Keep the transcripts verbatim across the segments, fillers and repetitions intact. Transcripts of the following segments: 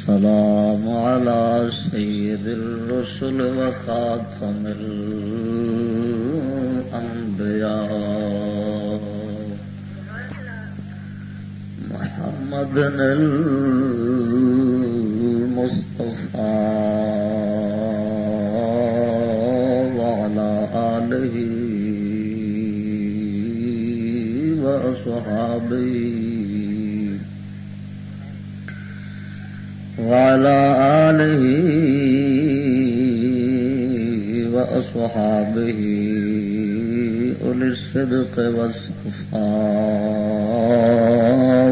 السلام على سيد الرسل وخاتم الأنبياء محمد المصطفى وعلى آله وأصحابه وعلى آله وأصحابه أولي الصدق والصفاء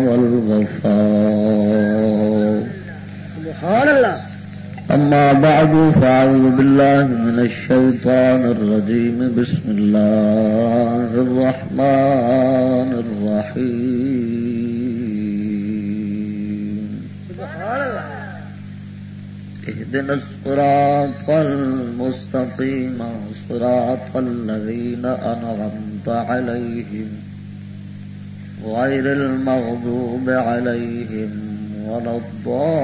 والوفاء. سبحان الله. أما بعد، فأعوذ بالله من الشيطان الرجيم. بسم الله الرحمن الرحيم. اهدنا الصراط المستقيم، صراط الذين أنعمت عليهم، غير المغضوب عليهم ولا الضالين.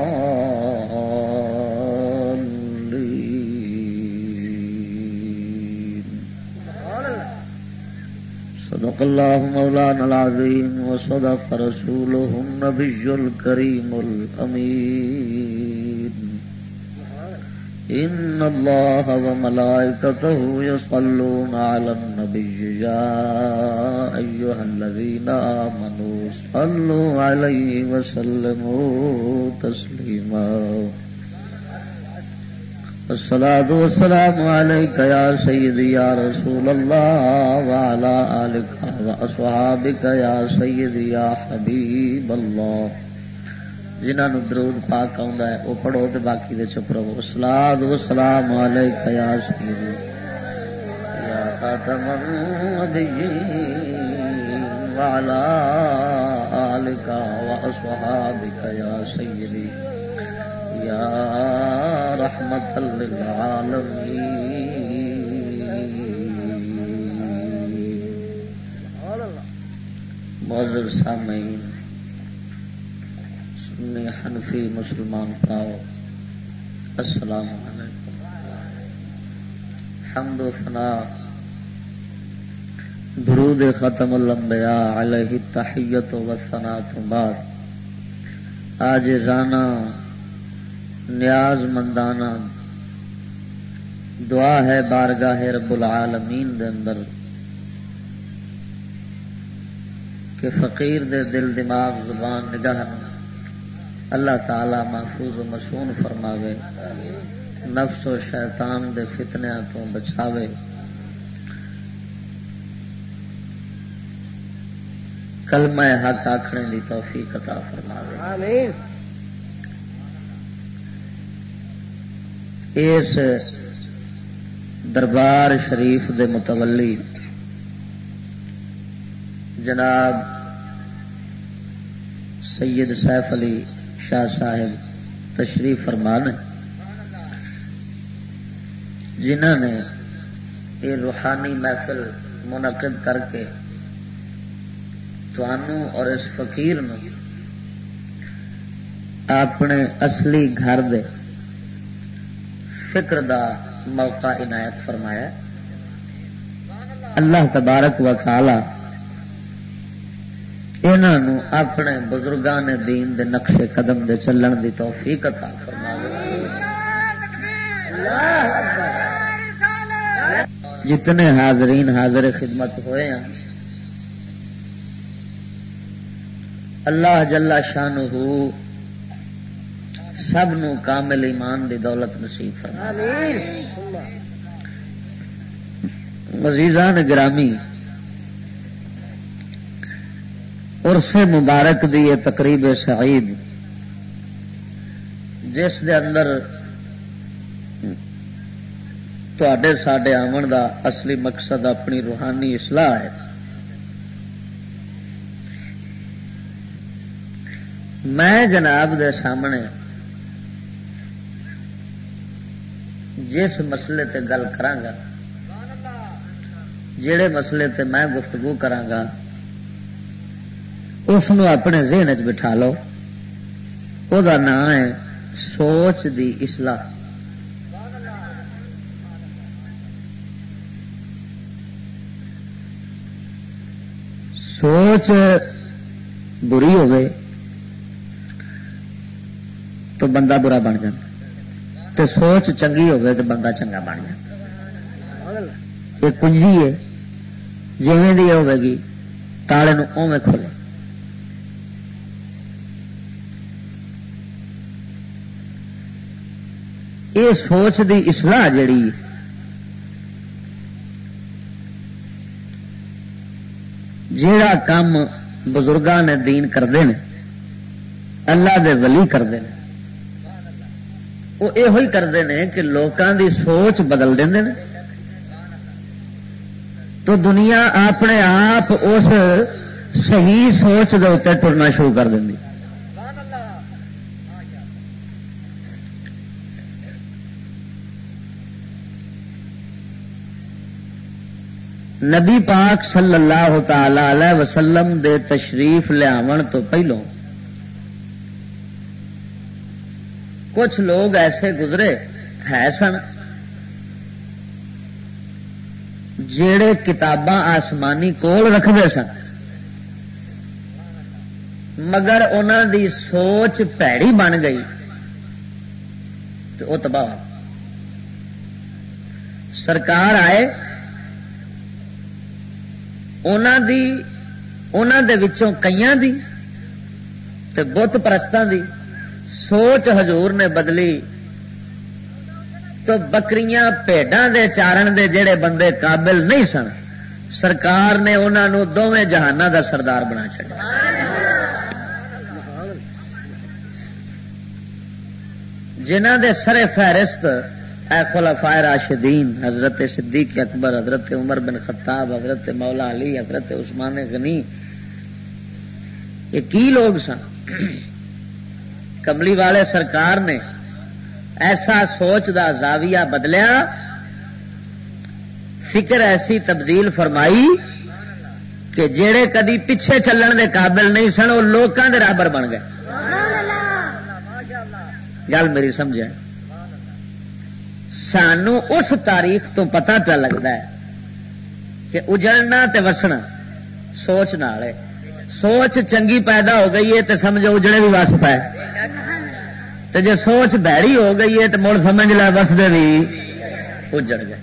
صدق الله مولانا العظيم وصدق رسوله النبي الكريم الأمين. إن الله وملائكته يصلون على النبي، يا أيها الذين آمنوا صلوا عليه وسلموا تسليما. الصلاة والسلام عليك يا سيدي يا رسول الله وعلى آلك وأصحابك يا سيدي يا حبيب الله. جنہاں نوں درود پاک آوندا ہے، او پڑھو تے باقی دے چپ رہو۔ الصلاۃ والسلام علیک یا سیدی، یا خاتم النبیین، وعلی آلک و اصحابک یا سیدی، یا رحمت للعالمین۔ معزز سامعین، سنی حنفی مسلمان پراؤ، السلام علیکم۔ حمد و ثنا، درود ختم الانبیاء علیہ التحیت و ثنا تو بعد، عاجزانہ، نیاز مندانہ دعا ہے بارگاہ رب العالمین دے اندر کہ فقیر دے دل، دماغ، زبان، نگاہ نوں اللہ تعالی محفوظ و مصون فرماوے، نفس و شیطان دے فتنیاں تو بچاوے، کلمہ حق آکھنے دی توفیق عطا فرماوے۔ آمین۔ اس دربار شریف دے متولی جناب سید سیف علی شاہ صاحب تشریف فرما نے، جنہاں نے یہ روحانی محفل منعقد کر کے تانوں اور اس فقیر نوں اپنے اصلی گھر دے فکر دا موقع عنایت فرمایا۔ اللہ تبارک و تعالی انہاں نوں اپنے بزرگان دین دے نقش قدم دے چلن دی توفیق عطا فرماوے۔ جتنے حاضرین حاضر خدمت ہوئے ہیں، اللہ جل شانہ سب نو کامل ایمان دی دولت نصیب فرمائے۔ عزیزان گرامی، عرس مبارک دی یہ تقریب سعید، جس دے اندر تہاڈے ساڈے آون دا اصلی مقصد اپنی روحانی اصلاح ہے۔ میں جناب دے سامنے جس مسئلے تے گل کراں گا، جڑے مسئلے تے میں گفتگو کراں گا، اس نو اپنے ذہن وچ بٹھا لو۔ او دا نام ہے سوچ دی اصلاح۔ سوچ بری ہوئے تو بندہ برا بن جائے، تے سوچ چنگی ہوئے تو بندہ چنگا بن جائے۔ یہ کنجی ہے، جویں دی ہوئے گی، تالے نو اوویں کھولے۔ یہ سوچ دی اصلاح جڑی، جیڑا کم بزرگاں نے دین کردے نے، اللہ دے ولی کردے نے، وہ یہ کردے نے کہ لوکاں دی سوچ بدل دیندے نے۔ تو دنیا اپنے آپ اس صحیح سوچ دے اتر ٹرنا شروع کر دیں۔ نبی پاک صلی اللہ تعالی علیہ وسلم دے تشریف لیاون تو پہلوں کچھ لوگ ایسے گزرے ہے سن، جڑے کتاباں آسمانی کول رکھدے سن، مگر انہاں دی سوچ پیڑی بن گئی تے او تباہ ہو۔ سرکار آئے، انہاں دی، انہاں دے وچوں کئیاں دی تے بت پرستاں دی سوچ حضور نے بدلی۔ تو بکریاں، بھیڈاں دے چارن دے جڑے بندے قابل نہیں سن، سرکار نے انہاں نوں دوویں جہاناں دا سردار بنا چھڈیا۔ جنہاں دے سر فہرست اے خلفائے راشدین، حضرت صدیق اکبر، حضرت عمر بن خطاب، حضرت مولا علی، حضرت عثمان غنی، یہ کی لوگ سن؟ کملی والے سرکار نے ایسا سوچ دا زاویہ بدلیا، فکر ایسی تبدیل فرمائی کہ جڑے کدی پیچھے چلن دے قابل نہیں سن، وہ لوکاں دے رابر بن گئے۔ گل میری سمجھے؟ سانو اس تاریخ تو پتہ پیا لگدا ہے کہ اجڑنا تے وسنا سوچ نال ہے۔ سوچ چنگی پیدا ہو گئی ہے تے سمجھو اجڑے بھی وس پائے، تے جے سوچ بھڑی ہو گئی ہے تے مڑ سمجھ لے وسدے بھی اجڑ گئے۔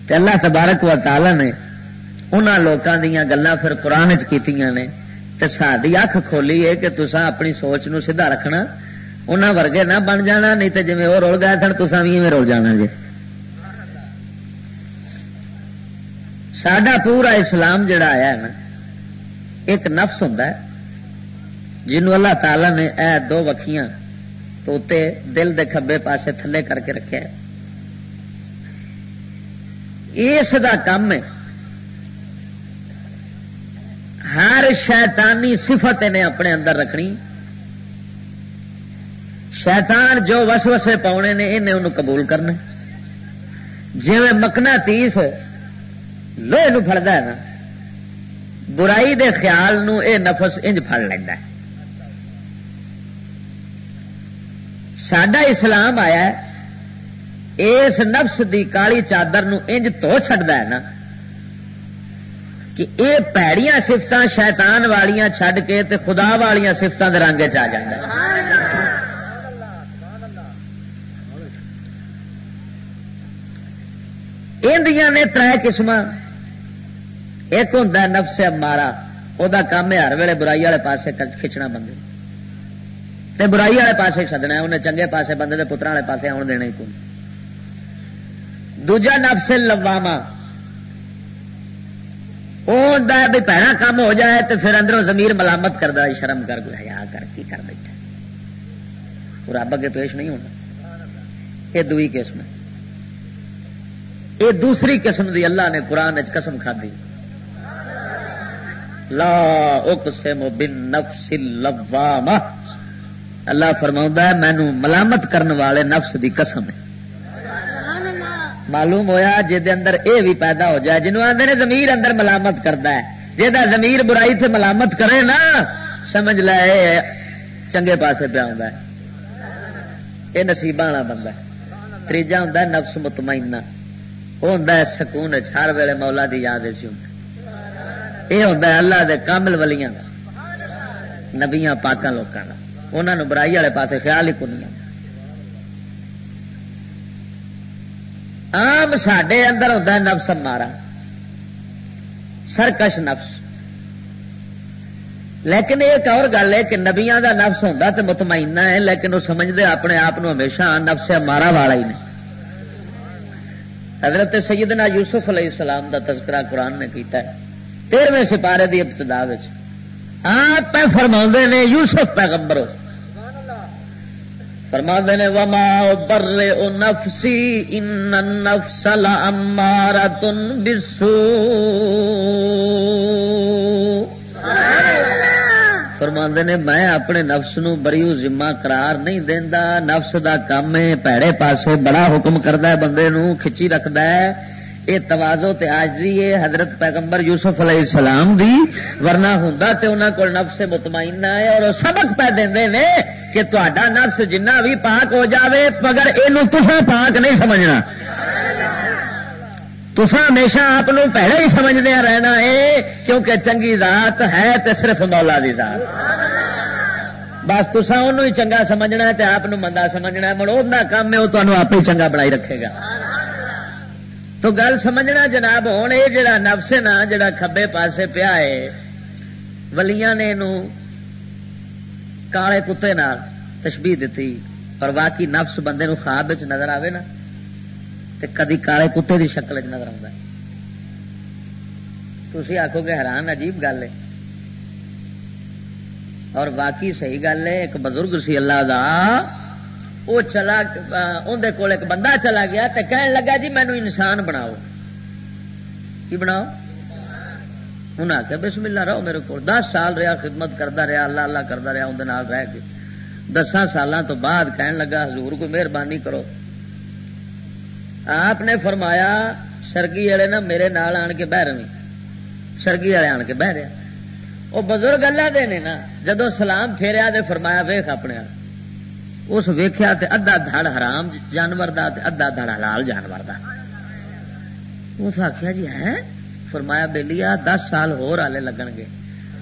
تے اللہ تبارک و تعالی نے انہاں لوکاں دیاں گلاں پھر قرآن وچ کیتیاں نے، تے ساڈی اکھ کھولی ہے کہ تساں اپنی سوچ نو سیدھا رکھنا، انہاں ورگے نہ بن جانا، نہیں تے جویں او رل گئے سن، تساں وی ایویں رل جانا جے۔ ساڈا پورا اسلام جڑا آیا ہے نا، ایک نفس ہوندا ہے، جنوں اللہ تعالی نے اے دو وکھیاں تو اتے دل دے کھبے پاسے تھلے کر کے رکھیا ہے۔ اس دا کم ہے، ہر شیطانی صفت نے اپنے اندر رکھنی۔ شیطان جو وسوسے پاؤنے نے، انہیں انہوں قبول کرنا۔ جویں مقناطیس لوہے نو پھڑدا ہے نا، برائی دے خیال نو اے نفس انج پھڑ لیندا ہے۔ ساڈا اسلام آیا ہے، اس نفس دی کالی چادر نو انج دھو چھڈدا ہے نا کہ اے پیڑیاں صفتاں شیطان والیاں چھڈ کے تے خدا والیاں صفتاں دے رنگ وچ آ جاندا ہے۔ ایندیاں نے ترے قسماں۔ ایک ہوندا ہے نفس امارہ، او دا کام ہے ہر ویلے برائی والے پاسے کچ-، کھچنا بندے تے برائی والے پاسے سدنا ہے، انہیں چنگے پاسے بندے دے پتراں والے پاسے آن دینا ہی کوئی۔ دوجا نفس لوامہ، او ہوندا ہے بھی پیڑا کام ہو جائے تے پھر اندروں ضمیر ملامت کردا ہے، شرم کر، کوئی حیا کر، کی کر بیٹھا، پورا رب اگے پیش نہیں ہونا۔ یہ دوئی قسم ہے۔ یہ دوسری قسم دی اللہ نے قرآن وچ قسم کھادی، لا اقسم بالنفس اللوامہ۔ اللہ فرماؤندا ہے، مینوں ملامت کرن والے نفس دی قسم ہے۔ معلوم ہویا جے دے اندر اے بھی پیدا ہو جائے، جنوں آندے نے ضمیر اندر ملامت کردا ہے، جے دا ضمیر برائی تے ملامت کرے نا، سمجھ لے اے چنگے پاسے پیا ہوندا ہے، یہ نصیباں والا بندہ ہے۔ تیجا ہوندا ہے نفس مطمئنہ، وہ ہوندا ہے سکون وچ، ہر ویلے مولا دی یاد وچ ہوندا ہے۔ یہ ہوندا ہے اللہ دے کامل ولیاں دا، نبیاں پاکاں لوکاں دا، انہاں نوں برائی والے پاسے خیال ہی کوئی نہیں آندا۔ عام ساڈے اندر ہوندا ہے نفس امارہ، سرکش نفس۔ لیکن ایک اور گل ہے کہ نبیاں دا نفس ہوندا تے مطمئنہ ہے، لیکن وہ سمجھدے اپنے آپ نو ہمیشہ نفس امارہ والا ہی نے۔ حضرت سیدنا یوسف علیہ السلام دا تذکرہ قرآن نے کیتا ہے، تیرہویں سپارے دی ابتدا وچ آپ پہ فرماندے نے، یوسف پیغمبر فرماندے نے، "وما ابرئ نفسی ان النفس لامارۃ بالسوء۔" فرماندے نے، "میں اپنے نفس نو بریو ذمہ قرار نہیں دیندا، نفس دا کم ہے، پیڑے پاسے بڑا حکم کردا ہے، بندے نو کھچی رکھدا ہے۔" یہ تواضع تے عاجزی ہے۔ حضرت پیغمبر یوسف علیہ السلام دی، ورنہ ہوندا تے انہاں کول نفس مطمئنہ ہے، اور وہ سبق پہ دیندے نے کہ تہاڈا نفس جنہ بھی پاک ہو جاوے، مگر اینو تساں پاک نہیں سمجھنا۔ تساں ہمیشہ آپ نو پیڑا ہی سمجھدے رہنا ہے، کیونکہ چنگی ذات ہے تے صرف مولا دی ذات۔ بس تساں اونوں ہی چنگا سمجھنا ہے تے آپ نو مندا سمجھنا ہے۔ مڑ اوندا کم ہے، وہ تانوں آپ ہی چنگا بنائی رکھے گا۔ تو گل سمجھنا جناب، ہن اے جڑا نفس ہے نا، جڑا کھبے پاسے پیا ہے، ولیاں نے اینو کالے کتے نال تشبیہ دتی، پر واقعی نفس بندے نو خواب وچ نظر آوے نا، تے کدی کالے کتے دی شکل وچ نظر آوندا ہے۔ تسی آکھو گے حیران، عجیب گل ہے، اور واقعی صحیح گل ہے۔ ایک بزرگ سی اللہ دا، وہ چلا، اون دے کول ایک بندہ چلا گیا تے کہن لگا، "جی مینوں انسان بناؤ۔" کی بناؤ؟ انہاں آکھیا، "بسم اللہ، رہو میرے کول۔" دس سال رہیا، خدمت کردا رہیا، اللہ اللہ کردا رہیا، اون دے نال رہ کے دساں سالاں تو بعد کہن لگا، "حضور، کوئی مہربانی کرو۔" آپ نے فرمایا، "سرگی والے نا میرے نال آن کے بہ رہے۔" سرگی والے آن کے بہ رہے۔ وہ بزرگ اللہ دے نے نا، جدوں سلام پھیریا تے فرمایا، "ویکھ اپنے آپ۔" اس ویکھیا تے ادھا دھڑ حرام جانور دا تے ادھا دھڑ حلال جانور دا۔ اس آکھیا، "جی ہے؟" فرمایا، "بیلیا، دس سال ہور آلے لگن گے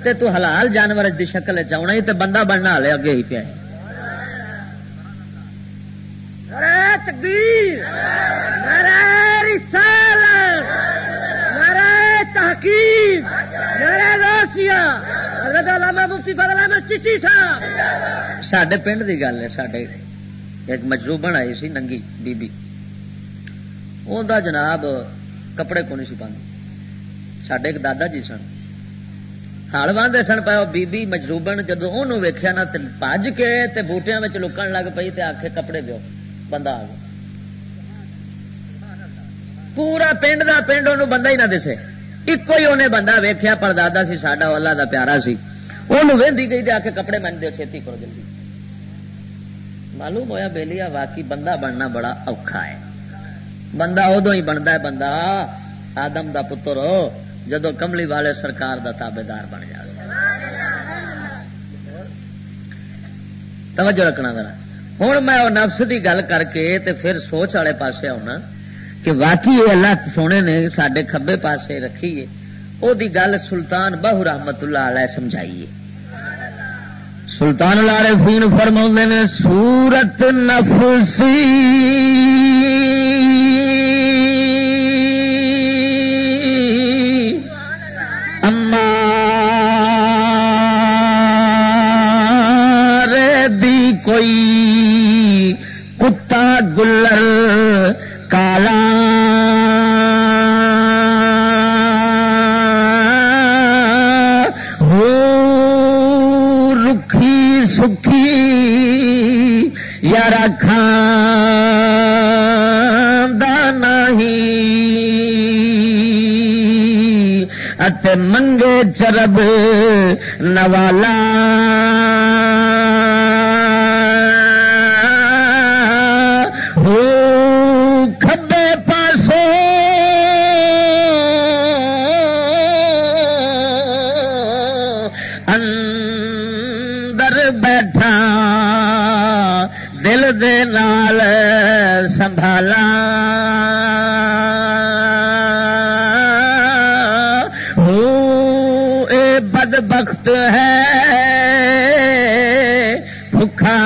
تے تو حلال جانور دی شکل وچ آونا ہی تے بندہ بننا آلے اگے ہی پیا ہے۔" نعرہ تکبیر، نعرہ رسالت، نعرہ تحقیق، نعرہ غوثیہ، حضرت علامہ مفتی فضل احمد چشتی صاحب۔ ساڈے پنڈ دی گل ہے، ساڈے ایک مجروبن آئی سی ننگی بی بی، اوندا جناب کپڑے کونی سی پاندی، ساڈے ایک دادا جی سن، ہل واہندے سن پئے، او بی بی مجروبن جدوں اونوں ویکھیا نا تے بھج کے تے بوٹیاں وچ لکن لگ پئی تے آکھے، "کپڑے دیو۔" بندہ آ گیا۔ پورا پنڈ دا پنڈ اونوں بندہ ہی نہ دسے، اکو ہی اونے بندہ ویکھیا، پردادا سی ساڈا، او اللہ دا پیارا سی۔ اونوں ویندی گئی تے آکھے، "کپڑے مینوں دیو، چھیتی کرو جلدی۔" معلوم ہویا بیلیا، واقعی بندہ بننا بڑا اوکھا ہے۔ بندہ ادو ہی بندا ہے، بندہ آدم دا پتر ہو، جدو کملی والے سرکار دا تابعدار بن جائے۔ توجہ رکھنا ذرا۔ ہن میں او نفس دی گل کر کے تے پھر سوچ والے پاسے آنا کہ واقعی یہ اللہ سونے نے ساڈے کھبے پاسے رکھی ہے۔ او دی گل سلطان باہو رحمت اللہ علیہ سمجھائی ہے۔ سلطان العارفین فرماؤندے نے، "صورت نفسی امارے دی کوئی کتا گلر کالا ہو، رکھی سکھی یا رکھاں دا نہیں، اتے منگے چرب نوالا ہو، کھبے پاسوں اندر بیٹھا۔" تھا دل دے نال سنبھالا۔ ہو اے بدبخت ہے بھکھا،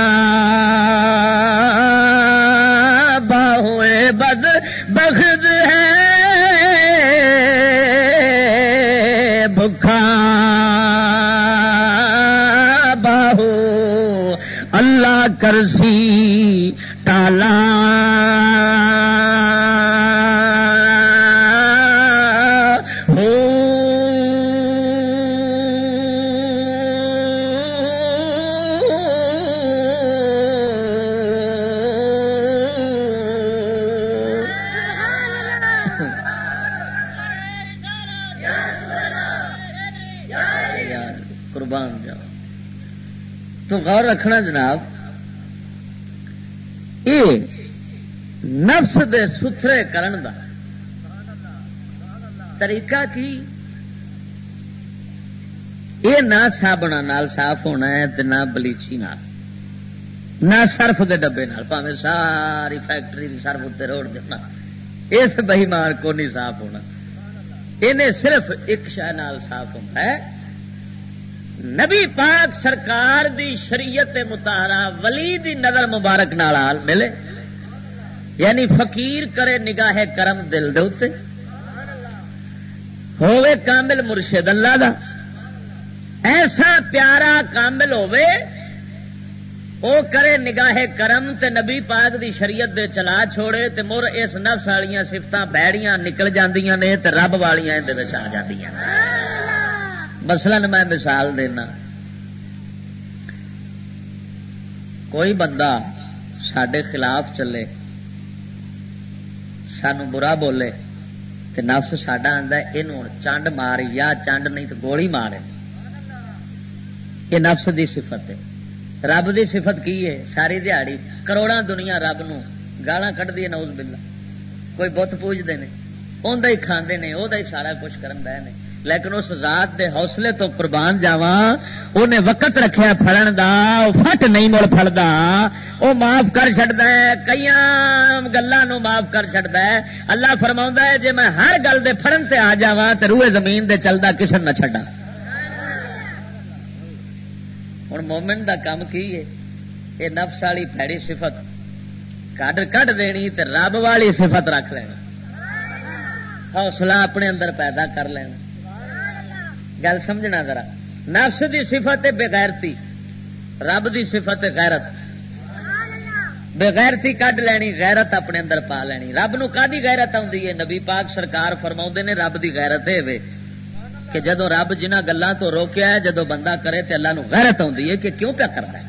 باہو اے بدبخت ہے بھکھا، باہو اللہ کرسی ٹالا۔ ہو۔ قربان جاؤ۔ تو غور رکھنا جناب، اے نفس دے ستھرے کرن دا طریقہ کی؟ اے نہ صابناں نال صاف ہونا ہے تے نہ بلیچی نال، نہ سرف دے ڈبے نال، پاویں ساری فیکٹری دی سرف اتنے روڑ دینا، اس بے ایمان کو نہیں صاف ہونا۔ انہیں صرف ایک شے نال صاف ہونا ہے، نبی پاک سرکار دی شریعت مطہرہ ولی دی نظر مبارک نال آل ملے، یعنی فقیر کرے نگاہ کرم دل دے اُتے، ہووے کامل مرشد اللہ دا، ایسا پیارا کامل ہووے، او کرے نگاہ کرم تے نبی پاک دی شریعت دے چلا چھوڑے تے مر اس نفس والیاں صفتاں بھڑیاں نکل جاندیاں نے تے رب والیاں اندے وچ آ جاندیاں۔ مثلاً میں مثال دینا، کوئی بندہ ساڈے خلاف چلے، سانو برا بولے، تے نفس ساڈا آندا ہے، "اینوں ہن چنڈ مار، یا چنڈ نہیں تے گولی مار۔" یہ نفس دی صفت ہے۔ رب دی صفت کی ہے؟ ساری دیہاڑی کروڑاں دنیا رب نو گالاں کڈدی ہے، نعوذ باللہ۔ کوئی بت پوجدے نے، اوندا ہی کھاندے نے، اودا ہی سارا کچھ کرن دے نے، لیکن اس ذات دے حوصلے تو قربان جاواں، اونے وقت رکھیا پھڑن دا، او فٹ نہیں مڑ پھڑدا، او معاف کر چھڈدا ہے، کئیاں گلاں نو معاف کر چھڈدا ہے۔ اللہ فرماوندا ہے، "جے میں ہر گل دے پھڑن تے آ جاواں تے روئے زمین دے چلدا کسے نہ چھڈاں۔" ہن مومن دا کم کی ہے؟ اے نفس والی بھڑی صفت کڈ کڈ دینی تے رب والی صفت رکھ لینی، حوصلہ اپنے اندر پیدا کر لینا۔ گل سمجھنا ذرا، نفس دی صفت ہے بغیرتی، رب دی صفت ہے غیرت۔ بغیرتی کڈ لینی، غیرت اپنے اندر پا لینی۔ رب نو کادی غیرت آوندی ہے؟ نبی پاک سرکار فرماوندے نے، رب دی غیرت اے وے کہ جدوں رب جنہاں گلاں تو روکیا ہے، جدوں بندہ کرے تے اللہ نو غیرت آوندی ہے کہ کیوں پیا کردا ہے؟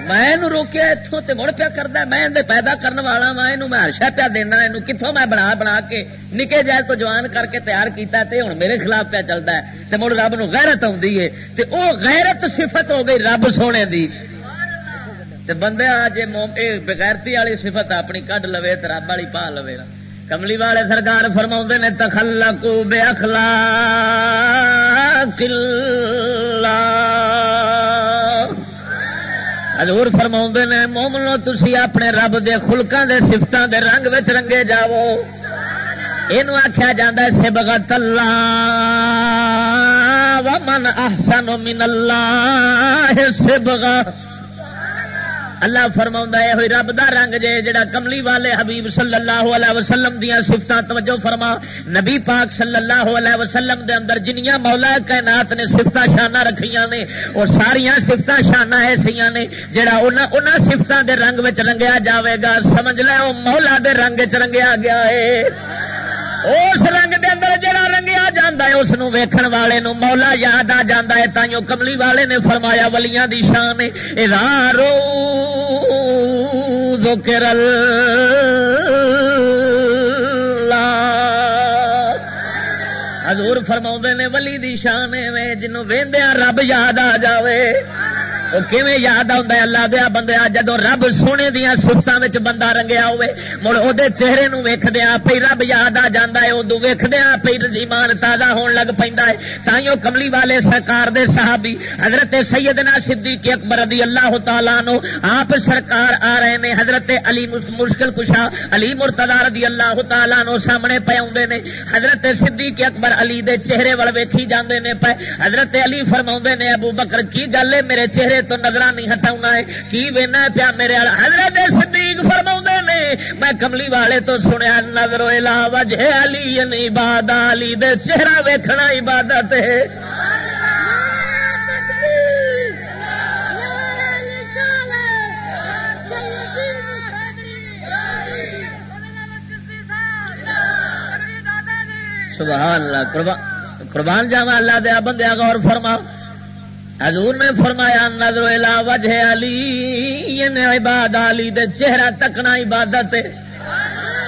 میں اینوں روکیا اتھوں تے مڑ پیا کردا ہے، میں ایندے پیدا کرن والا واں، اینوں میں ہر شے پیا دینا، اینوں کتھوں میں بنا بنا کے نکے جائے تو جوان کر کے تیار کیتا تے ہن میرے خلاف پیا چلدا ہے، تے مڑ رب نو غیرت آوندی ہے۔ تے او غیرت صفت ہو گئی رب سونے دی۔ تے بندے آ جے موم-، اے بغیرتی والی صفت اپنی کڈ لوے تے رب والی پا لوے نا۔ کملی والے سرکار فرماوندے نے، "تخلقوا باخلاق اللہ۔" حضور فرماوندے نے، "مومنو، تسی اپنے رب دے خلقاں دے، صفتاں دے رنگ وچ رنگے جاؤ۔" اینو آکھیا جاندا ہے صبغت اللہ، "ومن احسن من اللہ صبغہ۔" اللہ فرماوندا ہے، "ہوئی رب دا رنگ جے، جڑا کملی والے حبیب صلی اللہ علیہ وسلم دیاں صفتاں۔" توجہ فرما، نبی پاک صلی اللہ علیہ وسلم دے اندر جنیاں مولا کائنات نے صفتاں شاناں رکھیاں نے، او ساریاں صفتاں شاناں ایسیاں نے، جڑا انہاں، انہاں صفتاں دے رنگ وچ رنگیا جاوے گا، سمجھ لے او مولا دے رنگ وچ رنگیا گیا ہے۔ اس رنگ دے اندر جڑا رنگیا جاندا ہے، اس نو ویکھن والے نو مولا یاد آ جاندا ہے۔ تائیوں کملی والے نے فرمایا، ولیاں دی شان ہے، "اذا رو ذکر اللہ۔" حضور فرماوندے نے، ولی دی شان ایویں جنوں ویندیاں رب یاد آ جاوے۔ وہ کیویں یاد آوندا ہے؟ اللہ دیا بندیا، جدوں رب سونے دیاں صفتاں وچ بندہ رنگیا ہوئے، مڑ او دے چہرے نوں ویکھدیاں پئی رب یاد آ جاندا ہے، اودوں ویکھدیاں پئی ایمان تازہ ہون لگ پیندا ہے۔ تائیوں کملی والے سرکار دے صحابی حضرت سیدنا صدیق اکبر رضی اللہ تعالیٰ عنہ آپ سرکار آ رہے نے۔ حضرت علی مس-، مشکل کشا علی مرتضی رضی اللہ تعالیٰ عنہ سامنے پے آوندے نے۔ حضرت صدیق اکبر علی دے چہرے ول ویکھی جاندے نے پے۔ حضرت علی فرماوندے نے، "ابو بکر، کی گل ہے؟ میرے چہرے تو نظراں نہیں ہٹاونا ہے، کی وینا ہے پیا میرے ول؟" حضرت صدیق فرماوندے نے، "میں کملی والے تو سنیا، نظر الا وجہ علی عباد، علی دے چہرہ ویکھنا عبادت ہے۔" سبحان اللہ۔ قربان، قربان جاواں اللہ دے بندے، غور فرما۔ حضور نے فرمایا، "نظر الی وجہ علی، یعنی عباد علی دے چہرہ تکنا عبادت ہے۔"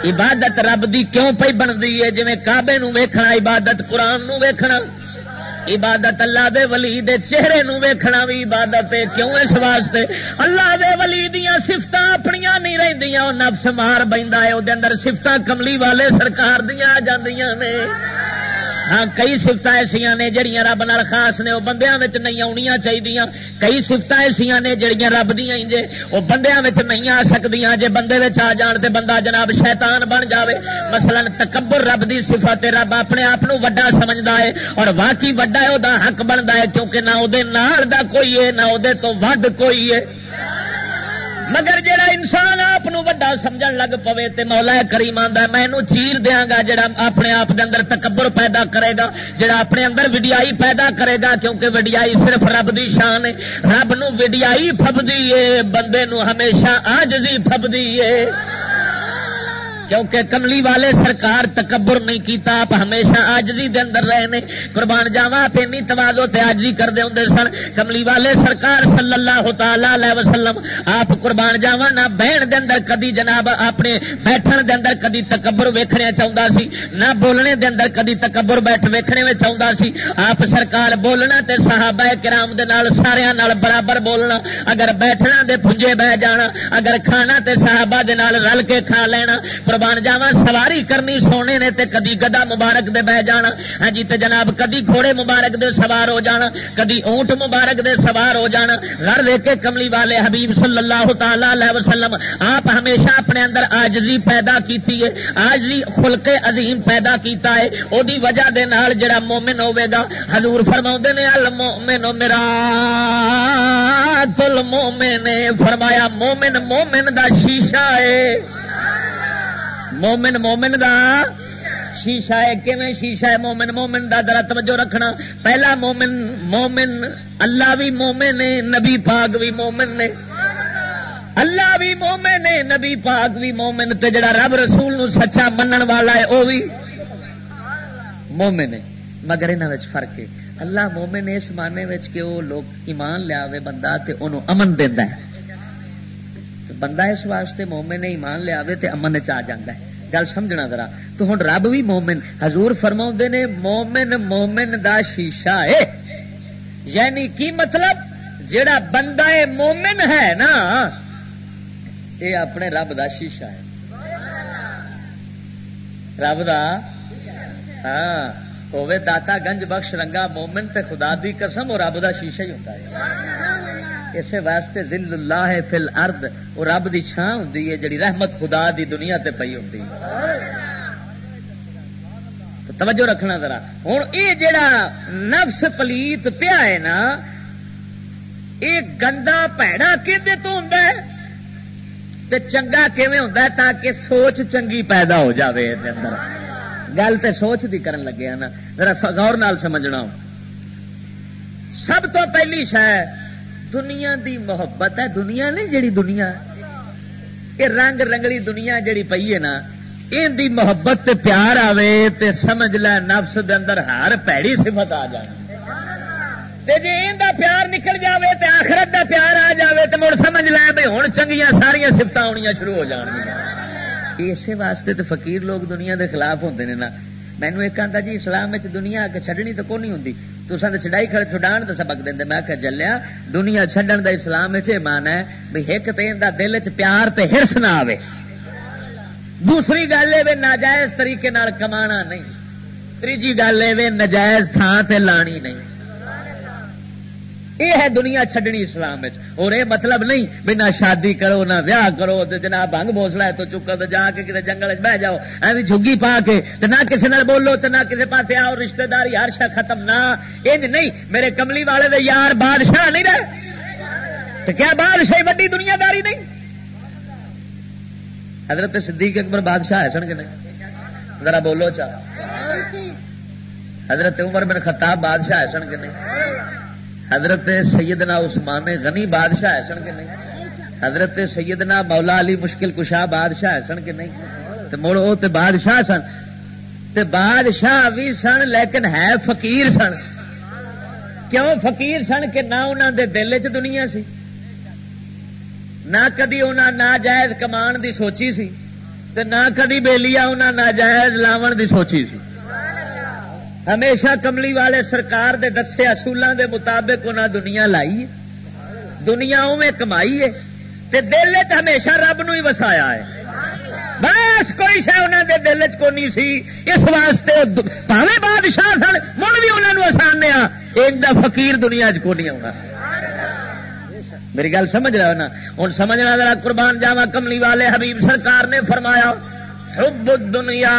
عبادت رب دی کیوں پئی بندی ہے؟ جویں کعبے نوں ویکھنا عبادت، قرآن نوں ویکھنا عبادت، اللہ دے ولی دے چہرے نوں ویکھنا وی عبادت ہے۔ کیوں؟ اس واسطے اللہ دے ولی دیاں صفتاں اپنیاں نہیں رہندیاں، او نفس مار بیندا ہے، او دے اندر صفتاں کملی والے سرکار دیاں آ جاندیاں نے۔ ہاں، کئی صفتاں ایسیاں نے جڑیاں رب نال خاص نے، او بندیاں وچ نہیں آونیاں چاہیدیاں۔ کئی صفتاں ایسیاں نے جڑیاں رب دیاں ہی جے، او بندیاں وچ نہیں آ سکدیاں۔ جے بندے وچ آ جان تے بندہ جناب شیطان بن جاوے۔ مثلاً تکبر رب دی صفت ہے، رب اپنے آپ نو وڈا سمجھدا ہے، اور واقعی وڈا ہے، او دا حق بندا ہے، کیونکہ نہ او دے نال دا کوئی ہے، نہ او دے تو ود کوئی ہے۔ مگر جڑا انسان آپ نو وڈا سمجھن لگ پوے تے مولا کریم آندا ہے، "میں اینو چیر دیاں گا۔" جڑا اپنے آپ دے اندر تکبر پیدا کرے گا، جڑا اپنے اندر وڈیائی پیدا کرے گا، کیونکہ وڈیائی صرف رب دی شان ہے۔ رب نو وڈیائی پھبدی ہے، بندے نو ہمیشہ عاجزی پھبدی ہے۔ کیونکہ کملی والے سرکار تکبر نہیں کیتا، آپ ہمیشہ عاجزی دے اندر رہے نے۔ قربان جاواں، آپ اینی تواضع تے عاجزی کردے ہوندے سن۔ کملی والے سرکار صلی اللہ تعالی علیہ وسلم، آپ قربان جاواں، نہ بہن دے اندر کدی جناب اپنے بیٹھن دے اندر کدی تکبر ویکھنے چاہندا سی، نہ بولنے دے اندر کدی تکبر بیٹھ ویکھنے وچ آوندا سی۔ آپ سرکار بولنا تے صحابہ کرام دے نال، ساریاں نال برابر بولنا۔ اگر بیٹھنا تے پھنجے بہ جانا، اگر کھانا تے صحابہ دے نال رل کے کھا لینا۔ قربان جاواں، سواری کرنی سونے نے تے کدی گدا مبارک دے بہ جانا، ہاں جی، تے جناب کدی گھوڑے مبارک دے سوار ہو جانا، کدی اونٹ مبارک دے سوار ہو جانا۔ گھر ویکھ کے کملی والے حبیب صلی اللہ تعالی علیہ وسلم آپ ہمیشہ اپنے اندر عاجزی پیدا کیتی ہے، عاجزی خلق عظیم پیدا کیتا ہے۔ او دی وجہ دے نال جڑا مومن ہوے گا، حضور فرماوندے نے، "المؤمن مرآۃ المؤمن"، فرمایا، "مومن مومن دا شیشہ ہے۔" مومن مومن دا شیشہ ہے۔ کیویں شیشہ ہے؟ مومن مومن دا، ذرا توجہ رکھنا۔ پہلا مومن، مومن، اللہ بھی مومن ہے، نبی پاک بھی مومن نے۔ اللہ بھی مومن ہے، نبی پاک بھی مومن، تے جڑا رب رسول نو سچا منن والا ہے، او بھی مومن ہے۔ مگر انہاں وچ فرق ہے۔ اللہ مومن ہے اس معنی وچ کہ او لوگ ایمان لیا ہوئے بندہ تے اونوں امن دیندا ہے۔ تے بندہ اس واسطے مومن ہے، ایمان لیا ہوئے تے امن وچ آ جاندا ہے۔ گل سمجھنا ذرا۔ تو ہن رب بھی مومن، حضور فرماوندے نے، "مومن مومن دا شیشہ ہے۔" یعنی کی مطلب؟ جڑا بندہ مومن ہے نا، اے اپنے رب دا شیشہ ہے۔ رب دا، ہاں، ہووے داتا گنج بخش رنگا مومن تے خدا دی قسم، او رب دا شیشہ ہی ہوندا ہے۔ اسے واسطے ذل اللہ فی الارض، او رب دی چھاں ہوندی ہے، جڑی رحمت خدا دی دنیا تے پئی ہوندی ہے۔ تو توجہ رکھنا ذرا۔ ہن اے جڑا نفس پلیت پیا ہے نا، اے گندا بھڑا کدے تو ہوندا ہے تے چنگا کیویں ہوندا ہے؟ تاکہ سوچ چنگی پیدا ہو جاوے اس دے اندر۔ گل تے سوچ دی کرن لگے ہاں نا، ذرا س-، غور نال سمجھنا ہو۔ سب تو پہلی شے دنیا دی محبت ہے۔ دنیا نہیں، جڑی دنیا، یہ رنگ رنگلی دنیا جڑی پئی ہے نا، ان دی محبت تے پیار آوے تے سمجھ لے نفس دے اندر ہر پیڑی صفت آ جائے۔ تے جے ان دا پیار نکل جاوے تے آخرت دا پیار آ جاوے تے مڑ سمجھ لے بھئی ہن چنگیاں ساریاں صفتاں آنیاں شروع ہو جان گیاں۔ اسی واسطے تے فقیر لوگ دنیا دے خلاف ہوندے نے نا۔ مینوں ایک آندا جی اسلام وچ دنیا اگے چھڈنی تے کوئی نہیں ہوندی۔ تساں تے چھڈائی کھڑے، چھڈان دا سبق دیندے۔ میں کہا، "جلیا، دنیا چھڈن دا اسلام وچ اے معنی ہے بھی ہک تے ایندا دل وچ پیار تے حرص نہ آوے۔ دوسری گل اے وے ناجائز طریقے نال کمانا نہیں۔ تیجی گل اے وے ناجائز تھاں تے لانی نہیں۔" اے ہے دنیا چھڈنی اسلام وچ۔ اور اے مطلب نہیں بھی نہ شادی کرو، نہ ویاہ کرو، تے جناب بھنگ بوسلا ہے تو چکو تے جا کے کتے جنگل وچ بہ جاؤ، ایویں جھگی پا کے، تے نہ کسے نال بولو، تے نہ کسے پاسے آؤ، رشتہ داری ہر شے ختم۔ نہ، انج نہیں۔ میرے کملی والے دے یار بادشاہ نہیں رہے؟ تے کیا بادشاہی وڈی دنیا داری نہیں؟ حضرت صدیق اکبر بادشاہ ہے سن کہ نہیں؟ ذرا بولو چا۔ حضرت عمر بن خطاب بادشاہ ہے سن کہ نہیں؟ حضرت سیدنا عثمان غنی بادشاہ ہے سن کہ نہیں؟ حضرت سیدنا مولا علی مشکل کشا بادشاہ ہے سن کہ نہیں؟ تے مڑ او تے بادشاہ سن، تے بادشاہ بھی سن لیکن ہے فقیر سن۔ کیوں فقیر سن؟ کہ نہ انہاں دے دل وچ دنیا سی، نہ کدی انہاں ناجائز کمان دی سوچی سی، تے نہ کدی بیلیا انہاں ناجائز لاون دی سوچی سی۔ ہمیشہ کملی والے سرکار دے دسے اصولاں دے مطابق انہاں دنیا لائی ہے، دنیا اوویں کمائی ہے، تے دل وچ ہمیشہ رب نو ہی وسایا ہے۔ بس کوئی شے انہاں دے دل وچ کونی سی، اس واسطے او د-، بھاویں بادشاہ سن، مڑ بھی انہاں نو آسان نے آ، انج دا فقیر دنیا وچ کونی آنا۔ میری گل سمجھ رہے ہو نا؟ ہن سمجھنا ذرا، قربان جاواں، کملی والے حبیب سرکار نے فرمایا، "حب الدنیا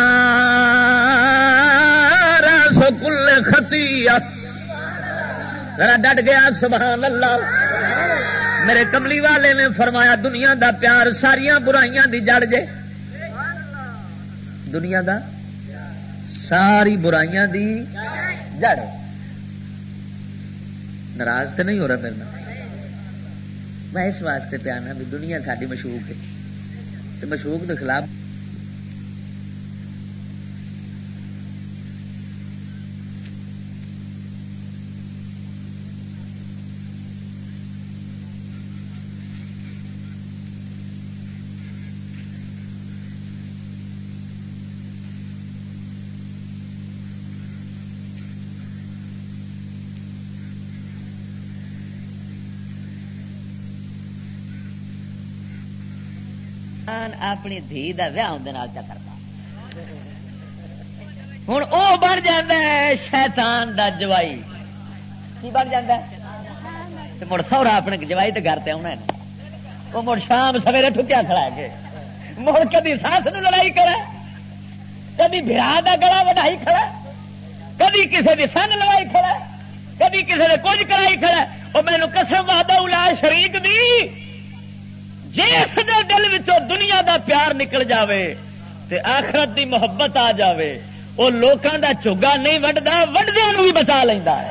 راس کل خطیہ۔" ذرا ڈٹ گیا، سبحان اللہ۔ میرے کملی والے نے فرمایا، دنیا دا پیار ساریاں برائیاں دی جڑ جے۔ دنیا دا ساری برائیاں دی جڑ۔ ناراض تے نہیں ہو رہا میرے نال؟ میں اس واسطے پیا نا بھی دنیا ساڈی مشوق ہے، تے مشوق دے خلاف۔ اپنی دھی دا ویاہ اندے نال چا کردا۔ ہن او بن جاندا ہے شیطان دا جوائی۔ کی بن جاندا ہے؟ تے مڑ سہرا اپنے جوائی دے گھر تے آونا ہے۔ او مڑ شام سویرے ٹھکیا کھڑا ہے کہ مڑ کدی ساس نو لڑائی کرے، کدی بھرا دا گلا وڈائی کھڑا، کدی کسے دی سن لڑائی کھڑا، کدی کسے دے کچھ کرائی کھڑا۔ او مینوں قسم وحدہ لا شریک دی، جس دے دل وچوں دنیا دا پیار نکل جاوے تے آخرت دی محبت آ جاوے، او لوکاں دا جھگا نہیں وڈدا، وڈدیاں نوں بھی بچا لیندا ہے۔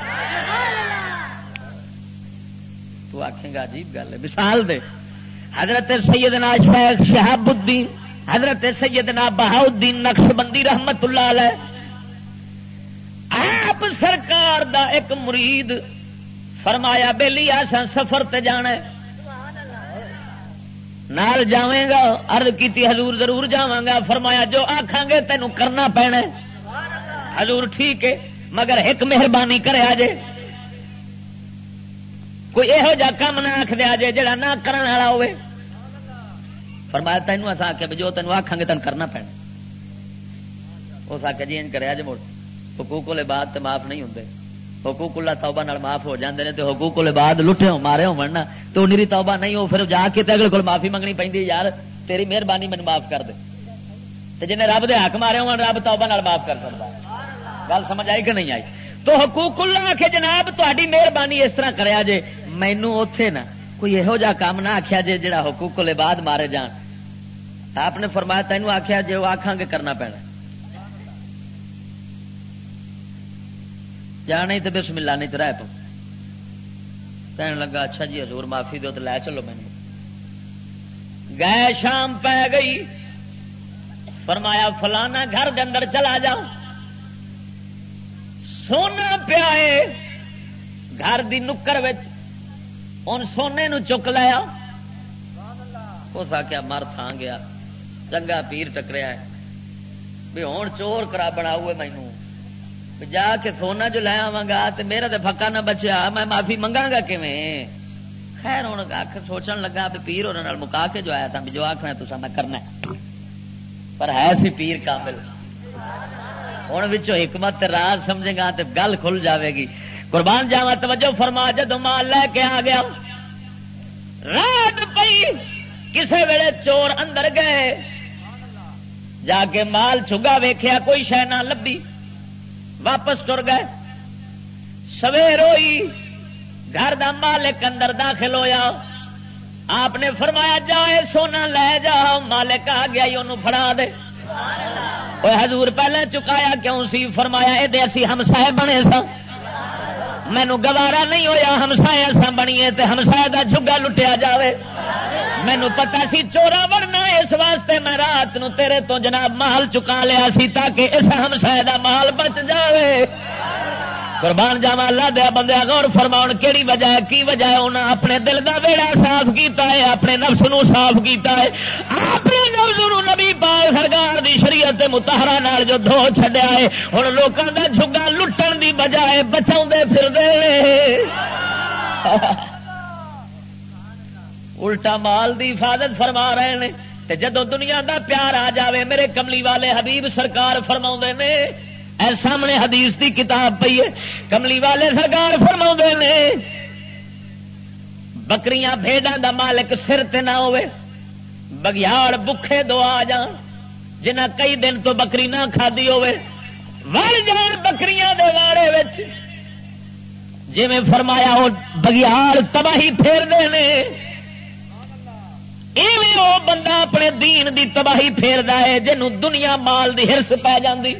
تو آکھیں گا عجیب گل ہے۔ مثال دے، حضرت سیدنا شیخ شہاب الدین، حضرت سیدنا بہاؤ الدین نقشبندی رحمت اللہ علیہ، آپ سرکار دا ایک مرید، فرمایا، "بیلی، اساں سفر تے جانا ہے، نال جاویں گا؟" عرض کیتی، "حضور، ضرور جاواں گا۔" فرمایا، "جو آکھاں گے تینوں کرنا پینا ہے۔" حضور، "ٹھیک ہے، مگر ایک مہربانی کریا جے، کوئی یہو جا کام نہ آکھ دیا جے جڑا نہ کرن والا ہوئے۔" فرمایا، "تینوں اساں آکھیا بھی جو تینوں آکھاں گے تینوں کرنا پینا۔" اس آکھیا، "جی انج کریا جے مڑ، حقوق العباد تے معاف نہیں ہوندے، حقوق اللہ توبہ نال معاف ہو جاندے نے، تے حقوق العباد لٹے ہو مارے ہون نا، تے او نری توبہ نہیں، او پھر جا کے تے اگلے کول معافی منگنی پیندی ہے، یار تیری مہربانی مینوں معاف کر دے۔" تے جنہیں رب دے حق مارے ہون، رب توبہ نال معاف کر سکدا ہے۔ گل سمجھ آئی کہ نہیں آئی؟ تو حقوق اللہ آکھے، "جناب تہاڈی مہربانی، اس طرح کریا جے، مینوں اوتھے نا کوئی یہو جا کام نہ آکھیا جے جڑا حقوق العباد مارے جان۔" آپ نے فرمایا، "تینوں آکھیا جے، او آکھاں گے کرنا پینا، جا نہیں تے بسم اللہ، نہیں تے رہ پو۔" کہن لگا، "اچھا جی حضور، معافی دو تے لے چلو مینوں۔" گئے، شام پی گئی، فرمایا، "فلانا گھر دے اندر چلا جا، سونا پیا ہے گھر دی نکر وچ، ان سونے نو چک لیا۔" اس آکھیا، "مر تھاں گیا، چنگا پیر ٹکریا ہے، بھی ہن چور کرا بناؤ مینوں۔" جا کے سونا جو لے آواں گا تے میرا تے پھکا نہ بچیا، میں معافی منگاں گا کیویں؟ خیر، ہن اکھ سوچن لگا بھی پیر ہوراں نال مکا کے جو آیا تھا، بھی جو آکھنا تساں میں کرنا ہے۔ پر ہے سی پیر کامل۔ ہن وچوں حکمت تے راز سمجھے گا تے گل کھل جاوے گی۔ قربان جاواں، توجہ فرما، جدوں مال لے کے آ گیا، رات پئی، کسے ویلے چور اندر گئے، جا کے مال چھگا ویکھیا، کوئی شے نہ لبھی، واپس ٹر گئے۔ سویر ہوئی، گھر دا مالک اندر داخل ہویا، آپ نے فرمایا، "جا، اے سونا لے جا۔" مالک آ گیا، "اونوں فڑا دے۔" اوے حضور، پہلے چکایا کیوں سی؟ فرمایا، "اے دے اسی ہمسائے بنے ساں، مینوں گوارا نہیں ہویا ہمسائے اساں بنیے تے ہمسائے دا جھگا لٹیا جاوے۔ مینوں پتہ سی چورا بننا، اس واسطے میں رات نو تیرے تو جناب مال چکا لیا سی تاکہ اس ہمسائے دا مال بچ جاوے۔" قربان جاواں، اللہ دے بندے، غور فرماؤ، کیڑی وجہ ہے، کی وجہ ہے؟ انہاں اپنے دل دا ویڑا صاف کیتا ہے، اپنے نفس نو صاف کیتا ہے، اپنے نفس نو نبی پاک سرکار دی شریعت مطہرہ نال جو دھو چھڈیا ہے، ہن لوکاں دا جھگا لٹن دی بجائے بچاوندے پھردے نے۔ الٹا مال دی حفاظت فرما رہے نے۔ تے جدوں دنیا دا پیار آ جاوے، میرے کملی والے حبیب سرکار فرماوندے نے، اے سامنے حدیث دی کتاب پئی ہے، کملی والے سرکار فرماوندے نے، بکریاں بھیڈاں دا مالک سر تے نہ ہوئے، بگیاڑ بکھے دو آ جان، جنہاں کئی دن تو بکری نہ کھادی ہوئے، وڑ جان بکریاں دے واڑے وچ، جویں فرمایا، او بگیاڑ تباہی پھیر دے نے۔ ایویں او بندہ اپنے دین دی تباہی پھیردا ہے، جنوں دنیا مال دی ہرس پے جاندی۔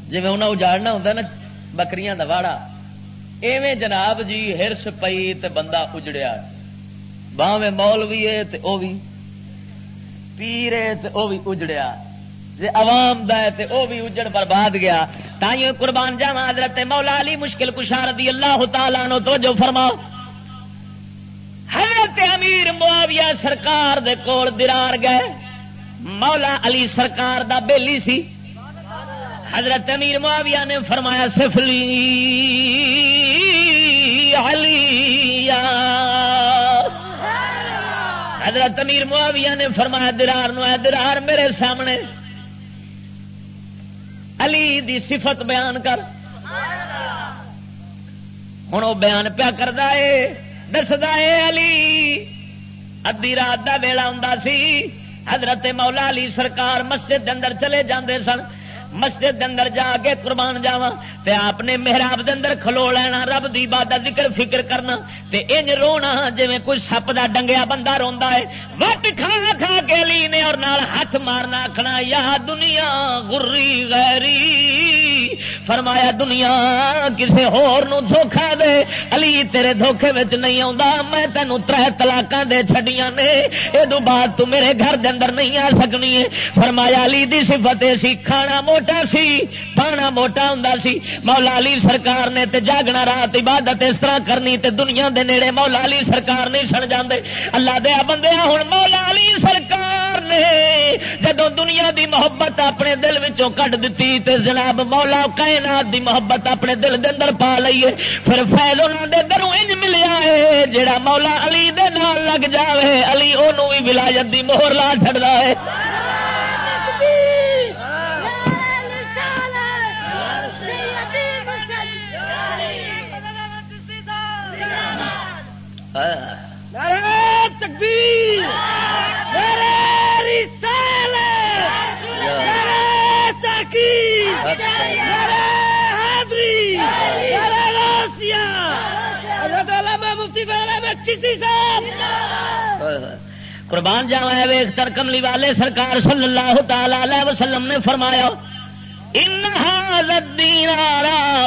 جویں انہاں اجاڑنا ہوندا نا بکریاں دا واڑا، ایویں جناب جی ہرس پئی تے بندہ اجڑیا۔ باویں مولوی ہے تے او وی، پیر ہے تے او وی اجڑیا، جے عوام دا ہے تے او وی اجڑ برباد گیا۔ تائیوں قربان جاواں، حضرت مولا علی مشکل کشا رضی اللہ تعالیٰ عنہ، توجہ فرماؤ، حضرت امیر معاویہ سرکار دے کول درار گئے، مولا علی سرکار دا بیلی سی۔ حضرت امیر معاویہ نے فرمایا، "سفلی علی۔" حضرت امیر معاویہ نے فرمایا درار نو، "اے درار، میرے سامنے علی دی صفت بیان کر۔" ہن او بیان پیا کردا اے، دسدا اے، علی، ادھی رات دا ویلا ہوندا سی، حضرت مولا علی سرکار مسجد دے اندر چلے جاندے سن۔ مسجد دے اندر جا کے قربان جاواں تے آپ نے محراب دے اندر کھلو لینا، رب دی عبادت، ذکر فکر کرنا تے انج رونا جویں کوئی سپ دا ڈنگیا بندہ روندا ہے۔ وٹ کھا کھا کے علی نے اور نال ہاتھ مارنا، آکھنا، "یا دنیا غری غیری۔" فرمایا، "دنیا کسے ہور نو دھوکا دے، علی تیرے دھوکے وچ نہیں آوندا، میں تینوں ترے طلاقاں دے چھڈیاں نے، اے دو بعد تو میرے گھر دے اندر نہیں آ سکنی ہے۔" فرمایا، علی دی صفت اے سی، کھانا موٹا سی، پانا موٹا ہوندا سی۔ مولا علی سرکار نے تے جاگنا، رات عبادت اس طرح کرنی تے دنیا دے نیڑے مولا علی سرکار نہیں سن جاندے۔ اللہ دے بندیاں، ہن مولا علی سرکار نے جدوں دنیا دی محبت اپنے دل وچوں کڈ دتی تے جناب مولا کائنات دی محبت اپنے دل دے اندر پا لئیے، پھر فیض انہاں دے دروں انج ملیا ہے، جڑا مولا علی دے نال لگ جاوے، علی اونوں وی ولایت دی مہر لا چھڈدا ہے۔ نعرہ تکبیر، نعرہ رسالت، نعرہ تحقیق، نعرہ حیدری، نعرہ غوثیہ۔ حضرت علامہ مفتی فضل احمد چشتی صاحب۔ قربان جاواں، اے ویکھ تر کملی والے سرکار صلی اللہ تعالی علیہ وسلم نے فرمایا، "انہا الدینار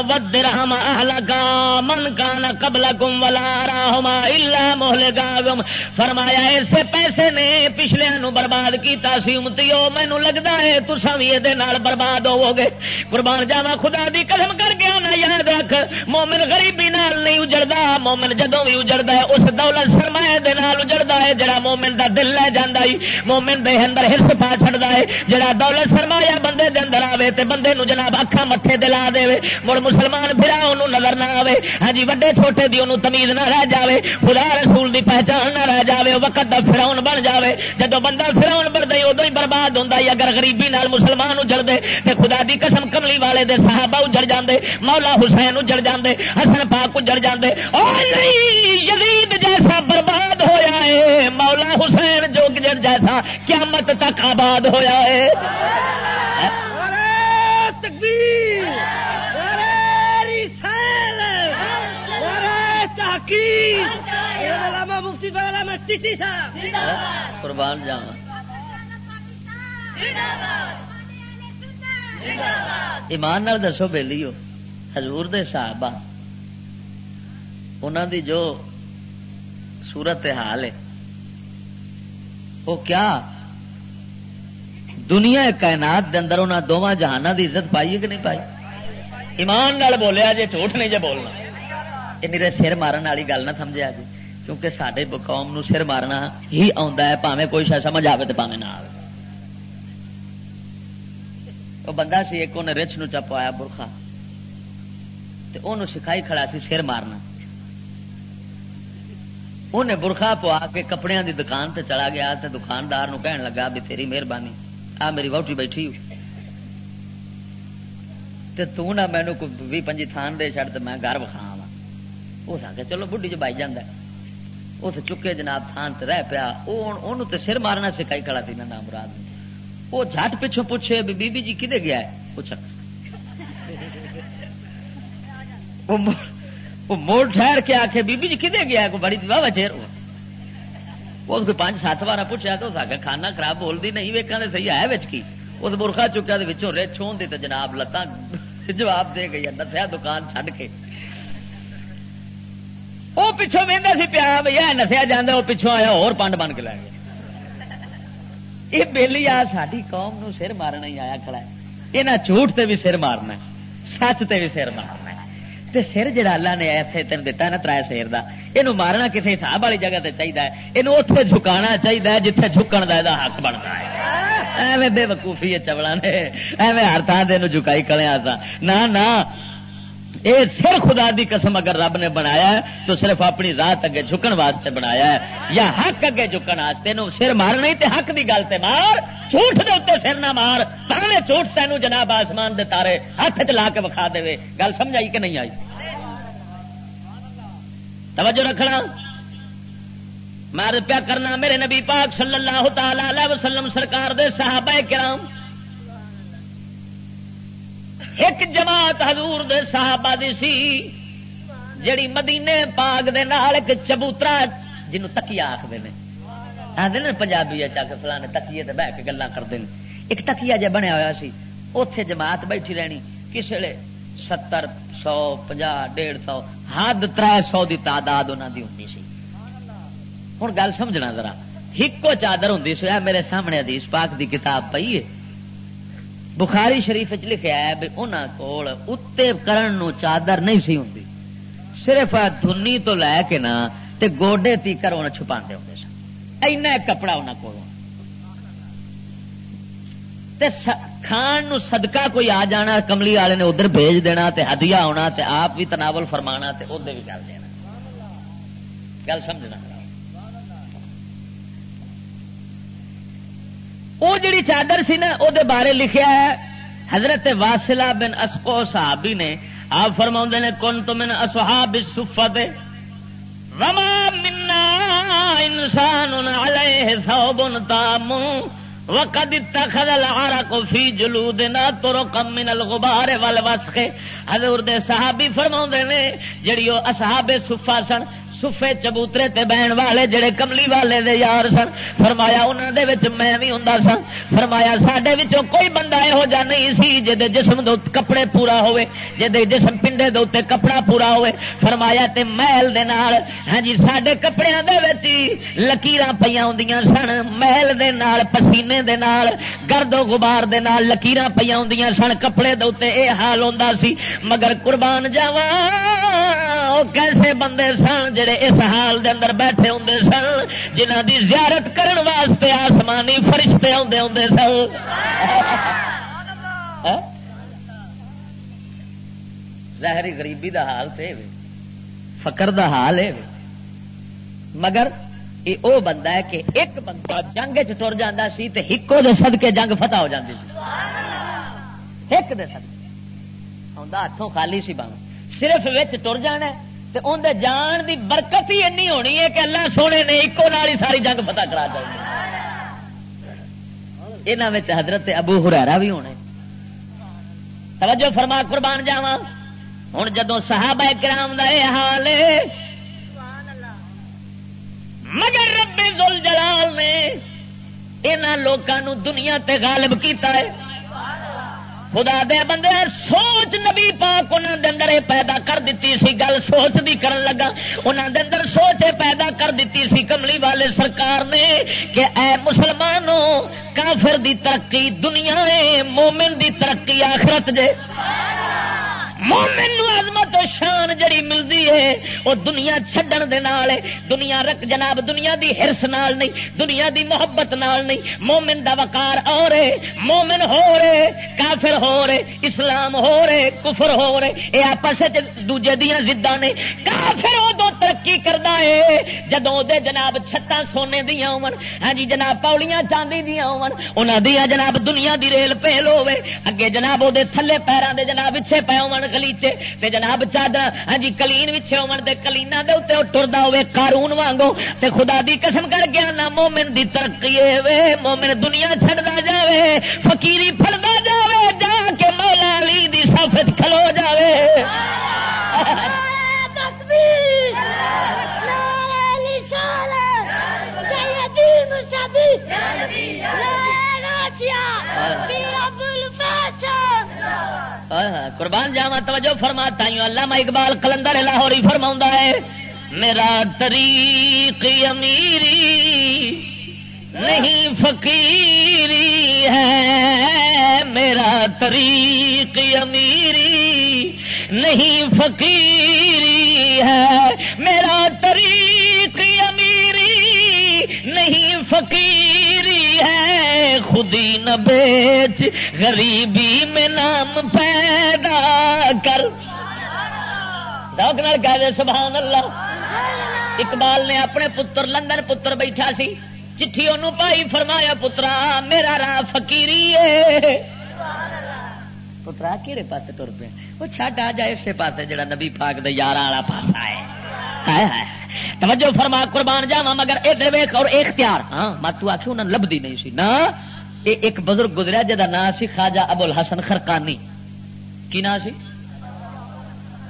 والدرہم اہلکا من کان قبلکم ولا اراہما الا مہلکاکم۔ فرمایا، ایسے پیسے نے پچھلیاں نو برباد کیتا سی۔ امتیو، مینوں لگدا ہے تساں وی اے دے نال برباد ہوو گے۔ قربان جاواں، خدا دی قسم کر کے آنا، یاد رکھ، مومن غریبی نال نہیں اجڑدا۔ مومن جدوں وی اجڑدا ہے، اس دولت سرمایہ دے نال اجڑدا ہے، جڑا مومن دا دل لے جاندا ہے، مومن دے اندر حرص پا چھڑدا ہے۔ جڑا دولت سرمایہ بندے دے اندر آوے تے بندے نو جناب اکھاں متھے دے لا دے، مڑ مسلمان بھرا اونوں نظر نہ آوے۔ ہاں جی، وڈے چھوٹے دی اونوں تمیز نہ رہ جاوے، خدا رسول دی پہچان نہ رہ جاوے، او وقت دا فرعون بن جاوے۔ جدوں بندہ فرعون بندا ای، ادوں ہی برباد ہوندا ای۔ اگر غریبی نال مسلمان اجڑ دے تے خدا دی قسم، کملی والے دے صحابہ اجڑ جاندے، مولا حسین اجڑ جاندے، حسن پاک اجڑ جاندے۔ او نہیں، یزید جیسا برباد ہویا ہے، مولا حسین جو جیسا قیامت تک آباد ہویا ہے۔ نعرہ تکبیر، نعرہ رسالت، نعرہ تحقیق۔ علامہ مفتی مولانا چشتی صاحب۔ قربان جاواں۔ ایمان نال دسو بیلیو، حضور دے صحابہ، انہاں دی جو صورت حال ہے، وہ کیا دنیا کائنات دے اندر انہاں دوواں جہاناں دی عزت پائی ہے کہ نہیں پائی؟ ایمان نال بولیا جے، جھوٹ نہیں جے بولنا۔ یہ میرے سر مارن والی گل نہ سمجھیا جی، کیونکہ ساڈے قوم نو سر مارنا ہی آوندا ہے، بھاویں کوئی شاید سمجھ آوے تے بھاویں نہ آوے۔ وہ بندہ سی، ایک انہیں رچھ نو چا پوایا برخا، تے اونوں سکھائی کھڑا سی سر مارنا۔ انہیں برخا پوا کے کپڑیاں دی دکان تے چلا گیا تے دکاندار نو کہن لگا، "بھی تیری مہربانی، آ میری وہوٹی بیٹھی ہو، تے تو نہ مینوں کوئی ویہہ پنجی تھان دے چھڑ تے میں گھر وکھا آواں۔" اس آکھیا، "چلو، بڈھی جو بائی جاندا ہے۔" اس چکے جناب تھان تے رہ پیا۔ او ہن اونوں تے سر مارنا سکھائی کھڑا سی نا، نامراد نے۔ او جھٹ پچھوں پوچھے، "بی بی جی کدے گیا ہے؟" پوچھا۔ او مو-، او موڑ ٹھہر کے آکھے، "بی بی جی کدے گیا ہے؟" کوئی بڑی واہ واہ چیر ہوا۔ اس کوئی پنج ست وار پوچھا تو اس آکھیا، "کھانا خراب بولدی نہیں، ویکھاں تے صحیح ہے وچ کی۔" اس برخا چکیا تے وچوں رچھ ہوندی تے جناب لتاں جواب دے گئی، نسیا دکان چھڈ کے۔ او پچھوں ویندا سی پیا، بھئی اے نسیا جاندا، او پچھوں آیا ہور پنڈ بن کے لے گیا۔ یہ بیلی آ ساڈی قوم نو سر مارنا ہی آیا کھڑا ہے۔ انہاں جھوٹ تے بھی سر مارنا ہے، سچ تے بھی سر مارنا ہے۔ تے سر جڑا اللہ نے ایسے تین دتا نا ترائے سیر دا، اینو مارنا کسے حساب والی جگہ تے چاہیدا ہے، اینو اوتھے جھکانا چاہیدا ہے جتھے جھکن دا ایدا حق بندا ہے۔ ایویں بے وقوفی ہے چولاں نے، ایویں ہر تھاں دے نو جھکائی کھڑے آساں۔ نہ، نہ، اے سر خدا دی قسم اگر رب نے بنایا ہے تو صرف اپنی ذات اگے جھکن واسطے بنایا ہے، یا حق اگے جھکن واسطے۔ نو سر مارنا ہی تے حق دی گل تے مار، جھوٹ دے اوتے سر نہ مار، بھاویں جھوٹ تینوں جناب آسمان دے تارے ہاتھ وچ لا کے وکھا دے۔ گل سمجھ آئی کہ نہیں آئی؟ توجہ رکھنا، میں عرض پیا کرنا، میرے نبی پاک صلی اللہ تعالی علیہ وسلم سرکار دے صحابہ کرام، ایک جماعت حضور دے صحابہ دی سی، جڑی مدینے پاک دے نال ایک چبوترا، جنوں تکیہ آکھدے نے، آندے نے پنجابی اچ آ کے فلانے تکیے تے بہ کے گلاں کردے نے۔ ایک تکیہ جے بنیا ہویا سی، اوتھے جماعت بیٹھی رہنی۔ کس ویلے ستر، سو پنجاہ، ڈیڑھ سو، حد ترے سو دی تعداد انہاں دی ہوندی سی۔ ہن گل سمجھنا ذرا، ہکو چادر ہوندی سی۔ اے میرے سامنے حدیث پاک دی کتاب پئی ہے، بخاری شریف وچ لکھیا ہے بھی انہاں کول اتے کرن نو چادر نہیں سی ہوندی، صرف آ دھنی تو لے کے نا تے گوڈے تیکر انہاں چھپاندے ہوندے سن۔ اینا ایک کپڑا انہاں کول ہونا۔ تے س-، کھان نو صدقہ کوئی آ جانا، کملی والے نے ادھر بھیج دینا، تے ہدیہ ہونا، تے آپ بھی تناول فرمانا، تے ادھر بھی کر دینا۔ گل سمجھنا۔ او جڑی چادر سی نا، او دے بارے لکھیا ہے، حضرت واصلہ بن اسقو صحابی نے، آپ فرماؤندے نے، "کنت من اصحاب الصفہ"، وما منا انسان علیہ ثوب تام وقد اتخذ العرق فی جلودنا طرقا من الغبار والوسخ۔ حضور دے صحابی فرماؤندے نے، جڑی او اصحاب صفہ سن، صفے چبوترے تے بہن والے جڑے کملی والے دے یار سن، فرمایا، انہاں دے وچ میں وی ہوندا ساں۔ فرمایا، ساڈے وچوں کوئی بندہ یہو جا نہیں سی جے دے جسم دے اُت-، کپڑے پورا ہوئے، جے دے جسم پنڈے دے اُتے کپڑا پورا ہوئے۔ فرمایا، تے میل دے نال، ہاں جی، ساڈے کپڑیاں دے وچ ہی لکیراں پئیاں ہوندیاں سن، میل دے نال، پسینے دے نال، گرد و غبار دے نال لکیراں پئیاں ہوندیاں سن کپڑے دے اُتے، اے حال ہوندا سی۔ مگر قربان جاواں، او کیسے بندے سن جڑے اس حال دے اندر بیٹھے ہوندے سن، جنہاں دی زیارت کرن واسطے آسمانی فرشتے آوندے ہوندے سن۔ ہاں؟ ظاہری غریبی دا حال تے وے، فقر دا حال اے وے۔ مگر اے او بندہ ہے کہ ایک بندہ جنگ وچ ٹر جاندا سی تے ہکو دے صدقے جنگ فتح ہو جاندی سی۔ ہک دے صدقے۔ آوندا ہتھوں خالی سی، باویں صرف وچ ٹر جانا ہے تے اون دے جان دی برکت ہی اینی ہونی ہے کہ اللہ سونے نے اکو نال ہی ساری جنگ فتح کرا دینی۔ انہاں وچ حضرت ابو ہریرہ بھی ہونے۔ توجہ فرما، قربان جاواں۔ ہن جدوں صحابہ کرام دا اے حال ہے، مگر رب ذوالجلال نے انہاں لوکاں نوں دنیا تے غالب کیتا ہے۔ خدا دے بندے، سوچ نبی پاک انہاں دے اندر اے پیدا کر دتی سی۔ گل سوچ دی کرن لگا، انہاں دے اندر سوچ اے پیدا کر دتی سی کملی والے سرکار نے کہ اے مسلمانوں، کافر دی ترقی دنیا ہے، مومن دی ترقی آخرت جے۔ مومن نو عظمت و شان جڑی ملدی ہے، او دنیا چھڈن دے نال ہے۔ دنیا رکھ جناب، دنیا دی حرص نال نہیں، دنیا دی محبت نال نہیں۔ مومن دا وقار اور ہے، مومن ہو رہے، کافر ہو رہے، اسلام ہو رہے، کفر ہو رہے، اے آپس وچ دوجے دیاں ضداں نے۔ کافر ادو ترقی کردا ہے جدوں اودے جناب چھتاں سونے دیاں ہون، ہاں جی جناب، پولیاں چاندی دیاں ہون، انہاں دیاں جناب دنیا دی ریل پیل ہوے، اگے جناب اودے تھلے پیراں دے جناب وچھے پے ہون غلیچے، تے جناب چادر، ہاں جی، کلین وچھے ہون، تے کلینا دے اوتے او ٹردا ہوے قارون وانگو۔ تے خدا دی قسم کر گیا نا، مومن دی ترقی اے وے، مومن دنیا چھڈدا جاوے، فقیری پھڑدا جاوے، جا کے مولا علی دی صف وچ کھلو جاوے۔ تکبیر! نعرہ رسالت! سیدی مصطفی! نعرہ غوثیہ! پیر ابوالفضل! ہائے ہائے، قربان جاواں، توجہ فرما، تائیوں علامہ اقبال قلندر لاہوری فرماوندا ہے، میرا طریق امیری نہیں فقیری ہے، میرا طریق امیری نہیں فقیری ہے، میرا طریق امیری نہیں فقیری ہے، خودی نہ بیچ غریبی میں نام پیدا کر۔ ذوق نال کہہ دے سبحان اللہ۔ اقبال نے اپنے پتر، لندن پتر بیٹھا سی، چٹھی اونوں پائی، فرمایا، پترا، میرا راہ فقیری ہے۔ پترا، کیڑے پاسے ٹر پیا؟ وہ چھڈ آ جا اسے پاسے جڑا نبی پاک دے یاراں والا پاسا ہے۔ ہائے ہائے۔ توجہ فرما، قربان جاواں، مگر ادھر ویکھ اور اختیار۔ ہاں، مت تو آکھی انہاں لبدی نہیں سی۔ نہ، اے ایک بزرگ گزریا جدا نام سی خواجہ ابو الحسن خرقانی۔ کی نام سی؟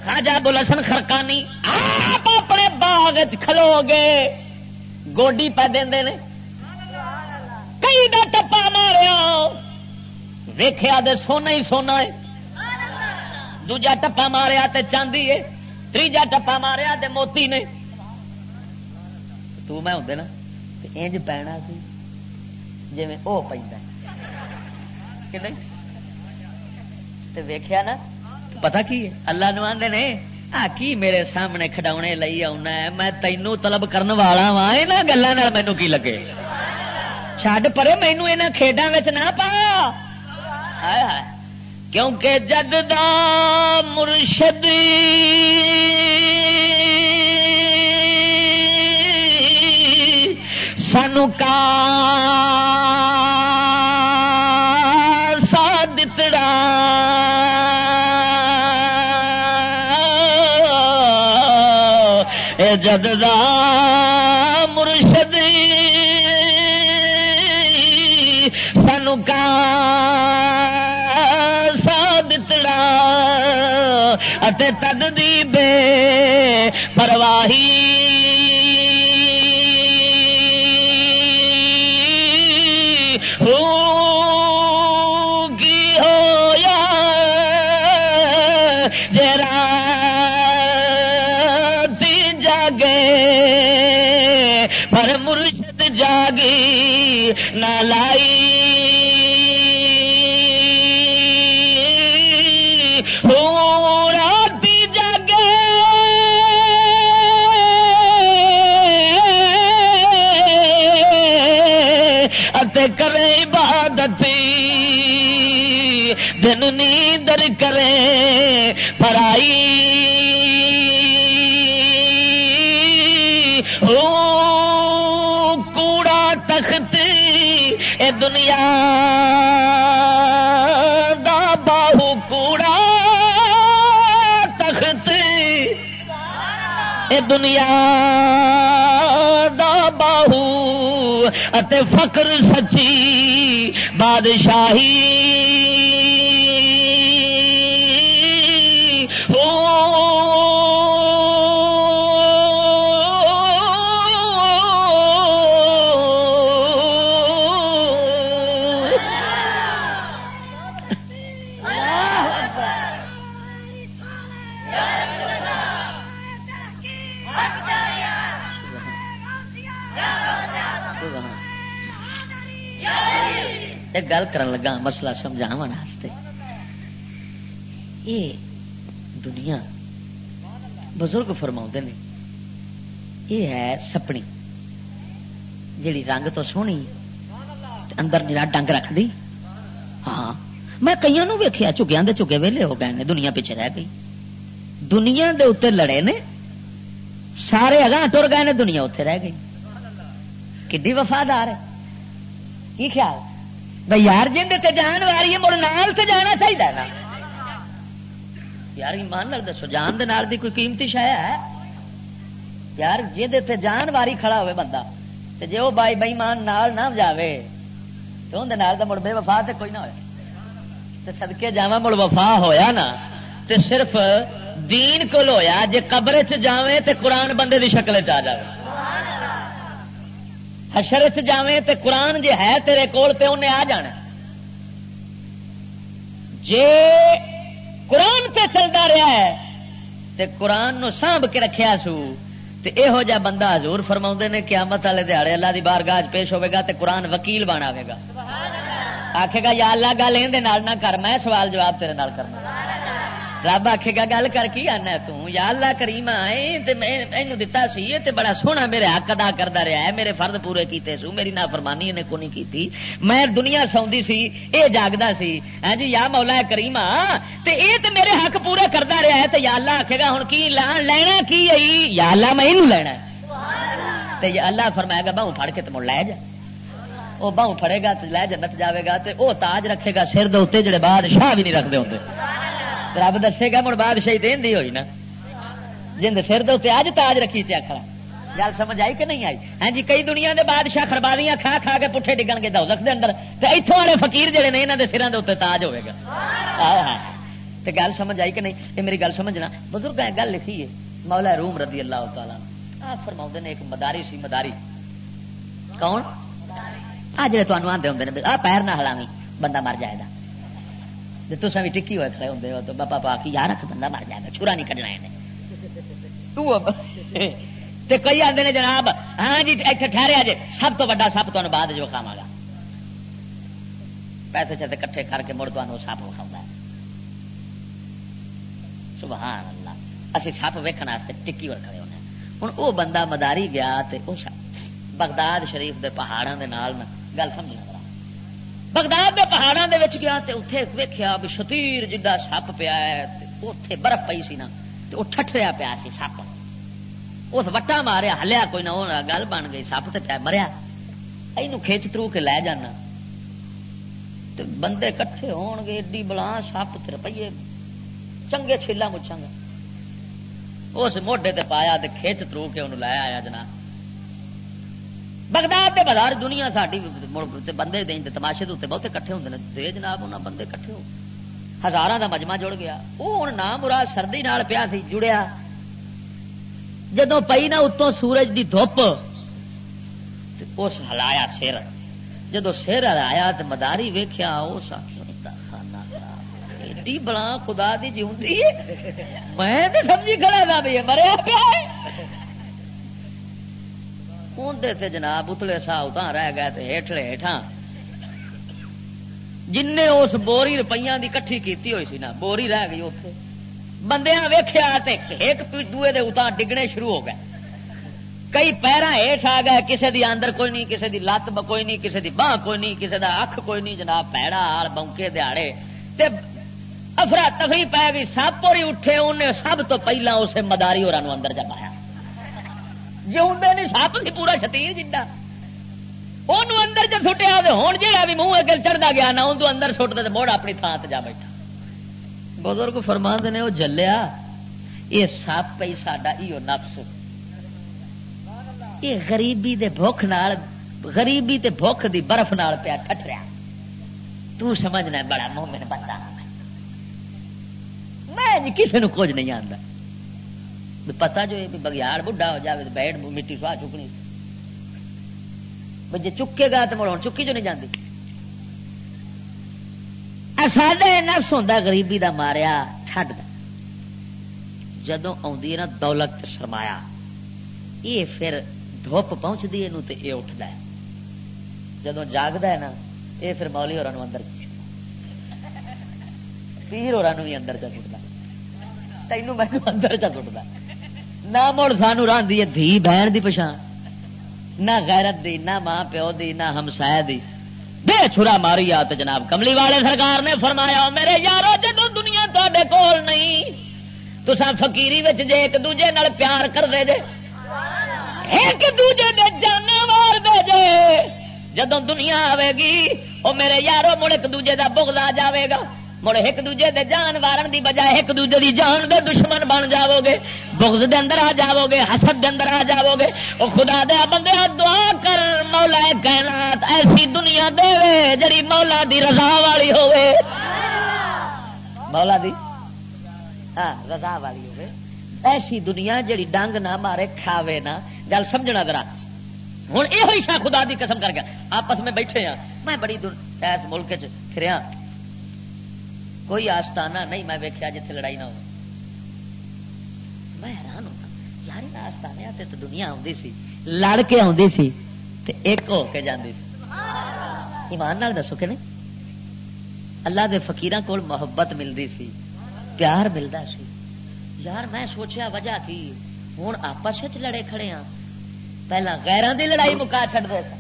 خواجہ ابو الحسن خرقانی آپ اپنے باغ وچ کھلو گئے، گوڈی پہ دیندے نے، کئی دا ٹپا ماریا، ویکھیا تے سونا ہی سونا ہے، دوجا ٹپا ماریا تے چاندی ہے، تیجا ٹپا ماریا تے موتی نے۔ تو میں ہوندے نا تے انج پینا سی جویں او پیندا ہے۔ کہ نہیں؟ تے ویکھیا نا، پتہ کی ہے؟ اللہ نو آندے نے، "آ کی میرے سامنے کھڈاونے لئی آونا ہے؟ میں تینوں طلب کرن والا واں، انہاں گلاں نال مینوں کی لگے؟ چھڈ پرے، مینوں انہاں کھیڈاں وچ نہ پا۔" ہائے ہائے۔ کیونکہ جد دا مرشد سانو کا سا دتڑا، اے جد دا مرشد سانو کا سا دتڑا، اتے تد دی بے پرواہی۔ پر مرشد جاگی نہ لائی۔ ہو راتی جاگے اتے کرے عبادت، دن نیندر کرے پرائی۔ او کوڑا تخت، اے دنیا دا باہو کوڑا تخت، اے دنیا دا باہو اتے فقر سچی بادشاہی۔ او ایک گل کرن لگا، مسئلہ سمجھاون واسطے۔ یہ دنیا، بزرگ فرماؤندے نے، یہ ہے سپنی، جیڑی رنگ تو سوہنی تے اندر نیرا ڈنگ رکھدی۔ ہاں، میں کئیاں نوں ویکھیا، جھگیاں دے جھگے ویلے ہو گئے نے، دنیا پیچھے رہ گئی۔ دنیا دے اوتے لڑے نے، سارے اگاں ٹر گئے نے، دنیا اوتے رہ گئی۔ کڈی وفادار ہے۔ کی خیال؟ بھئی یار، جن دے تے جان واری ہے، مڑ نال تے جانا چاہیدا ہے نا۔ یار، ایمان نال دسو، جان دے نال دی کوئی قیمتی شے ہے؟ یار، جن دے تے جان واری کھڑا ہوئے بندہ، تے جے او بائی، بے ایمان نال نہ جاوے، تے اون دے نال دا مڑ بے وفا تے کوئی نہ ہوئے۔ تے صدقے جاواں، مڑ وفا ہویا نا، تے صرف دین کول ہویا۔ جے قبر چ جاویں تے قرآن بندے دی شکل چ آ جاوے، حشر چ جاویں تے قرآن جے ہے تیرے کول تے انہیں آ جانا۔ جے قرآن تے چلدا رہیا ہے تے قرآن نو سانبھ کے رکھیا سو، تے ایہو جا بندہ، حضور فرماوندے نے، قیامت والے دیہاڑے اللہ دی بارگاہ وچ پیش ہوے گا تے قرآن وکیل بن آوے گا۔ آکھے گا، "یا اللہ، گل ایندے نال نہ کر، میں سوال جواب تیرے نال کرنا۔" رب آکھے گا، "گل کر، کی آنا ہے توں؟" "یا اللہ کریما، اے تے میں اینوں دتا سی، اے تے بڑا سوہنا میرے حق ادا کردا رہیا ہے، میرے فرض پورے کیتے سو، میری نافرمانی نے کونی کیتی، میں دنیا سوندی سی، اے جاگدا سی، ہاں جی، یا مولا کریما، تے اے تے میرے حق پورے کردا رہیا ہے، تے یا اللہ آکھے گا، ہن کی لان لینا کی ہے؟ یا اللہ، میں اینوں لینا ہے۔" تے یا اللہ فرمائے گا، "باہوں پھڑ کے تے مڑ لے جا۔" او باہوں پھڑے گا تے لے جنت جاوے گا، تے او تاج رکھے گا سر دے اوتے، جڑے بادشاہ بھی نہیں رکھدے ہوندے۔ رب دسے گا، مڑ بادشاہی تے ایندی ہوئی نا، جن دے سر دے اوتے اج تاج رکھی تے آکھا۔ گل سمجھ آئی کہ نہیں آئی؟ ہاں جی، کئی دنیا دے بادشاہ خربازیاں کھا کھا کے پٹھے ڈگن گے دوزخ دے اندر، تے ایتھوں والے فقیر جڑے نے، انہاں دے سراں دے اوتے تاج ہوے گا۔ آہا۔ تے گل سمجھ آئی کہ نہیں؟ اے میری گل سمجھنا، بزرگاں نے گل لکھی ہے، مولا روم رضی اللہ تعالیٰ عنہ آپ فرماؤندے نے، ایک مداری سی، مداری۔ کون؟ آ جڑے تانوں آندے ہوندے نے، "آ پیر نہ ہلاویں، بندہ مر جائے گا۔" جے تساں بھی ٹکی ہوئے کھڑے ہوندے ہو، تو بابا پاک کی، "یار، رکھ، بندہ مر جائے گا، چھرا نہیں کڈنا ہے۔" تو اب، تے کئی آندے نے، "جناب، ہاں جی، ایتھے ٹھہرے آ جے، سب تو بڑا سب تانوں بعد جو کھاواں گا۔" پیسے شیسے کٹھے کر کے مڑ تانوں سب وکھاؤندا ہے۔ سبحان اللہ۔ اسی سپ ویکھن واسطے ٹکی ول کھڑے ہونے۔ ہن او بندہ مداری گیا تے او سپ بغداد شریف دے پہاڑاں دے نال نہ، گل سمجھنا ذرا۔ بغداد دے پہاڑاں دے وچ گیا تے اتھے ویکھیا بھی شتیر جڈا سپ پیا ہے تے اتھے برف پئی سی نا، تے او ٹھٹریا پیا سی سپ۔ اس وٹا ماریا، ہلیا کوئی نہ، او گل بن گئی، سپ تے پیا مریا۔ اینوں کھچ ترو کے لے جانا۔ تے بندے کٹھے ہون گے، ایڈی بلا سپ تے روپیے چنگے چھیلا مچھاں گا۔ اس موڈے تے پایا تے کھچ ترو کے انہوں لے آیا جناب۔ بغداد دے بازار دنیا ساڈی مڑ تے بندے دے تے تماشے دے اوتے بہتے کٹھے ہوندے نے۔ تے جناب انہاں بندے کٹھے ہو، ہزاراں دا مجمع جڑ گیا۔ او ہن نام مراد سردی نال پیا سی جڑیا، جدوں پئی نا اتوں سورج دی دھپ، تے اس ہلایا سر۔ جدوں سر ہلایا تے مداری ویکھیا، اس آکھیا، "اے تاں خانہ خراب ہے۔ ایڈی بلا خدا دی جیوندی ہے۔ میں تے سمجھی کھڑا تھا بھی یہ مریا پیا ہے۔" اون دے تے جناب اتلے سا اتاں رہ گئے تے ہیٹھلے ہیٹھاں۔ جن نے اس بوری روپیاں دی کٹھی کیتی ہوئی سی نا، بوری رہ گئی اوتھے۔ بندیاں ویکھیا تے ایک دوئے دے اتاں ڈگنے شروع ہو گئے۔ کئی پیراں ہیٹھ آ گئے، کسے دی اندر کوئی نہیں، کسے دی لت ب-، کوئی نہیں، کسے دی باہ کوئی نہیں، کسے دا اکھ کوئی نہیں، جناب، پیڑا آل بونکے دیہاڑے۔ تے افرا تفری پی گئی، سب پوری اٹھے، انہیں سب تو پہلا اسے مداری ہوراں نوں اندر چ پایا۔ جیوندے نہیں سپ سی پورا شتیر جنڈا۔ اونوں اندر چ سٹیا تے ہن جیڑا بھی منہ اگے چڑھدا گیا نا، اون تو اندر سٹ دے تے مڑ اپنی تھاں تے جا بیٹھا۔ بزرگ فرماندے نے، او جلیا، اے سپ پئی ساڈا ایو نفس، اے غریبی دے بھوک نال، غریبی تے بھوک دی برف نال پیا ٹھٹھریا۔ تو سمجھنا ہے بڑا مومن بندہ ہاں میں۔ میں جی کسے نو کچھ نہیں آندا۔ پتہ جو یہ بگیاڑ بڈھا ہو جاوے تے بیٹھ مٹی سوا چکنی۔ بھئی جے چکے گا تے مڑ ہن چکی جو نہیں جاندی۔ اے ساڈا یہ نفس ہوندا غریبی دا ماریا ٹھڈ دا۔ جدوں آوندی ہے نا دولت تے سرمایہ، یہ پھر دھوپ پہنچدی ہے نو تے یہ اٹھدا ہے۔ جدوں جاگدا ہے نا، یہ پھر مولی ہوراں نوں اندر چ سٹدا۔ پیر ہوراں نوں بھی اندر چ سٹدا۔ تینوں مینوں اندر چ سٹدا۔ نہ مڑ سانوں راندی ہے دھی بہن دی پچھاں، نہ غیرت دی، نہ ماں پیو دی، نہ ہمسایہ دی۔ بے چھرا ماری آ تے جناب کملی والے سرکار نے فرمایا، "او میرے یارو، جدوں دنیا تہاڈے کول نہیں، تساں فقیری وچ جے ایک دوجے نال پیار کر دے جے، ایک دوجے دے جانے وار دے جے، جدوں دنیا آوے گی، او میرے یارو، مڑ ایک دوجے دا بغض آ جاوے گا، مڑ ایک دوجے دے جان وارن دی بجائے ایک دوجے دی جان دے دشمن بن جاوو گے، بغض دے اندر آ جاوو گے، حسد دے اندر آ جاوو گے۔" او خدا دے بندے، دعا کر، مولا کائنات ایسی دنیا دے، جڑی مولا دی رضا والی ہوے۔ مولا دی، ہاں، رضا والی ہوے۔ ایسی دنیا جڑی ڈنگ نہ مارے، کھاوے نہ۔ گل سمجھنا ذرا۔ ہن ایہو ہی شاہ خدا دی قسم کر گیا۔ آپس میں بیٹھے ہاں، میں بڑی دن ایس ملک چ پھریا، کوئی آستانہ نہیں میں ویکھیا جتھے لڑائی نہ ہو۔ میں حیران ہوتا، یار، انہاں آستانیاں تے تو دنیا آوندی سی، لڑ کے آوندی سی تے ایک ہو کے جاندی سی۔ ایمان نال دسو کہ نہیں؟ اللہ دے فقیراں کول محبت ملدی سی، پیار ملدا سی۔ یار، میں سوچیا، وجہ کی؟ ہن آپس وچ لڑے کھڑے ہاں، پہلا غیراں دی لڑائی مکا چھڈ دے سن۔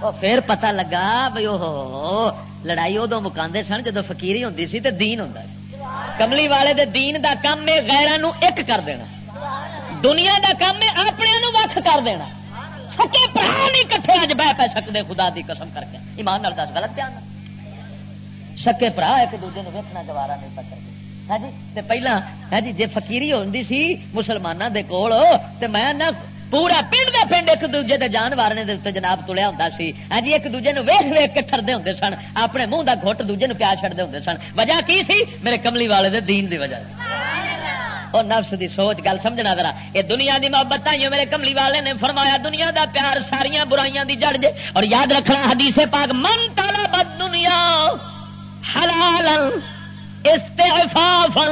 او پھر پتہ لگا بھئی، اوہو، لڑائی ادوں مکاندے سن جدوں فقیری ہوندی سی تے دین ہوندا سی۔ کملی والے دے دین دا کم ہے غیراں نو ایک کر دینا، دنیا دا کم ہے اپنے نو وکھ کر دینا۔ سکے بھرا نہیں کٹھے اج بہ پے سکدے، خدا دی قسم کر کے۔ ایمان نال دس، غلط بیان نہ؟ سکے بھرا ایک دوجے نو ویکھنا گوارا نہیں پکڑ کے۔ ہاں جی، تے پہلا، ہاں جی، جے فقیری ہوندی سی مسلماناں دے کول، تے میں نہ پورا پنڈ دا پنڈ ایک دوجے دے جان وارنے دے اُتے جناب تلیا ہوندا سی۔ ہاں جی، ایک دوجے نو ویکھ ویکھ کے ٹھردے ہوندے سن، اپنے منہ دا گھٹ دوجے نو پیا چھڑدے ہوندے سن۔ وجہ کی سی؟ میرے کملی والے دے دین دی وجہ۔ او نفس دی سوچ، گل سمجھنا ذرا۔ اے دنیا دی محبت تائیوں میرے کملی والے نے فرمایا، دنیا دا پیار ساریاں برائیاں دی جڑ جے۔ اور یاد رکھنا حدیث پاک، "من طلب الدنیا حلالا استعفافا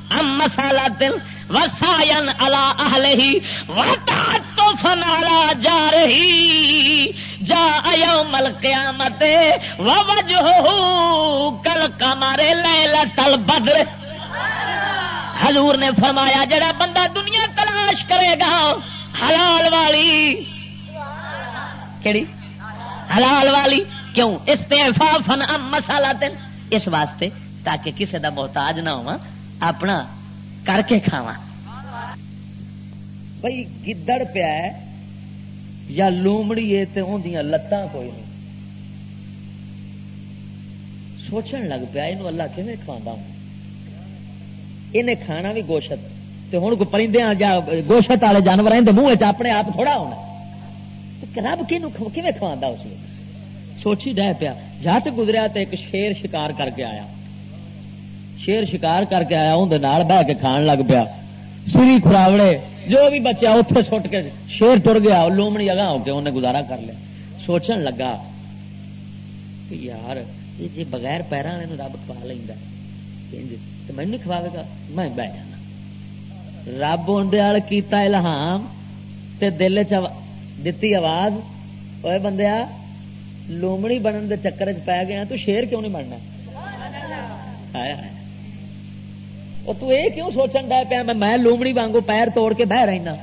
عن مسالۃ وسعیا علی اہلہ وتعطفا علی جارہ جاء یوم القیامۃ ووجہہ کالقمر لیلۃ البدر۔" حضور نے فرمایا، جڑا بندہ دنیا تلاش کرے گا حلال والی، کیڑی؟ حلال والی۔ کیوں؟ استعفافا عن مسالۃ، اس واسطے تاکہ کسے دا محتاج نہ ہواں، اپنا کر کے کھاواں۔ بھئی، گدڑ پیا ہے یا لومڑی ہے تے اوندیاں لتاں کوئی نہیں۔ سوچن لگ پیا، اینوں اللہ کیویں کھواندا ہوں؟ انہیں کھانا بھی گوشت، تے ہن کوئی پرندیاں یا گوشت والے جانور ہیں دے منہ وچ اپنے آپ تھوڑا ہونا۔ تے رب کینوں کھو-، کیویں کھواندا اس ویلے؟ سوچی ڈہ پیا۔ جٹ گزریا تے ایک شیر شکار کر کے آیا۔ شیر شکار کر کے آیا، اون دے نال بہ کے کھان لگ پیا۔ سری کھراوڑے جو بھی بچیا اوتھے سٹ کے شیر ٹر گیا، او لومڑی اگاں ہو کے انہیں گزارا کر لیا۔ سوچن لگا کہ یار، یہ جے بغیر پیراں والے نوں رب کھوا لیندا، انج تے مینوں نہیں کھواوے گا، میں بہ جانا۔ رب اون دے آل کیتا الہام تے دل چ دتی آواز، اوے بندیا، لومڑی بنن دے چکر چ پی گیا، تو شیر کیوں نہیں بننا؟ ہائے ہائے۔ او تو اے کیوں سوچن ڈے پیا، میں، میں لومڑی وانگو پیر توڑ کے بہ رہنا؟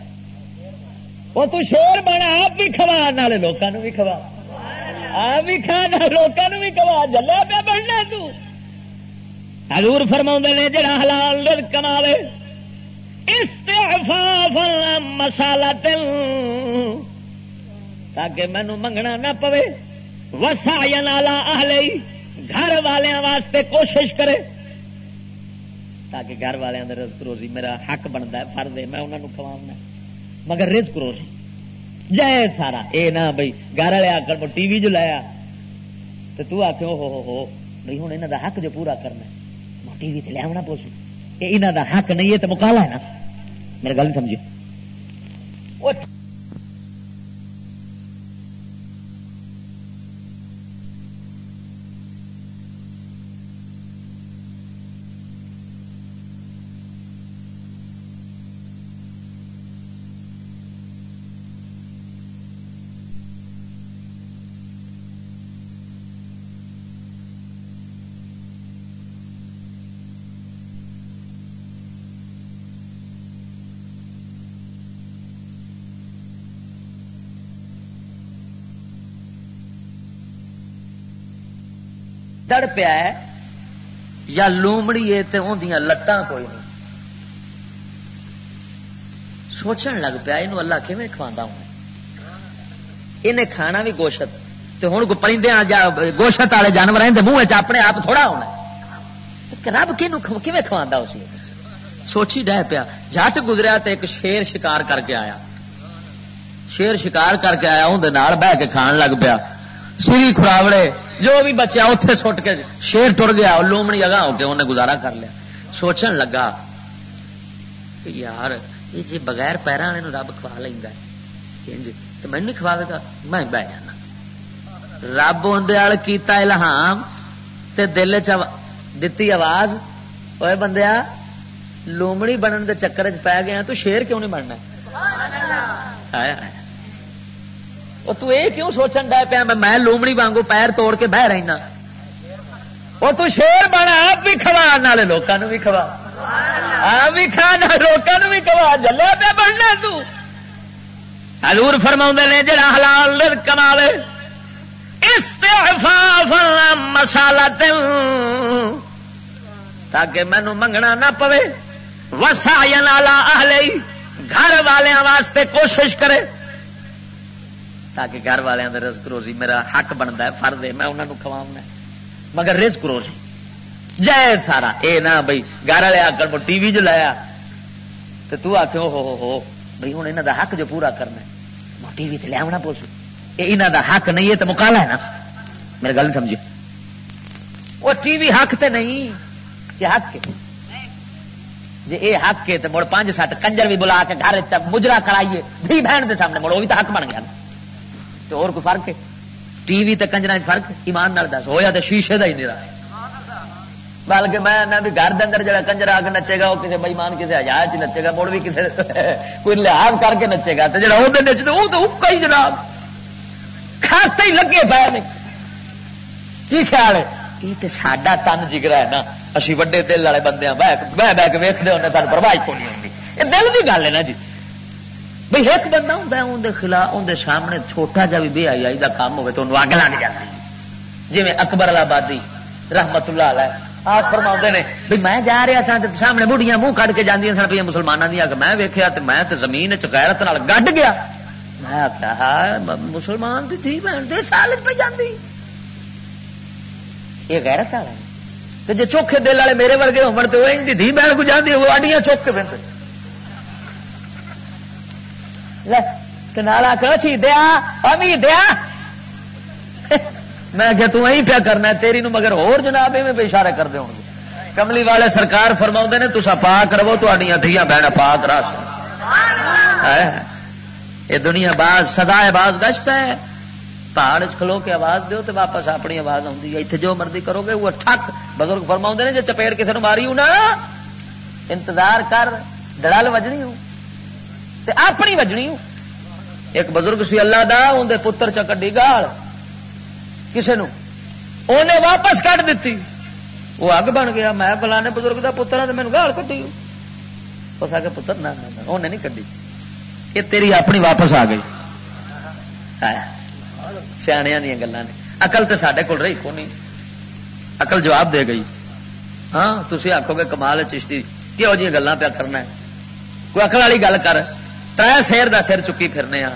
او تو شیر بن، آپ بھی کھوا، نالے لوکاں نو بھی کھوا۔ آپ بھی کھا، نالے لوکاں نو بھی کھوا، جلیا پیا بننا تو۔ حضور فرماوندے نے، جڑا حلال رزق کماوے، استعفافا عن مسالۃ، تاکہ مینوں منگنا نہ پوے، وسعیا علی اہلہ، گھر والیاں واسطے کوشش کرے، تاکہ گھر والیاں دے رزق روزی میرا حق بندا ہے، فرض ہے، میں انہاں نوں کھواونا، مگر رزق روزی جائز سارا۔ اے نہ بھئی گھر والے آکھن، "میں ٹی وی جو لایا"، تے تو آکھے، "او ہو ہو ہو، بھئی ہن انہاں دا حق جو پورا کرنا ہے، میں ٹی وی تے لے آونا پوسی۔" اے انہاں دا حق نہیں، اے تے مکالا ہے نا۔ میرے گل نہیں سمجھے؟ او دڑ پیا ہے یا لومڑی ہے تے اوندیاں لتاں کوئی نہیں۔ سوچن لگ پیا، "اینوں اللہ کیویں کھواندا ہونا؟ انہیں کھانا بھی گوشت، تے ہن کو پرندے آ جا، گوشت والے جانور ہیں، دے منہ وچ اپنے آپ تھوڑا ہونا ہے۔ تے رب کینوں کھو-، کیویں کھواندا اس نے؟" سوچی ڈہ پیا، جٹ گزریا تے ایک شیر شکار کر کے آیا۔ شیر شکار کر کے آیا، اون دے نال بہ کے کھان لگ پیا۔ سری کھراوڑے جو بھی بچیا اوتھے سٹ کے شیر ٹر گیا، اور لومڑی اگاں ہو کے انہیں گزارا کر لیا۔ سوچن لگا کہ یار، یہ جے بغیر پیراں والے نوں رب کھوا لیندا ہے، انج تے مینوں نہیں کھواوے گا، میں بہ جانا۔ رب اون دے ال کیتا الہام تے دل چ آوا-، دتی آواز، "اوے بندیا، لومڑی بنن دے چکر چ پی گیا، تو شیر کیوں نہیں بننا؟" ہائے ہائے۔ او تو اے کیوں سوچن ڈے پیا، میں، میں لومڑی وانگو پیر توڑ کے بہ رہنا؟ او تو شیر بن، آپ بھی کھوا، نالے لوکاں نو بھی کھوا۔ آپ بھی کھا، نالے لوکاں نو بھی کھوا، جلیا پیا بننا تو۔ حضور فرماوندے نے، جڑا حلال رزق کماوے، استعفافا عن مسالۃ، تاکہ مینوں منگنا نہ پوے، وسعیا علی اہلہ، گھر والیاں واسطے کوشش کرے، تاکہ گھر والیاں دے رزق روزی میرا حق بندا ہے، فرض ہے، میں انہاں نوں کھواونا ہے، مگر رزق روزی جائز سارا۔ اے نہ بھئی گھر والے آکھن، "میں ٹی وی جو لایا"، تے تو آکھے، "او ہو ہو ہو، بھئی ہن انہاں دا حق جو پورا کرنا ہے، میں ٹی وی تے لے آونا پوسی۔" اے انہاں دا حق نہیں، اے تے مکالا ہے نا۔ میرے گل نہیں سمجھے؟ وہ ٹی وی حق تے نہیں، یہ حق ہے۔ جے اے حق ہے تے مڑ پنج سات کنجر بھی بلا کے گھر وچ مجرا کرائیے، دھی بہن دے سامنے مڑ، وہ بھی تو حق بن گیا نا۔ تے اور کوئی فرق ہے؟ ٹی وی تے کنجراں وچ فرق؟ ایمان نال دس، ہویا تے شیشے دا ہی نیرا۔ بلکہ میں آنا بھی گھر دے اندر جڑا کنجر آ کے نچے گا، وہ کسی بےمان، کسی حیا چ نچے گا، مڑ بھی کسی کوئی لحاظ کر کے نچے گا۔ تے جڑا اودے نچدے، وہ تو اکا ہی جناب، کھاتے ہی لگے پے نے۔ کی خیال ہے؟ یہ تے ساڈا تن جگرا ہے نا، اسی وڈے دل والے بندے ہاں، بہ، بہ، بہ کے ویکھدے ہونے، سانو پرواہ ہی کوئی نہیں ہوندی۔ یہ دل دی گل ہے نا جی۔ بھئی، ایک بندہ ہوندا ہے، اون دے خلاف، اون دے سامنے چھوٹا جا بھی بے حیائی دا کام ہوے، تے اونوں اگ لگ جاندی ہے۔ جویں اکبر آبادی رحمت اللہ علیہ آپ فرماوندے نے، بھئی، میں جا رہا سا، تے سامنے بڑھیاں منہ کڈ کے جاندیاں سن پئیاں مسلماناں دیاں، کہ میں ویکھیا تے میں تے زمین وچ غیرت نال گڈ گیا۔ میں آکھیا، "ہائے، م-، مسلمان دی دھی بہن دے سال وچ پہ جاندی۔" یہ غیرت والا ہے۔ تے جے چوکھے دل والے میرے ورگے ہون تے وہ انج دی دھی بہن کو جاندی، وہ اڈیاں چوک کے پھر۔ لے، تے نال آکھو، "چھی دیا، امی دیا۔" میں کہ تو ایہی پیا کرنا ہے، تیری نو مگر ہور جناب ایویں پہ اشارے کردے ہون گے۔ کملی والے سرکار فرماوندے نے، "تساں پاک رہو، تہاڈیاں دھیاں بہناں پاک رہسن۔" ہے۔ یہ دنیا باز، سدا ہے باز گشت ہے۔ پہاڑ وچ کھلو کے آواز دیو تے واپس اپنی آواز آوندی ہے۔ اتھے جو مرضی کرو گے، وہ ٹھک۔ بزرگ فرماوندے نے، جے چپیڑ کسے نو ماری ہو نا، انتظار کر، دڑل وجنی ہو تے اپنی وجنی ہو۔ ایک بزرگ سی اللہ دا، اون دے پتر چا کڈی گال کسے نو، اونے واپس کڈ دتی۔ وہ اگ بن گیا، "میں فلانے بزرگ دا پتر ہاں تے مینوں گال کڈی ہو۔" اس آکھیا، "پتر، نہ، نہ، نہ، اونے نہیں کڈی، یہ تیری اپنی واپس آ گئی۔" ہائے، سیاݨیاں دیاں گلاں نے۔ عقل تے ساڈے کول رہی کونی، عقل جواب دے گئی۔ ہاں، تسی آکھو گے، "کمال ہے چشتی، کہو جیاں گلاں پیا کرنا ہے؟" کوئی عقل والی گل کر۔ ترے سیر دا سر چکی پھرنے آ،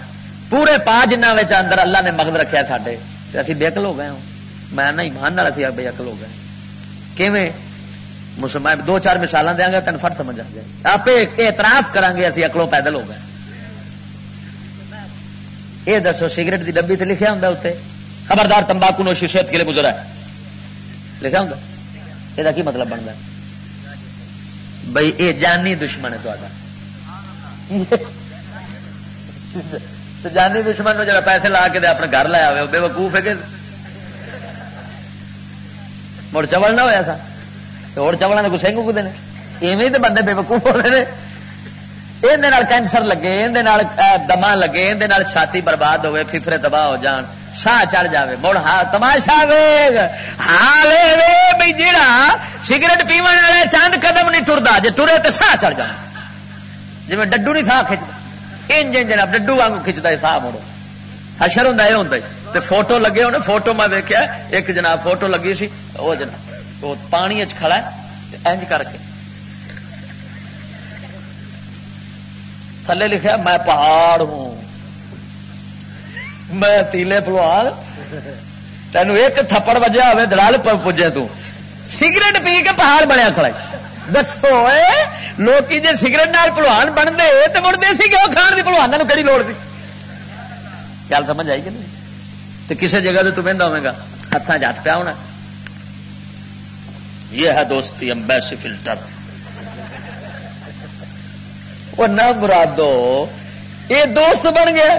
پورے پا جنہ وچ اندر اللہ نے مغز رکھیا ساڈے، تے اسی بے عقل ہو گئے ہوں۔ میں نہ ایمان نال اسی بے عقل ہو گئے۔ کیویں؟ مسلمان دو چار مثالاں دیاں گے، تینوں فٹ سمجھ آ جائے۔ آپ اعتراف کراں گے، اسی عقلوں پیدل ہو گئے۔ یہ دسو، سگریٹ دی ڈبی تے لکھیا ہوندا اتنے، "خبردار، تمباکو نوشی صحت کے لیے مضر ہے"؟ لکھیا ہوندا؟ یہ کی مطلب بنتا؟ بھائی، یہ جانی دشمن ہے تہاڈا۔ تے جانی دشمن نو جڑا پیسے لا کے تے اپنے گھر لایا ہوئے، وہ بے وقوف ہے کہ مڑ چول نہ ہویا سا؟ تے ہور چولاں دے گسے کو کدے نے؟ ایویں تے بندے بے وقوف ہوندے نے۔ اندے نال کینسر لگے، اندے نال، اے، دما لگے، اندے نال چھاتی برباد ہوئے، پھپھرے تباہ ہو جان، ساہ چڑھ جاوے، مڑ ہا تماشا ویگ۔ حال اے وے بھی جیڑا سگریٹ پیون والا چند قدم نہیں ٹردا، جے ٹرے تے ساہ چڑھ جانا۔ جویں ڈڈو نہیں ساہ کھچدا، انج انج جناب ڈڈو وانگو کھچدا ہے ساہ، مڑو حشر ہوندا، اے ہوندا ہے۔ تے فوٹو لگے ہونے، فوٹو میں ویکھیا، ایک جناب فوٹو لگی سی، او جناب او پانی اچ کھڑا ہے تے انج کر کے تھلے لکھیا، "میں پہاڑ ہوں، میں تیلے پلوان۔" تینوں ایک تھپڑ وجہ ہوئے، دلال پ-، پجے تو سگریٹ پی کے پہاڑ بنیا کھڑا ہے۔ دسو اے، لوکی جے سگریٹ نال پلوان بنتے تے مڑ دیسی گیو کھان دی پلواناں نوں کیڑی لوڑ سی؟ گل سمجھ آئی کہ نہیں؟ تے کسے جگہ تے تو ویندا ہوویں گا، ہتھاں 'چ ہتھ پیا ہونا۔ یہ ہے دوستی، امبیسی فلٹر۔ وہ نہ مرادو، یہ دوست بن گیا۔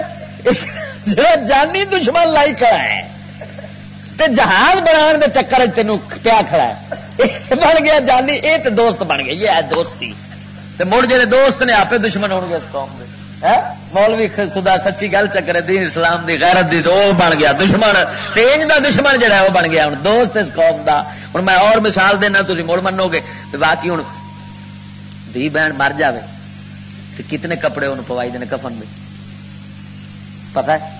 جڑا جانی دشمن لائی کھڑا ہے تے جہاز بنان دے چکر وچ تینوں پیا کھڑا ہے، یہ بن گیا جانی، یہ تے دوست بن گیا، یہ ہے دوستی۔ تے مڑ جڑے دوست نے، آپے دشمن ہون گے اس قوم دے۔ ہیں؟ مولوی خ-، خدا سچی گل چکرے، دین اسلام دی، غیرت دی، تے او بن گیا دشمن۔ تے انج دا دشمن جڑا ہے، او بن گیا ہن دوست اس قوم دا۔ ہن میں اور مثال دینا، تسی مڑ منو گے۔ تے باقی ہن دھی بہن مر جاوے تے کتنے کپڑے انہوں پوائی دے نے کفن دے، پتہ ہے؟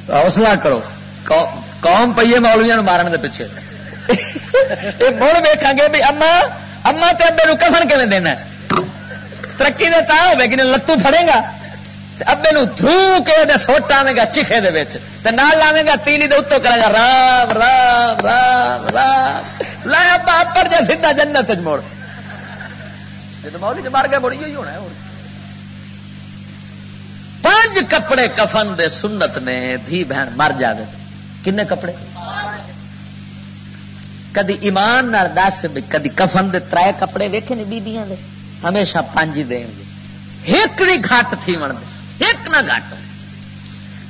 حوصلہ کرو، قو-، قوم پئی ہے مولویاں نوں مارن دے پیچھے۔ یہ مڑ ویکھاں گے بھی اما، اما تے ابے نوں کفن کیویں دینا ہے؟ ترقی دے تاں ہوے کہ لتوں پھڑے گا، تے ابے نوں دھرو کے دے سوٹ آویں گا چیخے دے وچ، تے نال لاویں گا تیلی دے اتوں، کرے گا، "رام، رام، رام، رام۔" لے ابا اپر جا سیدھا جنت وچ مڑ۔ جے تے مولوی تے مر گئے، مڑ ایہو ہی ہونا ہے، ہور۔ پنج کپڑے کفن دے سنت نے، دھی بہن مر جاوے۔ کنے کپڑے؟ کدی ایمان نال دس بھی، کدی کفن دے ترے کپڑے ویکھے نے بیبیاں دے؟ ہمیشہ پنج ہی دین گے۔ ایک بھی گھٹ تھی ون دے، ایک نہ گھٹ۔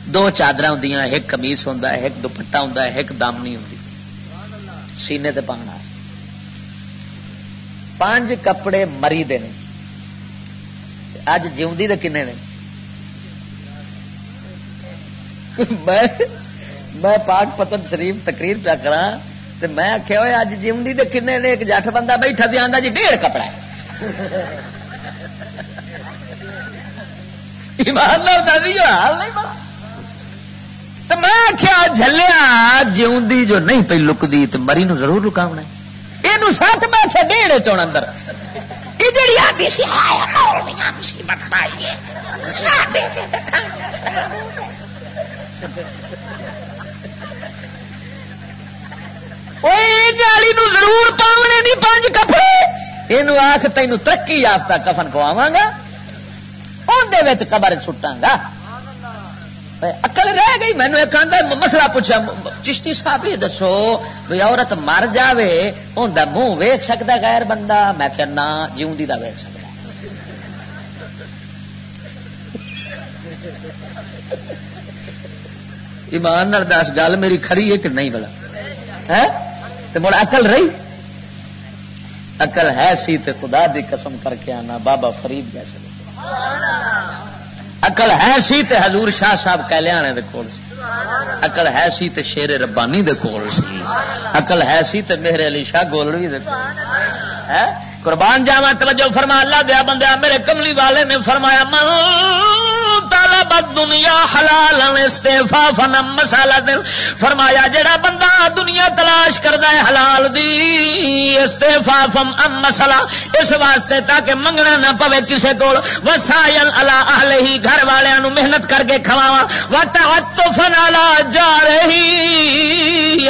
دو چادراں ہوندیاں، ایک قمیص ہوندا ہے، ایک دوپٹہ ہوندا ہے، ایک دامنی ہوندی سینے تے پاؤن واسطے۔ پنج کپڑے مری دے نے۔ تے اج جیوندی دے کنے نے؟ میں، میں پاک پتن شریف تقریر پیا کراں، تے میں آکھیا، "اوئے، اج جیوندی دے کنے نے؟" ایک جٹھ بندہ بیٹھا تے آندا، "جی، ڈیڑھ کپڑا ہے۔" ایمان نال دس، یہ حال نہیں بنا۔ تے میں آکھیا، "جھلیا، جیوندی جو نہیں پئی لکدی، تے مری نو ضرور لکاونا ہے۔ اینو سٹ۔" میں آکھیا، "ڈیڑھ چون اندر۔" یہ جڑی آدھی سی، "ہائے، مولویاں مصیبت پائی ہے، ساڈے تے تے کھانا۔" اوئے، اینو آلی نو ضرور پاونے نہیں پنج کپڑے۔ اینو آکھ، "تینو ترقی یافتہ کفن پواواں گا، اوندے وچ قبر سٹاں گا۔" اے عقل رہ گئی۔ مینوں ایک آندا م-، مسئلہ پوچھا، م-، "چشتی صاحب، یہ دسو، بھئی، عورت مر جاوے، اوندا منہ ویکھ سکدا غیر بندہ؟" میں کہیا، "نہ، جیوندی دا ویکھ سکدا۔" ایمان نال دس، گل میری کھری ہے کہ نہیں بھلا؟ ہیں؟ تے مڑ عقل رہی؟ عقل ہے سی تے خدا دی قسم کر کے آنا، بابا فرید جیسے لوگ۔ عقل ہے سی تے حضور شاہ صاحب کہلے آنے دے کول سی۔ عقل ہے سی تے شیر ربانی دے کول سی۔ عقل ہے سی تے مہر علی شاہ گولڑوی دے کول سی۔ ہے؟ قربان جاواں، توجہ فرما، اللہ دیا بندہ، میرے کملی والے نے فرمایا، "من طلب الدنیا حلالا استعفافا عن مسالۃ۔" فرمایا، جڑا بندہ دنیا تلاش کردا ہے حلال دی، استعفافا عن مسالۃ، اس واسطے تاکہ منگنا نہ پوے کسے کول، وسعیا علی اہلہ، گھر والیاں نو محنت کر کے کھواواں، وتعطفا علی جارہ،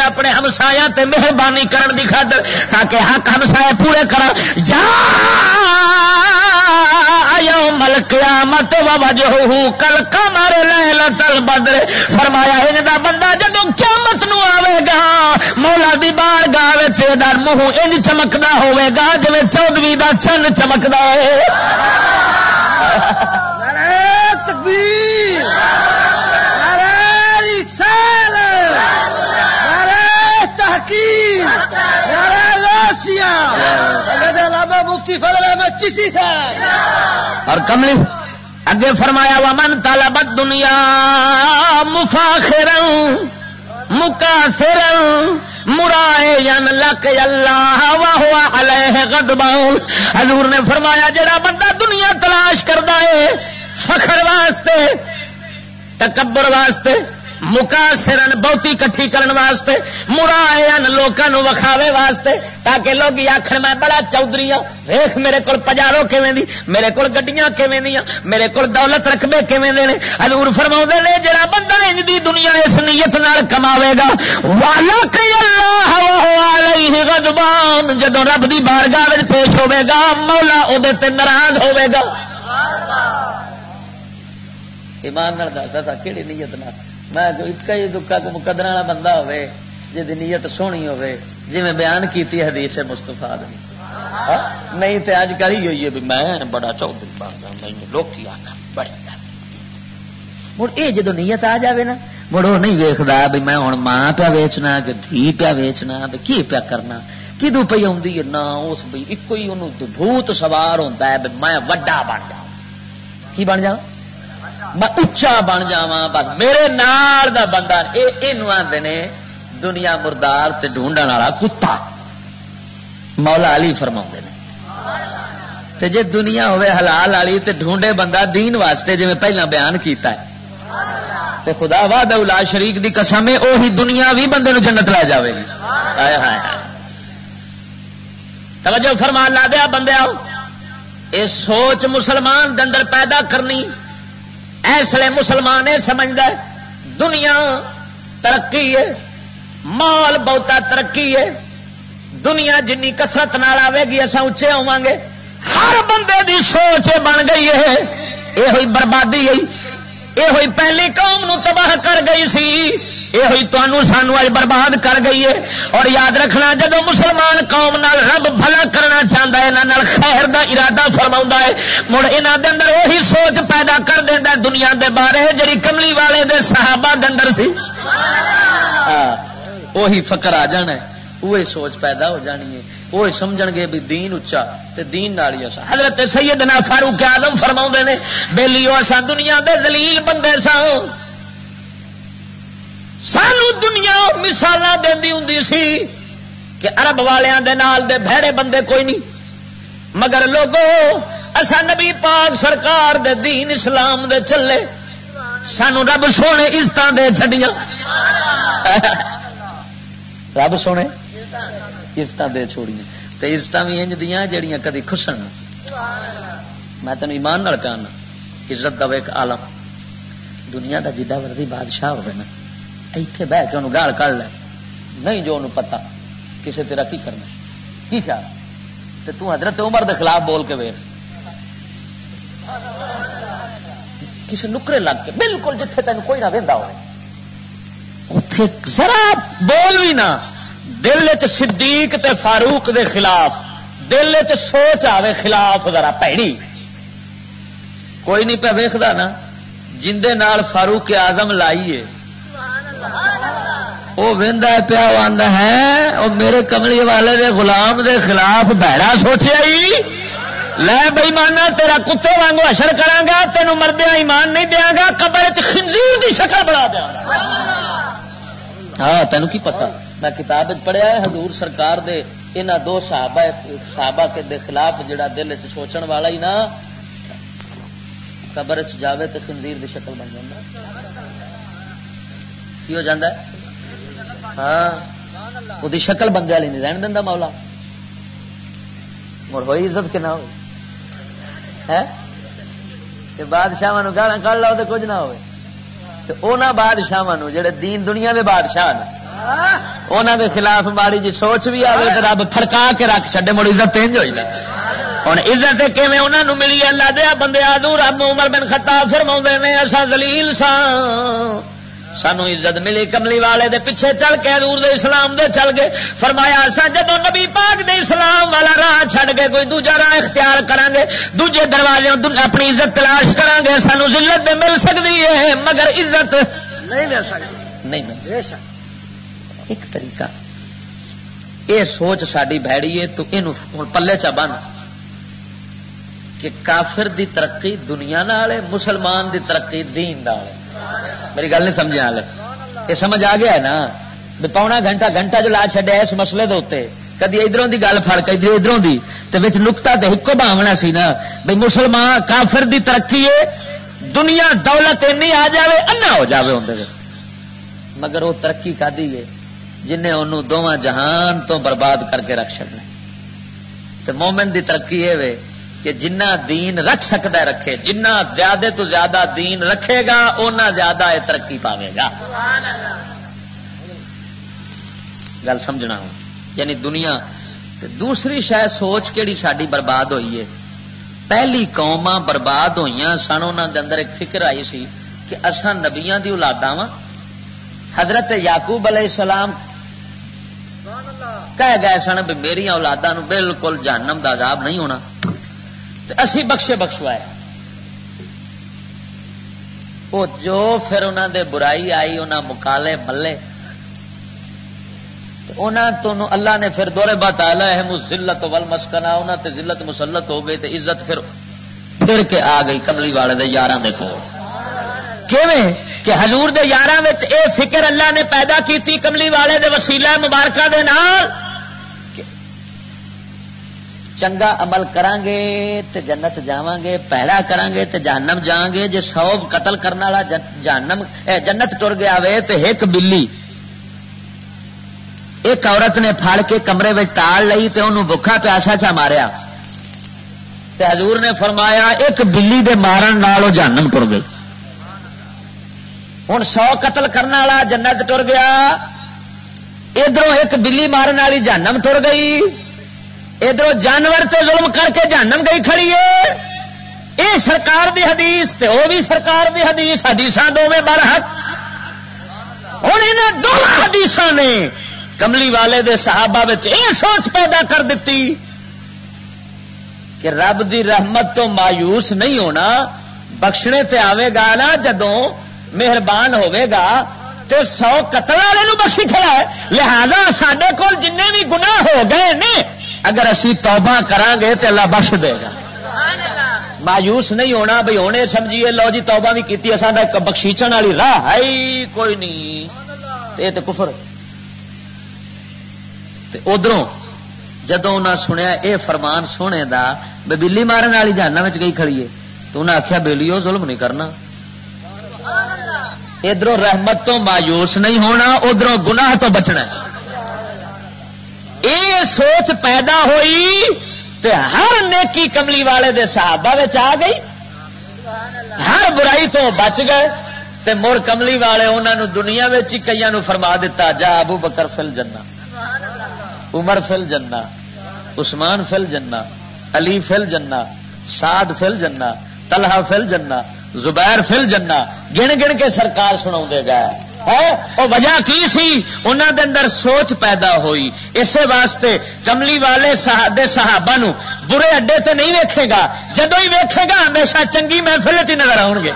اپنے ہمسایاں تے مہربانی کرن دی خاطر، تاکہ حق ہمسائے پورے کراں۔ جاء یوم القیامت ووجہہ کالقمر لیلۃ البدر۔ فرمایا، انج دا بندہ جدوں قیامت نو آوے گا، مولا دی بارگاہ وچ اے دا منہ انج چمکدا ہوے گا جویں چودھویں دا چن چمکدا ہے۔ نعرہ تکبیر، نعرہ رسالت، نعرہ تحقیق، نعرہ غوثیہ، سید علامہ مفتی فضل احمد چشتی صاحب۔ اور کملی اگے فرمایا، "ومن طلب الدنیا مفاخرا مکاثرا مراعیا لقی اللہ وہو علیہ غضبان۔" حضور نے فرمایا، جڑا بندہ دنیا تلاش کردا ہے فخر واسطے، تکبر واسطے، مکاثرن، بہتی اکٹھی کرن واسطے، مراعین، لوکاں نو وکھاوے واسطے، تاکہ لوگ آکھن، "میں بڑا چودھری ہاں، ویکھ میرے کول پجارو کیویں دی، میرے کول گڈیاں کیویں دیاں، میرے کول دولت رقبے کیویں دے نے۔" حضور فرماؤندے نے، جڑا بندہ انج دی دنیا اس نیت نال کماوے گا، "ولقی اللہ وہو علیہ غضبان"، جدوں رب دی بارگاہ وچ پیش ہوے گا، مولا او دے تے ناراض ہوے گا۔ ایمان نال دسدا سا، کیڑی نیت نال؟ میں جو اکا ہی دکا کو مقدرہ والا بندہ ہوے، جے دی نیت سوہنی ہوے، جویں بیان کیتی حدیث مصطفیٰ دی۔ ہاں؟ نہیں تے اج کل ہی ہوئی ہے بھی میں بڑا چودھری بن گیا، مینوں لوکی آکھن بڑی گل۔ مڑ اے جدوں نیت آ جاوے نا، مڑ او نہیں ویکھدا بھی میں ہن ماں پیا ویچنا کہ دھی پیا ویچنا، بھی کی پیا کرنا، کدوں پئی آوندی ہے نا، اس بھی اکو ہی اونوں بھوت سوار ہوندا ہے بھی میں وڈا بن جاواں۔ کی بن جاواں؟ میں اچا بن جاواں، بس میرے نال دا بندہ، اے، اینوں آندے نے دنیا مردار تے ڈھونڈن والا کتا۔ مولا علی فرماوندے نے۔ تے جے دنیا ہوے حلال والی تے ڈھونڈے بندہ دین واسطے، جویں پہلاں بیان کیتا ہے، تے خدا وحدہ لا شریک دی قسم ہے، اوہی دنیا وی بندے نوں جنت لے جاوے گی۔ ہائے ہائے ہائے۔ توجہ فرما، لا دیا بندے آؤ، اے سوچ مسلمان دے اندر پیدا کرنی۔ اس لیے مسلمان اے سمجھدا ہے دنیا ترقی ہے، مال بہتا ترقی ہے، دنیا جنی کثرت نال آوے گی، اساں اچے ہوواں گے۔ ہر بندے دی سوچ یہ بن گئی ہے، یہ ہوئی بربادی ہے، یہ ہوئی پہلی قوم نو تباہ کر گئی سی، یہ ہوئی تانوں سانوں اج برباد کر گئی ہے۔ اور یاد رکھنا، جدوں مسلمان قوم نال رب بھلا کرنا چاہندا ہے، انہاں نال خیر دا ارادہ فرماوندا ہے، مڑ انہاں دے اندر وہی سوچ پیدا کر دیندا ہے دنیا دے بارے، جڑی کملی والے دے صحابہ دے اندر سی۔ ہاں، وہی فکر آ جانا ہے، وہی سوچ پیدا ہو جانی ہے، وہی سمجھن گے بھی دین اچا تے دین نال ہی اساں۔ حضرت سیدنا فاروق اعظم فرماوندے نے، "بیلیو، اساں دنیا دے ذلیل بندے ساں۔" سانو دنیا مثالاں دیندی ہوندی سی کہ عرب والیاں دے نال دے بھڑے بندے کوئی نہیں، مگر لوگو، اساں نبی پاک سرکار دے دین اسلام دے چلے، سانو رب سونے عزتاں دے چھڈیاں۔ رب سونے عزتاں دے چھوڑیاں۔ تے عزتاں وی انج دیاں جڑیاں کدی کھسن۔ میں تینوں ایمان نال کہنا، عزت دا ایک عالم، دنیا دا جڈا مرضی بادشاہ ہوے نا، ایتھے بہ کے انہوں گال کر لے، نہیں جو انہوں پتا کسے تیرا کی کرنا، کی خیال؟ تے تو حضرت عمر دے خلاف بول کے ویکھ، کسے نکرے لگ کے، بالکل جتھے تینوں کوئی نہ ویندا ہوے، اتھے ذرا بول بھی نہ، دل وچ صدیق تے فاروق دے خلاف، دل وچ سوچ آوے خلاف ذرا پیڑی۔ کوئی نہیں پیا ویکھدا نا، جندے نال فاروق اعظم لائی ہے، وہ ویندا پیا، وہ آندا ہے، "او میرے کملی والے دے غلام دے خلاف بھڑا سوچیا ہی؟ لے بے ایمانا، تیرا کتے وانگو حشر کراں گا، تینوں مردیاں ایمان نہیں دیاں گا، قبر وچ خنزیر دی شکل بنا دیاں گا۔" ہاں، تینوں کی پتہ؟ میں کتاب وچ پڑھیا ہے، حضور سرکار دے انہاں دو صحابہ، صحابہ کے دے خلاف جڑا دل وچ سوچن والا ہی نا، قبر وچ جاوے تے خنزیر دی شکل بن جاندا۔ کی ہو جاندا ہے؟ ہاں، وہ دی شکل بندے والی نہیں رہن دیندا مولا۔ مڑ ہوئی عزت کہ نہ ہوئی؟ ہے؟ تے بادشاہاں نوں گالاں کڈ لو تے کچھ نہ ہوئے۔ تے انہاں بادشاہاں نوں، جڑے دین دنیا دے بادشاہ نے، انہاں دے خلاف ماڑی جی سوچ بھی آوے تے رب پھڑکا کے رکھ چھڈے، مڑ عزت انج ہوئی نا۔ ہن عزت کیویں انہاں نوں ملی؟ اللہ دے بندے، آدو رب عمر بن خطاب فرماوندے نے، "اساں ذلیل ساں، سانو عزت ملی، کملی والے دے پیچھے چل کے، حضور دے اسلام دے چل گئے۔" فرمایا، "اساں جدوں نبی پاک دے اسلام والا راہ چھڈ کے کوئی دوجا راہ اختیار کراں گے، دوجے دروازے دن-، اپنی عزت تلاش کراں گے، سانو ذلت دے مل سکدی ہے، مگر عزت نہیں مل سکدی۔" نہیں مل سکدی۔ بے شک۔ ایک طریقہ، یہ سوچ ساڈی بھڑی ہے، تو اینو ہن پلے چا بن کہ کافر دی ترقی دنیا نال ہے، مسلمان دی ترقی دین نال ہے۔ میری گل نہیں سمجھے حالے؟ یہ سمجھ آ گیا ہے نا؟ بھی پونا گھنٹہ، گھنٹہ جو لا چھڈیا اس مسئلے دے اوتے، کدی ادھروں دی گل پھڑ، کدی ادھروں دی، تے وچ نقطہ تے ہکو بھاونا سی نا، بھی مسلمان کافر دی ترقی ہے، دنیا دولت اینی آ جاوے، انا ہو جاوے ہوندے وچ۔ مگر وہ ترقی کادی ہے جنہیں انہوں دوواں جہان تو برباد کر کے رکھ چھڈنا۔ تے مومن دی ترقی یہ وے کہ جنہ دین رکھ سکدا ہے رکھے، جنہ زیادہ تو زیادہ دین رکھے گا، اونا زیادہ یہ ترقی پاوے گا۔ گل سمجھنا ہو، یعنی دنیا۔ تے دوسری شاید سوچ کیڑی ساڈی برباد ہوئی ہے۔ پہلی قوماں برباد ہوئیاں سن، انہاں دے اندر ایک فکر آئی سی کہ اساں نبیاں دی اولاداں واں۔ حضرت یعقوب علیہ السلام کہہ گئے سن بھی میریاں اولاداں نوں بالکل جہنم دا عذاب نہیں ہونا، تے اسی بخشے بخشوائے۔ وہ جو پھر انہاں دے برائی آئی، انہاں مقالے ملے، تے انہاں تو اللہ نے پھر دورے بات آلہ اہم الذلت والمسکنہ، انہاں تے ذلت مسلط ہو گئی تے عزت پھر پھر کے آ گئی کملی والے دے یاراں دے کول۔ کیویں؟ کہ حضور دے یاراں وچ اے فکر اللہ نے پیدا کیتی کملی والے دے وسیلہ مبارکہ دے نال کہ چنگا عمل کراں گے تے جنت جاواں گے، پیڑا کراں گے تے جہنم جاواں گے۔ جے سو قتل کرن والا جن-، جہنم، اے، جنت ٹر گیا وے تے ایک بلی ایک عورت نے پھڑ کے کمرے وچ تاڑ لئی تے انہوں بھکھا پیاسا چا ماریا۔ تے حضور نے فرمایا، ایک بلی دے مارن نال او جہنم ٹر گئی۔ ہن سو قتل کرن والا جنت ٹر گیا، ادھروں ایک بلی مارن والی جہنم ٹر گئی، ادھروں جانور تے ظلم کر کے جہنم گئی کھڑی ہے۔ اے سرکار دی حدیث تے او بھی سرکار دی حدیث، حدیثاں دوویں برحق۔ ہن انہاں دوواں حدیثاں نے کملی والے دے صحابہ وچ اے سوچ پیدا کر دتی کہ رب دی رحمت تو مایوس نہیں ہونا، بخشنے تے آوے گا نا جدوں مہربان ہوے گا تے سو قتل والے نو بخشی کھڑا ہے۔ لہذا ساڈے کول جننے بھی گناہ ہو گئے نے، اگر اسی توبہ کران گے تے اللہ بخش دے گا۔ مایوس نہیں ہونا بھئی ہن اے سمجھیے لو جی توبہ بھی کیتی، اساں دا بخشیچن والی راہ ہے ہی کوئی نہیں۔ تے اے تے کفر۔ تے ادھروں جدوں انہاں سنیا اے فرمان سونے دا، بے بلی مارن والی جہنم وچ گئی کھڑی ہے، تو انہاں آکھیا، "بیلیو، ظلم نہیں کرنا۔" ادھروں رحمت تو مایوس نہیں ہونا، ادھروں گناہ تو بچنا ہے۔ اے سوچ پیدا ہوئی تے ہر نیکی کملی والے دے صحابہ وچ آ گئی، ہر برائی تو بچ گئے۔ تے مڑ کملی والے انہاں نو دنیا وچ ہی کئیاں نو فرما دتا، "جا ابو بکر فل جنہ، عمر فل جنہ، عثمان فل جنہ، علی فل جنہ، سعد فل جنہ، طلحہ فل جنہ، زبیر فل جنہ"، گن گن کے سرکار سناوندے گئے۔ ہے او وجہ کی سی؟ انہاں دے اندر سوچ پیدا ہوئی۔ اسے واسطے کملی والے صحا-، دے صحابہ نو برے اڈے تے نہیں ویکھے گا، جدوں ہی ویکھے گا ہمیشہ چنگی محفل وچ ہی نظر آؤ گے۔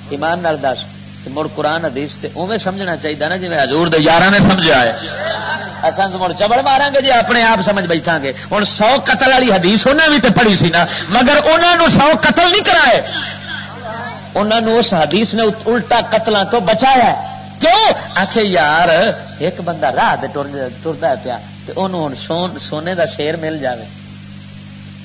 ایمان نال دس، تے مڑ قرآن حدیث تے اوویں سمجھنا چاہیدا نا، جویں حضور دے یاراں نے سمجھیا ہے۔ اساں مڑ چبڑ ماراں گے جی، اپنے آپ سمجھ بیٹھاں گے۔ ہن سو قتل والی حدیث انہاں وی تے پڑھی سی نا، مگر انہاں نو سو قتل نہیں کرائے، انہاں نو اس حدیث نے الٹا قتلاں تو بچایا ہے۔ کیوں؟ آکھے یار، ایک بندہ راہ تے ٹر، ٹردا ہے پیا، تے اونوں ہن سون، سونے دا شیر مل جاوے۔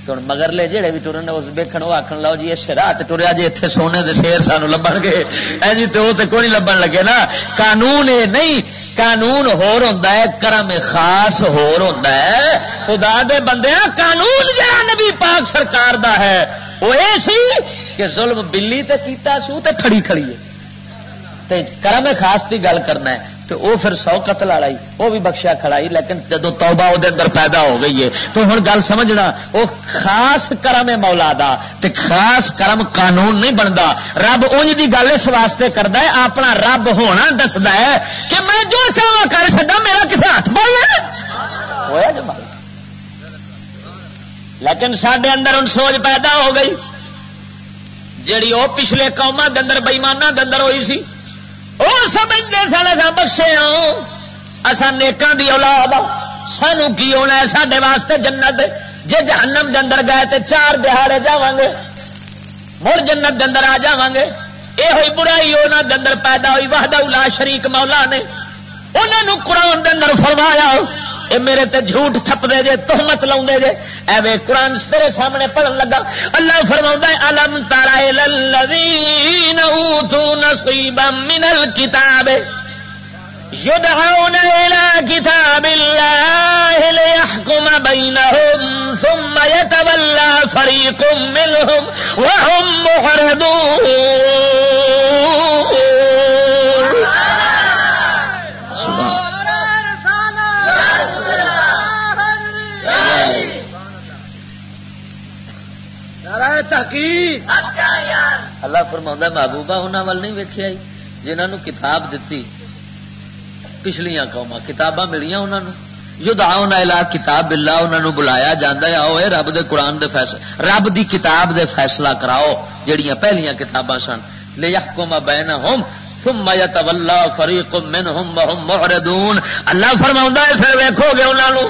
تے ہن مگرلے جڑے وی ٹرن، او ویکھن، او آکھن، "لو جی، اس راہ تے ٹریا جے، ایتھے سونے دے شیر سانوں لبھن گے۔" اے جی، تے او تے کوئی نہیں لبھن لگے نا۔ قانون اے نہیں، قانون ہور ہوندا ہے، کرم خاص ہور ہوندا ہے۔ خدا دے بندیاں، قانون جڑا نبی پاک سرکار دا ہے، او اے سی کہ ظلم بلی تے کیتا سو تے کھڑی کھڑی ہے۔ تے کرم خاص دی گل کرنا ہے، تے او پھر سو قتل والا ہی، او بھی بخشیا کھڑا ہی، لیکن جدوں توبہ او دے اندر پیدا ہو گئی ہے، تو ہن گل سمجھنا، او خاص کرم ہے مولا دا، تے خاص کرم قانون نہیں بندا۔ رب اونج دی گل اس واسطے کردا ہے، اپنا رب ہونا دسدا ہے کہ میں جو چاہواں کر سکدا، میرا کسے ہاتھ پائی ہے؟ ہویا جی مالک۔ لیکن ساڈے اندر ہن سوچ پیدا ہو گئی، جیڑی او پچھلے قوماں دے اندر، بےایماناں دے اندر ہوئی سی۔ او سمجھدے سن، اساں بخشے ہاں، اساں نیکاں دی اولاد آ، سانوں کی ہونا ہے؟ ساڈے واسطے جنت ہے۔ جے جہنم دے اندر گئے تے چار دہاڑے جاواں گے، مڑ جنت دے اندر آ جاواں گے۔ اے ہوئی برائی انہاں دے اندر پیدا ہوئی، وحدہ لا شریک مولا نے انہاں نوں قرآن دے اندر فرمایا، "اے میرے تے جھوٹ تھپدے جے، تہمت لاؤندے جے۔" اے وے، قرآن تیرے سامنے پڑھن لگا، اللہ فرماوندا ہے، "الم تر الی الذین اوتوا نصیبا من الکتاب یدعون الی کتاب اللہ لیحکم بینہم ثم یتولی فریق منہم وهم معرضون۔" نعرہ تحقیق۔ اللہ فرماوندا ہے، محبوبہ، انہاں ول نہیں ویکھیا جی، جنہاں نوں کتاب دتی، پچھلیاں قوماں کتاباں ملیاں انہاں نوں، یدعون الی کتاب اللہ، انہاں نوں بلایا جاندا ہے، "آؤ اے رب دے قرآن دے فیصلے، رب دی کتاب دے فیصلہ کراؤ۔" جڑیاں پہلیاں کتاباں سن، لیحکم بینہم ثم یتولی فریق منہم وہم معرضون۔ اللہ فرماوندا ہے، پھر ویکھو گے انہاں نوں،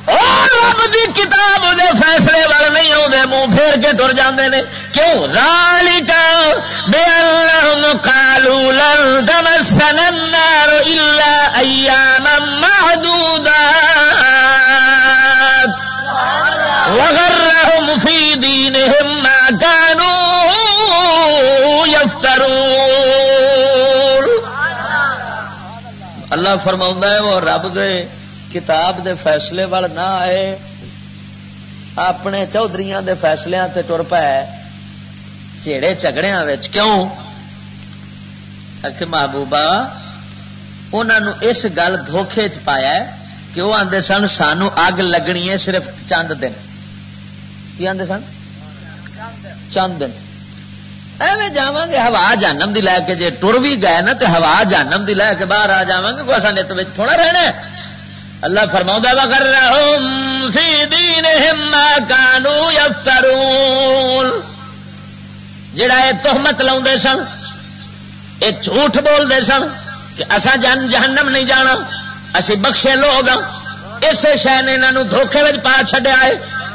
او رب دی کتاب دے فیصلے ول نہیں آوندے، منہ پھیر کے ٹر جاندے نے۔ کیوں؟ ذالک بانہم قالوا لن تمسنا النار الا ایاما معدودات۔ وغرهم في دينهم ما كانوا يفترون۔ اللہ فرماؤندا ہے، وہ رب دے کتاب دے فیصلے وال نہ آئے، اپنے چودھریاں دے فیصلیاں تے ٹر پئے، جھیڑے جھگڑیاں وچ۔ کیوں؟ کہ محبوبہ، انہاں نوں اس گل دھوکھے چ پایا ہے کہ وہ آندے سن، "سانو اگ لگنی ہے صرف چند دن۔" کی آندے سن؟ "چند دن۔ ایویں جاواں گے ہوا جہنم دی لے کے، جے ٹر بھی گئے نا تے ہوا جہنم دی لے کے باہر آ جاواں گے، کوئی اساں نت وچ تھوڑا رہنا ہے۔" اللہ فرماؤندا، "وغرهم في دينهم ما كانوا يفترون۔" جڑا اے تہمت لاوندے سن، اے جھوٹ بول دے سن کہ اساں جن جہنم نہیں جانا، اسی بخشے لوگ ہاں۔ اسے شے نے انہاں نوں دھوکے وچ پا چھڈیا ہے۔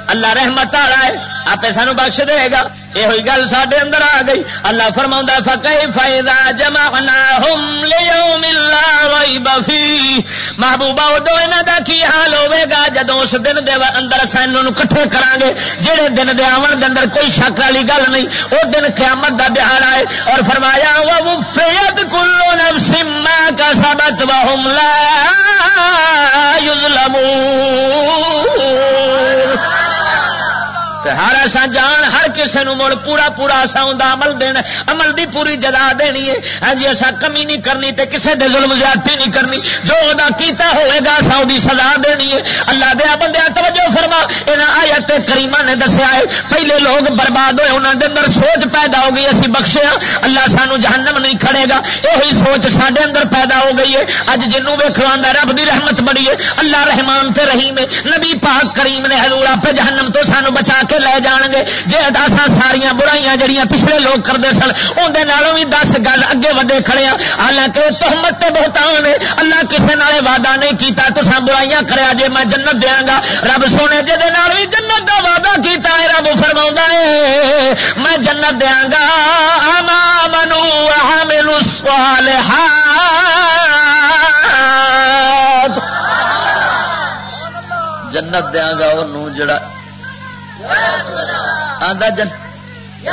اللہ رحمت والا ہے، آپے سانو بخش دے گا۔ یہ ہوئی گل ساڈے اندر آ گئی۔ اللہ فرماوندا، "فکیف اذا جمعناہم لیوم لا ریب فیہ۔" محبوبہ، ادو انہاں دا کی حال ہوے گا جدوں اس دن دے اندر اساں انہاں نوں اکٹھے کراں گے، جڑے دن دے آون دے اندر کوئی شک والی گل نہیں۔ او دن قیامت دا دہاڑا ہے۔ اور فرمایا، "ووفیت کل نفس ما کسبت وهم لا یظلمون۔" تے ہر اساں جان، ہر کسے نوں مڑ پورا پورا اساں اوندا عمل دینا، عمل دی پوری جزا دینی ہے۔ ہاں جی، اساں کمی نہیں کرنی تے کسے دے ظلم زیادتی نہیں کرنی۔ جو ادا کیتا ہوئے گا، اساں اودی سزا دینی ہے۔ اللہ دے بندیاں، توجہ فرما، انہاں آیت کریمہ نے دسیا ہے، پہلے لوگ برباد ہوئے، انہاں دے اندر سوچ پیدا ہو گئی، اسی بخشیا، اللہ سانو جہنم نہیں کھڑے گا۔ یہی سوچ ساڈے اندر پیدا ہو گئی ہے۔ اج جنوں ویکھو آندا رب دی رحمت بڑی ہے، اللہ رحمان تے رحیم ہے۔ نبی پاک کریم نے حضور آپ جہنم تو سانو بچا کے لے جان گے۔ جے اساں ساریاں برائیاں جڑیاں پچھلے لوگ کردے سن، اون دے نالوں بھی دس گز اگے ودے کھڑے ہاں۔ حالانکہ یہ تہمت تے بہتان ہے۔ اللہ کسے نال وعدہ نہیں کیتا، "تساں برائیاں کریا جے، میں جنت دیاں گا۔" رب سونے جے دے نال بھی جنت دا وعدہ کیتا ہے، رب فرماوندا ہے، "میں جنت دیاں گا، اما منو وعملوا الصالحات۔" جنت دیاں گا اونوں جڑا آندا جن-،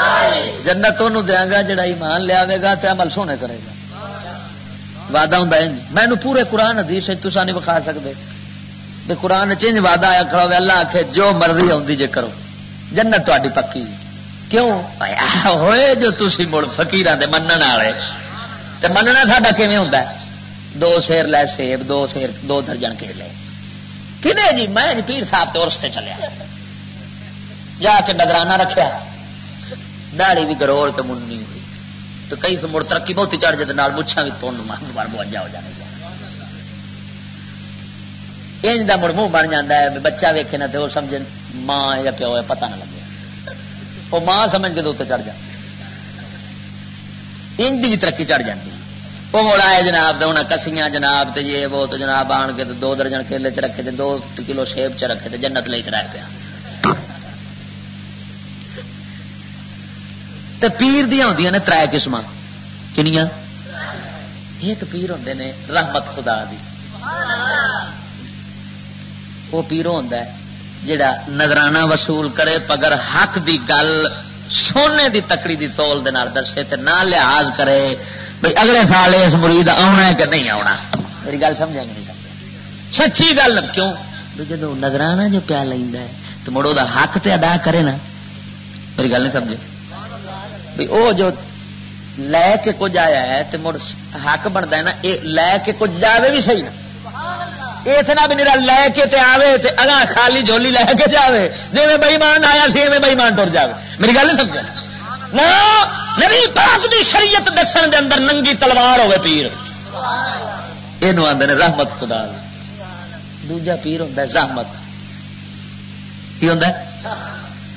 جنت اونوں دیاں گا جڑا ایمان لے آوے گا تے عمل سونے کرے گا۔ وعدہ ہوندا ہے جی۔ مینوں پورے قرآن حدیث وچ تساں نہیں وکھا سکدے۔ تے قرآن وچ انج وعدہ آیا کھڑا ہوے، اللہ آکھے، "جو مرضی ہوندی جے کرو، جنت تہاڈی پکی۔" کیوں؟ آیا ہوئے جو تسی مڑ فقیراں دے منن والے۔ تے مننا ساڈا کیویں ہوندا ہے؟ دو سیر لے سیب، دو سیر، دو درجن کیلے۔ کدے جی، میں جی پیر صاحب تے عرس تے چلیا۔ جا کے نذرانہ رکھیا، داڑھی بھی گروڑ کے مننی ہوئی۔ تو کئی پھر مڑ ترقی بہت ہی چڑھ جاتے، نال مچھاں بھی تن مار بار بوجھا ہو جانے۔ انج دا مڑ منہ بن جاندا ہے، بچہ ویکھے نہ تے او سمجھے ماں ہے یا پیو ہے، پتہ نہ لگے۔ او ماں سمجھ کے تے اوتے چڑھ جاندا۔ انج دی بھی ترقی چڑھ جاندی۔ او مڑ آئے جناب، تے انہاں کسیاں جناب، تے یہ وہ، تے جناب آن کے تے دو درجن کیلے چ رکھے، تے دو کلو سیب چ رکھے، تے جنت لئی تے رہ پیا۔ تے پیر دیاں ہوندیاں نے ترے قسماں۔ کنیاں؟ ایک پیر ہوندے نے رحمت خدا دی۔ وہ پیرو ہوندا ہے جڑا نذرانہ وصول کرے، مگر حق دی گل سونے دی تکڑی دی تول دے نال دسے تے نہ لحاظ کرے بھئی اگلے سال اس مرید آونا ہے کہ نہیں آونا۔ میری گل سمجھا کہ نہیں سمجھا؟ سچی گل کیوں؟ بھئی جدوں نذرانہ جو پیا لیندا ہے تے مڑ او دا حق تے ادا کرے نا۔ میری گل نہیں سمجھے؟ بھئی او جو لے کے کچھ آیا ہے تے مڑ حق بندا ہے نا، اے لے کے کچھ جاوے بھی صحیح نا۔ اے اتنا بھی نہیں لے کے تے آوے تے اگاں خالی جھولی لے کے جاوے، جویں بے ایمان آیا سی ایویں بے ایمان ٹر جاوے۔ میری گل نہیں سمجھے؟ نہ، نبی پاک دی شریعت دسن دے اندر ننگی تلوار ہوے پیر، اینو آندے نے رحمت خدا دی۔ دوجا پیر ہوندا ہے زحمت۔ کی ہوندا ہے؟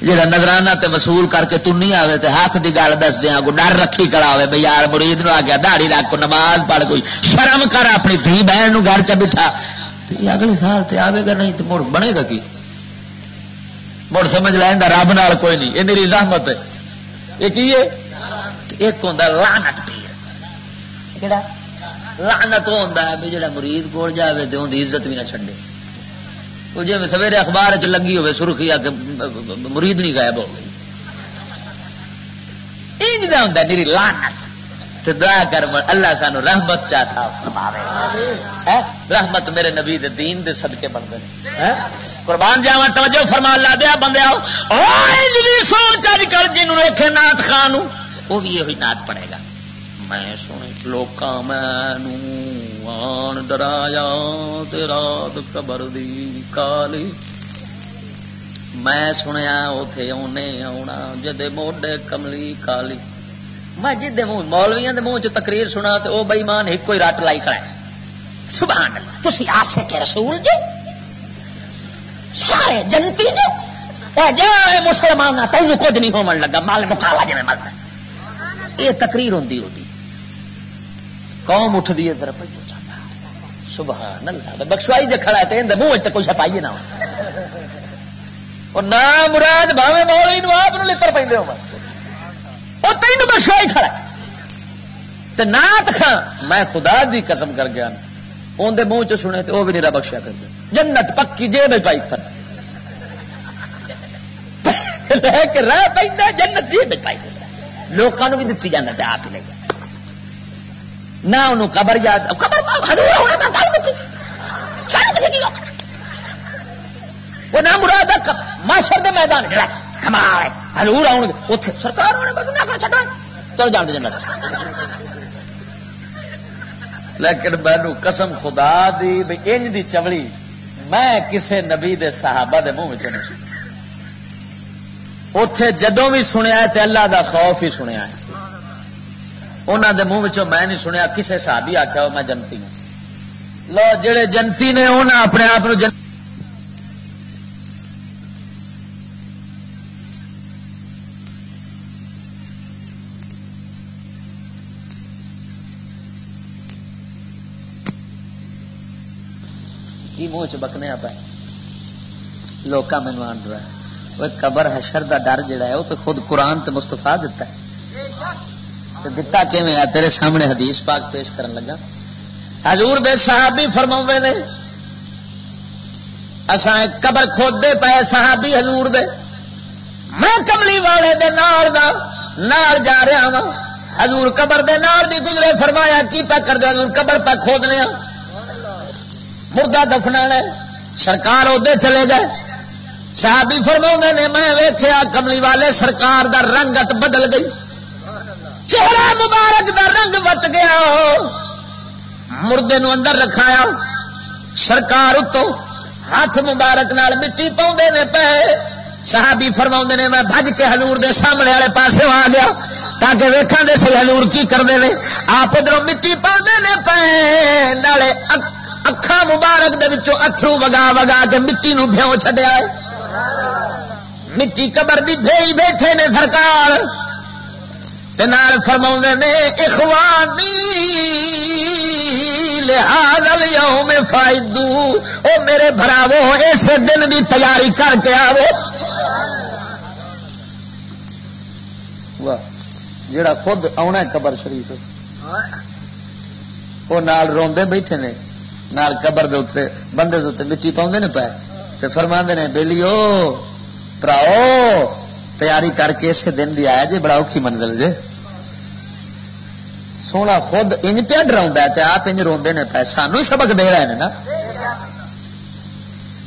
جڑا نذرانہ تے وصول کر کے تنی آوے تے حق دی گل دس دیاں کو ڈر رکھی کھڑا ہوے، بھئی یار مرید نو آ گیا داڑھی رکھ، کو نماز پڑھ، کوئی شرم کر، اپنی دھی بہن نو گھر چ بٹھا۔ تے یہ اگلے سال تے آوے گا نہیں تے مڑ بنے گا کی؟ مڑ سمجھ لے ایندا رب نال کوئی نہیں، یہ میری زحمت ہے۔ یہ کی ہے؟ تے ایک ہوندا لعنت پیر۔ کیڑا؟ لعنت وہ ہوندا ہے بھی جڑا مرید کول جاوے تے اون دی عزت بھی نہ چھڈے۔ وہ جے سویرے اخبار وچ لگی ہوے سرخی آ کے مرید نہیں غائب ہو گئی۔ انج دا ہوندا ہے میری لعنت۔ تے دعا کر من اللہ سانو رحمت چا عطا فرماوے۔ ہیں؟ رحمت میرے نبی دے دین دے صدقے بن گئے۔ ہیں؟ قربان جاواں، توجہ فرما، اللہ دیا بندے آؤ۔ او انج دی سوچ اج کل جنوں ویکھے نعت خان نوں، او بھی یہی نعت پڑھے گا۔ میں سنے لوکاں مینوں آن ڈرایا تے رات قبر دی کالی۔ میں سنیا اوتھے اونے آونا جدے موڈے کملی کالی۔ میں جدے منہ، مولویاں دے منہ چ تقریر سنا تے او بے ایمان ہک کوئی رٹ لائی کھڑا ہے۔ سبحان اللہ، تسی عاشق رسول جو، سارے جنتی جو۔ اے جا اے مسلمان نہ، تینوں کچھ نہیں ہوون لگا، مال مکالا جویں ملدا۔ اے تقریر ہوندی ہوندی۔ قوم اٹھدی ہے، ذرا پہلے جانا۔ سبحان اللہ، بخشوائی جے کھڑا ہے تے اندے منہ وچ تے کوئی شے پائی نہ ہو۔ او نام مراد بھاویں مولوی نو آپ نو لتر پیندے ہو، او تینوں بخشوائی کھڑا ہے۔ تے نعت خاں، میں خدا دی قسم کر گیا، اون دے منہ چ سنے تے او بھی نہیں بخشیا کردے۔ جنت پکی جے بھائی پائی کھڑا۔ لے کے راہ پیندا، جنت جے بھائی پائی کھڑا۔ لوکاں نو بھی دتی جاندا تے آپ ہی لے جاندا۔ نہ انہوں قبر یاد، قبر پاک حضور ہونے پر گل مکی۔ چلو کسی کی لوگ۔ وہ نہ مراد ہے ق-، محشر دے میدان جڑا کمال ہے۔ حضور آؤن گے، اوتھے سرکار ہونے پر نہ کر چھڈو۔ چلو جان دے جنت۔ لیکن مینوں قسم خدا دی بھی انج دی چوڑی میں کسے نبی دے صحابہ دے منہ وچ نہیں سنی۔ اتے جدوں بھی سنیا ہے تے اللہ دا خوف ہی سنیا ہے۔ انہاں دے منہ وچوں میں نہیں سنیا کسے صحابی آکھیا ہو میں جنتی ہوں۔ لو، جڑے جنتی نے، انہاں اپنے آپ نو جن- کی منہ چ بکنے آپ؟ لوکاں مینوں آن ڈرا۔ وہ قبر حشر دا ڈر جڑا ہے، وہ تو خود قرآن تے مصطفیٰ دتا ہے۔ تے دتا کیویں آ؟ تیرے سامنے حدیث پاک پیش کرن لگا۔ حضور دے صحابی فرماوندے نے، اساں ایک قبر کھودے پئے، صحابی حضور دے، میں کملی والے دے نال دا نال جا رہا ہاں۔ حضور قبر دے نال بھی گزرے، فرمایا، "کی پیا کر دے؟" "حضور، قبر پہ کھودنے ہاں، مردہ دفنانا ہے۔" سرکار اودے چلے گئے۔ صحابی فرماوندے نے، میں ویکھیا کملی والے سرکار دا رنگت بدل گئی، چہرہ مبارک دا رنگ وٹ گیا۔ مردے نو اندر رکھایا، سرکار اتوں ہاتھ مبارک نال مٹی پاؤندے نے پے۔ صحابی فرماوندے نے، میں بھج کے حضور دے سامنے والے پاسے آ گیا تاکہ ویکھاں دے صحیح حضور کی کردے نے۔ آپ ادھروں مٹی پاندے نے پے، نالے اک-، اکھاں مبارک دے وچوں اتھرو وگا وگا کے مٹی نو بھیوں چھڈیا ہے۔ مٹی قبر دی بھیئی بیٹھے نے سرکار، تے نال فرماوندے نے، "اخوانی لہذا الیوم فاعدوا"، او میرے بھراوو، اس دن دی تیاری کر کے آوو۔ واہ، جڑا خود آنا ہے قبر شریف، وہ نال روندے بیٹھے نے، نال قبر دے اُتے، بندے دے اُتے مٹی پاؤندے نے پے، تے فرماندے نے، "بیلیو، پراؤ، تیاری کر کے اسے دن دی آیا جے، بڑا اوکھی منزل جے۔" سونا خود انج پیا ڈراؤندا ہے تے آپ انج روندے نے پے، سانو ہی سبق دے رہے نے نا۔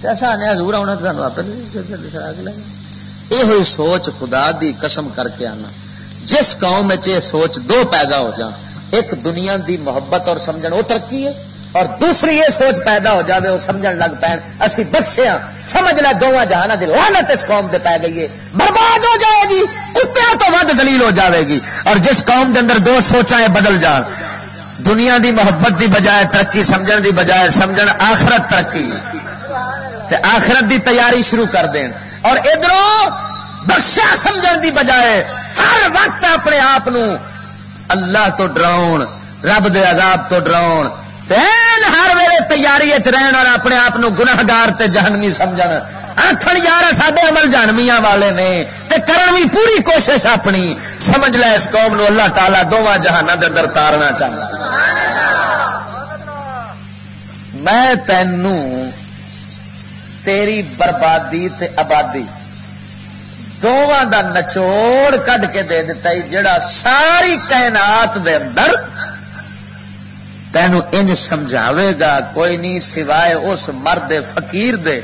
تے اساں آنے حضور آنا تے سانو آپ یہ ہوئی سوچ، خدا دی قسم کر کے آنا، جس قوم وچ یہ سوچ دو پیدا ہو جان، ایک دنیا دی محبت اور سمجھن، وہ ترقی ہے، اور دوسری یہ سوچ پیدا ہو جاوے، وہ سمجھن لگ پین، اسی بخشے ہاں، سمجھ لے دوواں جہاناں دی لعنت اس قوم دے پی گئی ہے، برباد ہو جائے گی، کتیاں تو ود ذلیل ہو جائے گی۔ اور جس قوم دے اندر دو سوچاں یہ بدل جان، دنیا دی محبت دی بجائے ترقی سمجھن دی بجائے سمجھن آخرت ترقی، تے آخرت دی تیاری شروع کر دین، اور ادھروں بخشیا سمجھن دی بجائے ہر وقت اپنے آپ نو اللہ تو ڈراؤن، رب دے عذاب تو ڈراؤن، تے ہر ویلے تیاری وچ رہن اور اپنے آپ نو گناہگار تے جہنمی سمجھن، آکھن، "یار، ساڈے عمل جہنمیاں والے نے۔" تے کرن وی پوری کوشش اپنی۔ سمجھ لے، اس قوم نو اللہ تعالیٰ دوواں جہاناں دے اندر تارنا چاہتا۔ میں تینوں تیری بربادی تے آبادی دوواں دا نچوڑ کڈ کے دے دتا ای، جڑا ساری کائنات دے اندر تینوں انج سمجھاوے گا کوئی نہیں سوائے اس مرد فقیر دے،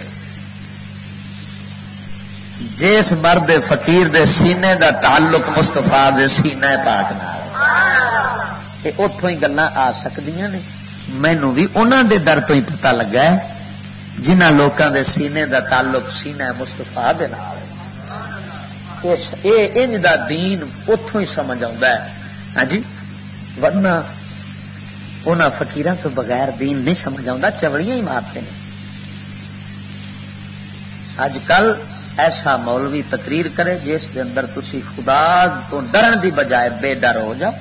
جس مرد فقیر دے سینے دا تعلق مصطفیٰ دے سینے پاک نال۔ یہ اتوں ہی گلاں آ سکدیاں نے۔ مینوں بھی انہاں دے در تو ہی پتہ لگا ہے جنہاں لوکاں دے سینے دا تعلق سینہ مصطفیٰ دے نال ہے۔ اس، اے انج دا دین اتھوں ہی سمجھ آوندا ہے۔ ہاں جی، ورنہ انہاں فقیراں تو بغیر دین نہیں سمجھ آوندا، چوڑیاں ہی مارتے ہیں۔ اج کل ایسا مولوی تقریر کرے جس دے اندر تسی خدا تو ڈرن دی بجائے بے ڈر ہو جاؤ،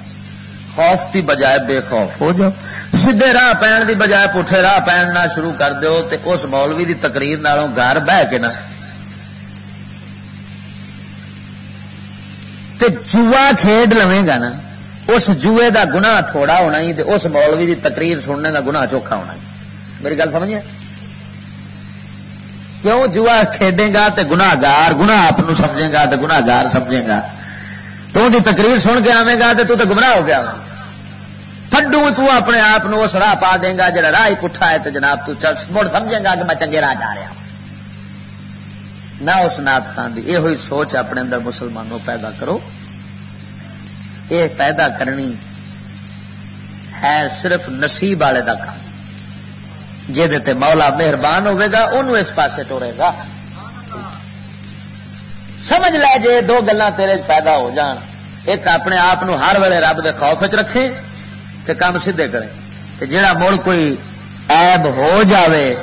خوف دی بجائے بے خوف ہو جاؤ، سیدھے راہ پین دی بجائے پٹھے راہ پین نہ شروع کر دیو، تے اس مولوی دی تقریر نالوں گھر بہ کے نا تے جوا کھیڈ لویں گا نا، اس جوئے دا گناہ تھوڑا ہونا ہی تے اس مولوی دی تقریر سننے دا گناہ چوکھا ہونا ہی۔ میری گل سمجھے؟ کیوں؟ جوا کھیڈیں گا تے گناہ گار، گناہ آپ نو سمجھیں گا تے گناہ گار سمجھیں گا۔ تو دی تقریر سن کے آویں گا تے تو تے گمراہ ہو گیا۔ تھڈو تو اپنے آپ نو اس راہ پا دیں گا جڑا راہ ہی پٹھا ہے، تے جناب تو چل مڑ سمجھیں گا کہ میں چنگے راہ جا رہا ہوں۔ نہ اس نعت خان دی یہ ہوئی سوچ اپنے اندر مسلمانوں پیدا کرو۔ یہ پیدا کرنی ہے صرف نصیب والے دا کام۔ جے دے تے مولا مہربان ہوے گا، اونوں اس پاسے ٹورے گا۔ سمجھ لے، جے دو گلاں تیرے وچ پیدا ہو جان، ایک اپنے آپ نو ہر ویلے رب دے خوف وچ رکھے تے کم سیدھے کرے، تے جڑا مڑ کوئی عیب ہو جاوے،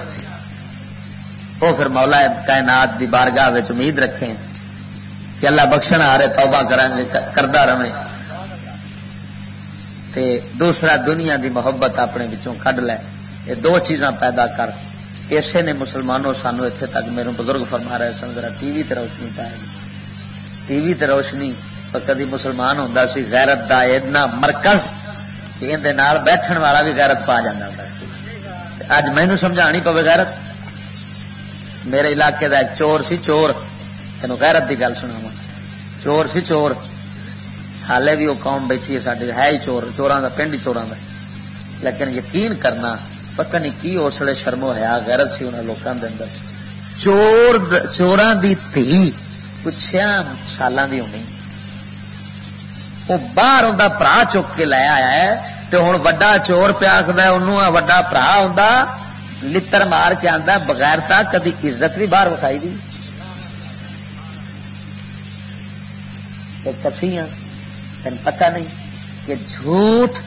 وہ پھر مولا کائنات دی بارگاہ وچ امید رکھے کہ اللہ بخشن ہارے، توبہ کرن، کردا رہے۔ تے دوسرا، دنیا دی محبت اپنے وچوں کڈ لے۔ یہ دو چیزاں پیدا کر۔ اسے نے مسلمانوں سانو اتھے تک، میرے بزرگ فرما رہے سن، ذرا ٹی وی تے روشنی پائے۔ ٹی وی تے روشنی، تو کدی مسلمان ہوندا سی غیرت دا اتنا مرکز کہ اندے نال بیٹھن والا بھی غیرت پا جاندا ہوندا سی۔ تے اج مینوں سمجھانی پوے غیرت۔ میرے علاقے دا ایک چور سی، چور، تینوں غیرت دی گل سناواں۔ چور سی، چور۔ حالے بھی وہ قوم بیٹھی ہے ساڈے، ہے ہی چور، چوراں دا پنڈ ہی چوراں دا۔ لیکن یقین کرنا، پتہ نہیں کی اس ویلے شرم و حیا، غیرت سی انہاں لوکاں دے اندر۔ چور د-، چوراں دی دھی کچھ چھیاں سالاں دی ہونی، وہ باہر اوندا بھرا چک کے لے آیا ہے۔ تے ہن وڈا چور پیا آکھدا ہے، اونوں آ وڈا بھرا اوندا لتر مار کے آندا، بغیرتا کدی عزت بھی باہر وکھائی دی۔ تے کسیاں، تین پتہ نہیں کہ جھوٹ،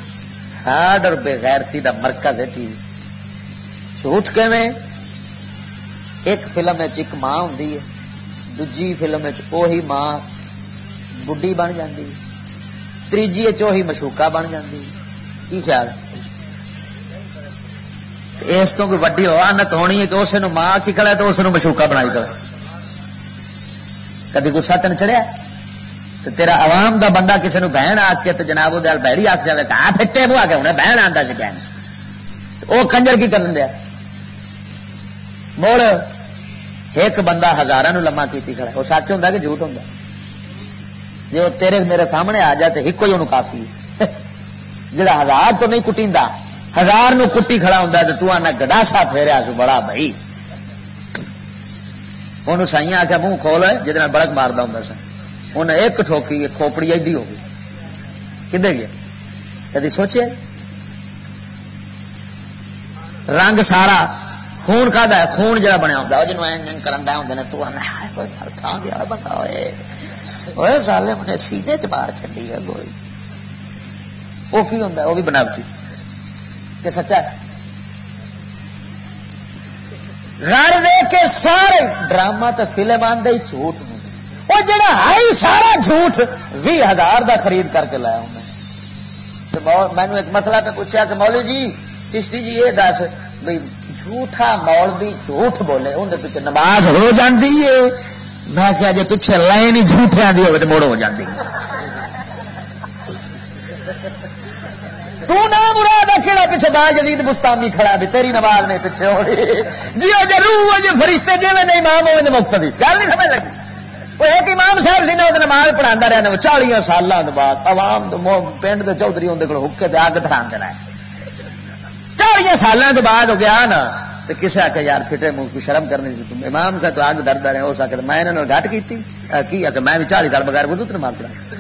فراڈ اور بے غیرتی دا مرکز ہے ٹی وی۔ جھوٹ کیویں؟ ایک فلم وچ ایک ماں ہوندی ہے، دوجی فلم وچ اوہی ماں بڈھی بن جاندی ہے، تیجی وچ اوہی مشوکا بن جاندی ہے۔ کی خیال؟ تے اس تو کوئی وڈی ہو آنت ہونی ہے کہ اس نو ماں آکھی کھڑا ہے تے اس نو مشوکا بنائی کھڑا ہے۔ کدی غصہ تین چڑھیا؟ تے تیرا عوام دا بندہ کسے نو بہن آکھ کے تے جناب، او دے نال بہڑی آکھ جاوے کہ آ پھٹے منہ آ کے ہنے بہن آندا سی کہن۔ تے او کنجر کی کرن دیا؟ مڑ ایک بندہ ہزاراں نو لمحہ کیتی کھڑا ہے، او سچ ہوندا کہ جھوٹ ہوندا؟ جے او تیرے میرے سامنے آ جائے تے ہکو ہی اونوں کافی ہے۔ جڑا ہزار تو نہیں کٹیندا، ہزار نو کٹی کھڑا ہوندا تے تو آنا گڈاسا پھیریا سو بڑا بھائی۔ اونوں سائیاں آکھیا، "منہ کھول، جہدے نال بڑک ماردا ہوندا سا۔" انہیں ایک ٹھوکی، ایک کھوپڑی ایڈی ہو گئی۔ کدے گیا؟ کدی سوچے؟ رنگ سارا خون کا دا ہے، خون جڑا بنیا ہوندا، او جنوں اینج اینج کرن دا ہوندے نے، تو آنا، "ہائے، کوئی مر تھاں گیا بندہ ہوئے۔ اوئے ظالم نے سینے چ مار چھڈی ہے گولی۔" وہ کی ہوندا ہے؟ وہ بھی بناوٹی۔ کہ سچا ہے؟ غرض اے کہ سارے ڈرامہ تے فلم آندے ہی جھوٹ نوں۔ او جڑا ہائی سارا جھوٹ، ویہہ ہزار دا خرید کر کے لایا ہوں میں۔ تے مو-، مینوں ایک مسئلہ تے پوچھیا کہ مولوی جی، چشتی جی، یہ دس بھئی، جھوٹا مولوی جھوٹ بولے، اون دے پیچھے نماز ہو جاندی ہے؟ میں کہیا، جے پیچھے لائن ہی جھوٹیاں دی ہوے تے مڑ ہو جاندی۔ تو نہ مراد ہے کہڑا پیچھے با یزید بستانی کھڑا بھی، تیری نماز نہیں پیچھے ہونی۔ جی او جے روح ہو جے فرشتے، جے میں امام ہوے تے مقتدی۔ گل نہیں سمجھ لگی؟ وہ ایک امام صاحب سی نا، وہ نماز پڑھاندا رہنا، وہ چالیاں سالاں دے بعد عوام دے مو-، پنڈ دے چودھری ہوندے کول حکے تے اگ دھران دے رہے۔ چالیاں سالاں دے بعد ہو گیا نا، تے کسے آکھیا، "یار، پھٹے منہ کو شرم کرنی سی، تم امام صاحب تو اگ دھردا رہے ہو۔" اس آکھیا، "میں انہاں نال گھٹ کیتی۔" آ، کی آکھیا، "میں بھی چالی سال بغیر وضو تے نماز پڑھا۔"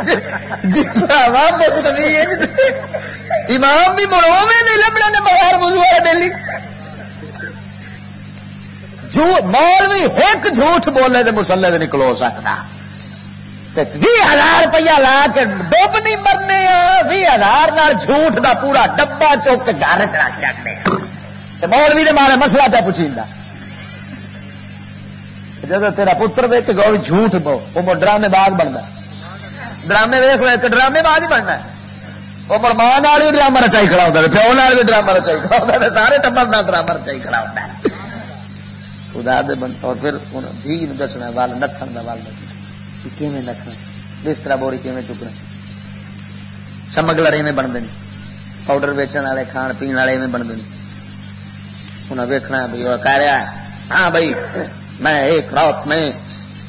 جی، جی، بھراوا، مقتدی ہے جی۔ امام بھی مڑ اوویں نہیں لبھنے نے بغیر وضو والے ڈیلی۔ جو مولوی ایک جھوٹ بولے تے مصلے تے نکلو سکدا۔ تے ویہہ ہزار روپیہ لا کے ڈب نہیں مرنے آ، ویہہ ہزار نال جھوٹ دا پورا ڈبہ چک کے گھر چ رکھ جاندے آ۔ تے مولوی دے مارے مسئلہ پہ پوچھیندا۔ جدوں تیرا پتر ویکھ کے وہ جھوٹ بو، وہ مڑ ڈرامے باز بندا۔ ڈرامے ویکھ لو، ایک ڈرامے باز ہی بننا ہے۔ وہ مڑ ماں نال بھی ڈرامہ رچائی کھڑا ہوندا ہے، پیو نال بھی ڈرامہ رچائی کھڑا ہوندا ہے، سارے ٹبر نال ڈرامہ رچائی کھڑا ہوندا ہے۔ خدا دے بند-، اور پھر ہن دھی نوں دسنا، ول نسن دا ول دسنا۔ کہ کیویں نسنا، بسترا بوری کیویں چکنا۔ سمگلر ایویں بنتے ہیں، پاؤڈر ویچن والے، کھان پین والے ایویں بنتے ہیں۔ انہاں ویکھنا ہے بھئی، وہ کہہ رہا ہے، "ہاں بھائی، میں ایک رات میں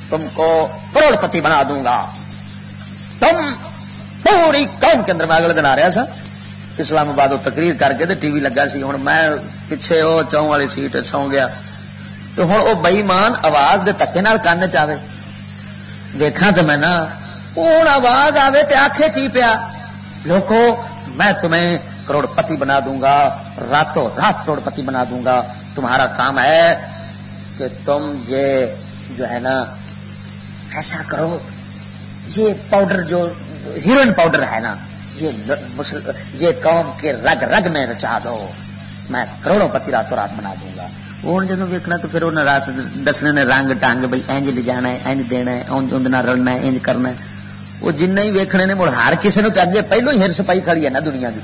تم کو کروڑ پتی بنا دوں گا، تم پوری قوم کے اندر۔" میں اگلے دن آ رہا سا اسلام آباد، وہ تقریر کر کے تے ٹی وی لگا سی، ہن میں پیچھے وہ چاؤں والی سیٹ سو گیا۔ تو ہن وہ بے ایمان آواز دے تکے نال کان چ آوے، ویکھاں تے میں نہ، ہن آواز آوے تے آکھے کی پیا، "لوکو، میں تمہیں کروڑ پتی بنا دوں گا، راتوں رات کروڑ پتی بنا دوں گا، تمہارا کام ہے کہ تم یہ جو ہے نا، ایسا کرو، یہ پاؤڈر، جو ہیروئن پاؤڈر ہے نا، یہ ل-، مسل-، یہ قوم کے رگ رگ میں رچا دو، میں کروڑوں پتی راتوں رات بنا دوں گا۔ وہ ہن جدوں ویکھنا تو پھر انہاں رات دسنے نے رنگ ٹنگ، بھئی انج لے جانا ہے، انج دینا ہے، انج، انج نال رلنا ہے، انج کرنا ہے۔ وہ جنہیں ہی ویکھنے نے، مڑ ہر کسے نوں تے اگے پہلو ہی ہرس پائی کھڑی ہے نا دنیا دی۔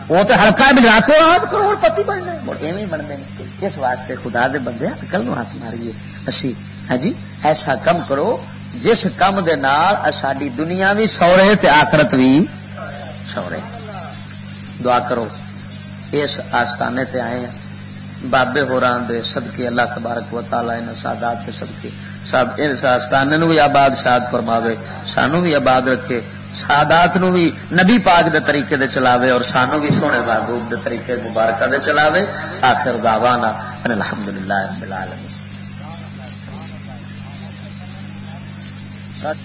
وہ تے ہلکا بھی راتوں رات کروڑ پتی بننا ہے، مڑ ایویں بننے نے۔ اس واسطے خدا دے بندے، عقل نوں ہاتھ ماریے۔ اسی، ہاں جی، ایسا کم کرو جس کم دے نال ساڈی دنیا بھی سورے تے آخرت بھی سورے۔ دعا کرو، اس آستانے تے آئے ہیں، بابے ہوراں دے صدقے، اللہ تبارک و تعالیٰ انہاں سادات دے صدقے، سب اس آستانے نو بھی آباد شاد فرماوے، سانو بھی آباد رکھے، سادات نو بھی نبی پاک دے طریقے دے چلاوے اور سانو بھی سونے محبوب دے طریقے مبارکہ دے چلاوے۔ آخر دعوانا ان الحمدللہ رب العالمین۔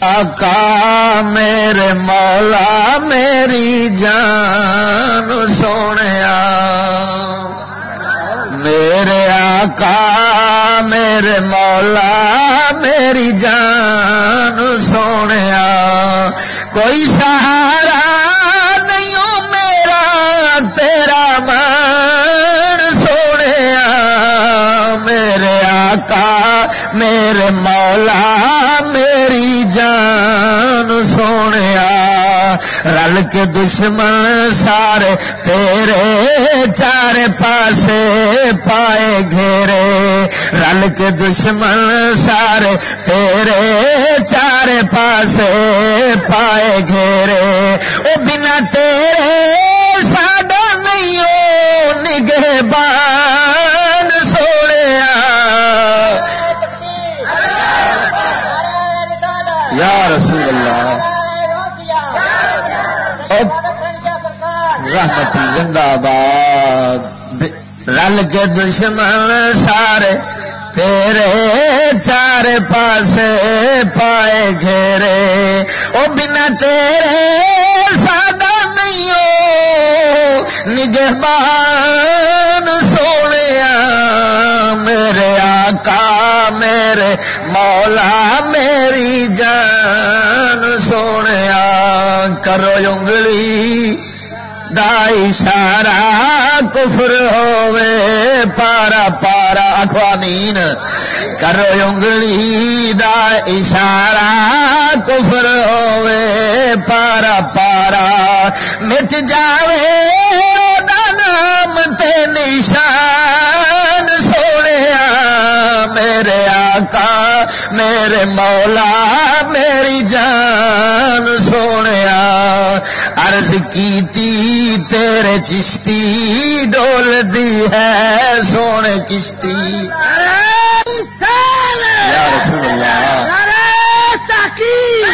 آقا میرے مولا میری جان سونیا، میرے آقا میرے مولا میری جان سونیا، کوئی سہارا نہیں ہو میرا تیرا مان سونیا، میرے آقا میرے مولا میری جان سونیا، رل کے دشمن سارے تیرے چار پاسے پائے گھیرے، رل کے دشمن سارے تیرے چار پاسے پائے گھیرے، او بنا تیرے ساڈا نہیں او نگہبان سوڑیا۔ یا رسول اللہ۔ او رحمتی زندہ باد۔ رل کے دشمن سارے تیرے چار پاسے پائے گھیرے، او بنا تیرے ساڈا نہیں او نگہبان سونیا، میرے آقا میرے مولا میری جان سونیا، کرو انگلی دا اشارہ کفر ہووے پارا پارا، آکھو آمین۔ کرو انگلی دا اشارہ کفر ہووے پارا پارا، مٹ جاوے دا نام تے نشان سونیا، میرے آقا میرے مولا میری جان سونیا، عرض کیتی تیرے چشتی ڈول دی ہے سونے کشتی۔ یا رسول اللہ۔ نعرہ تحقیق۔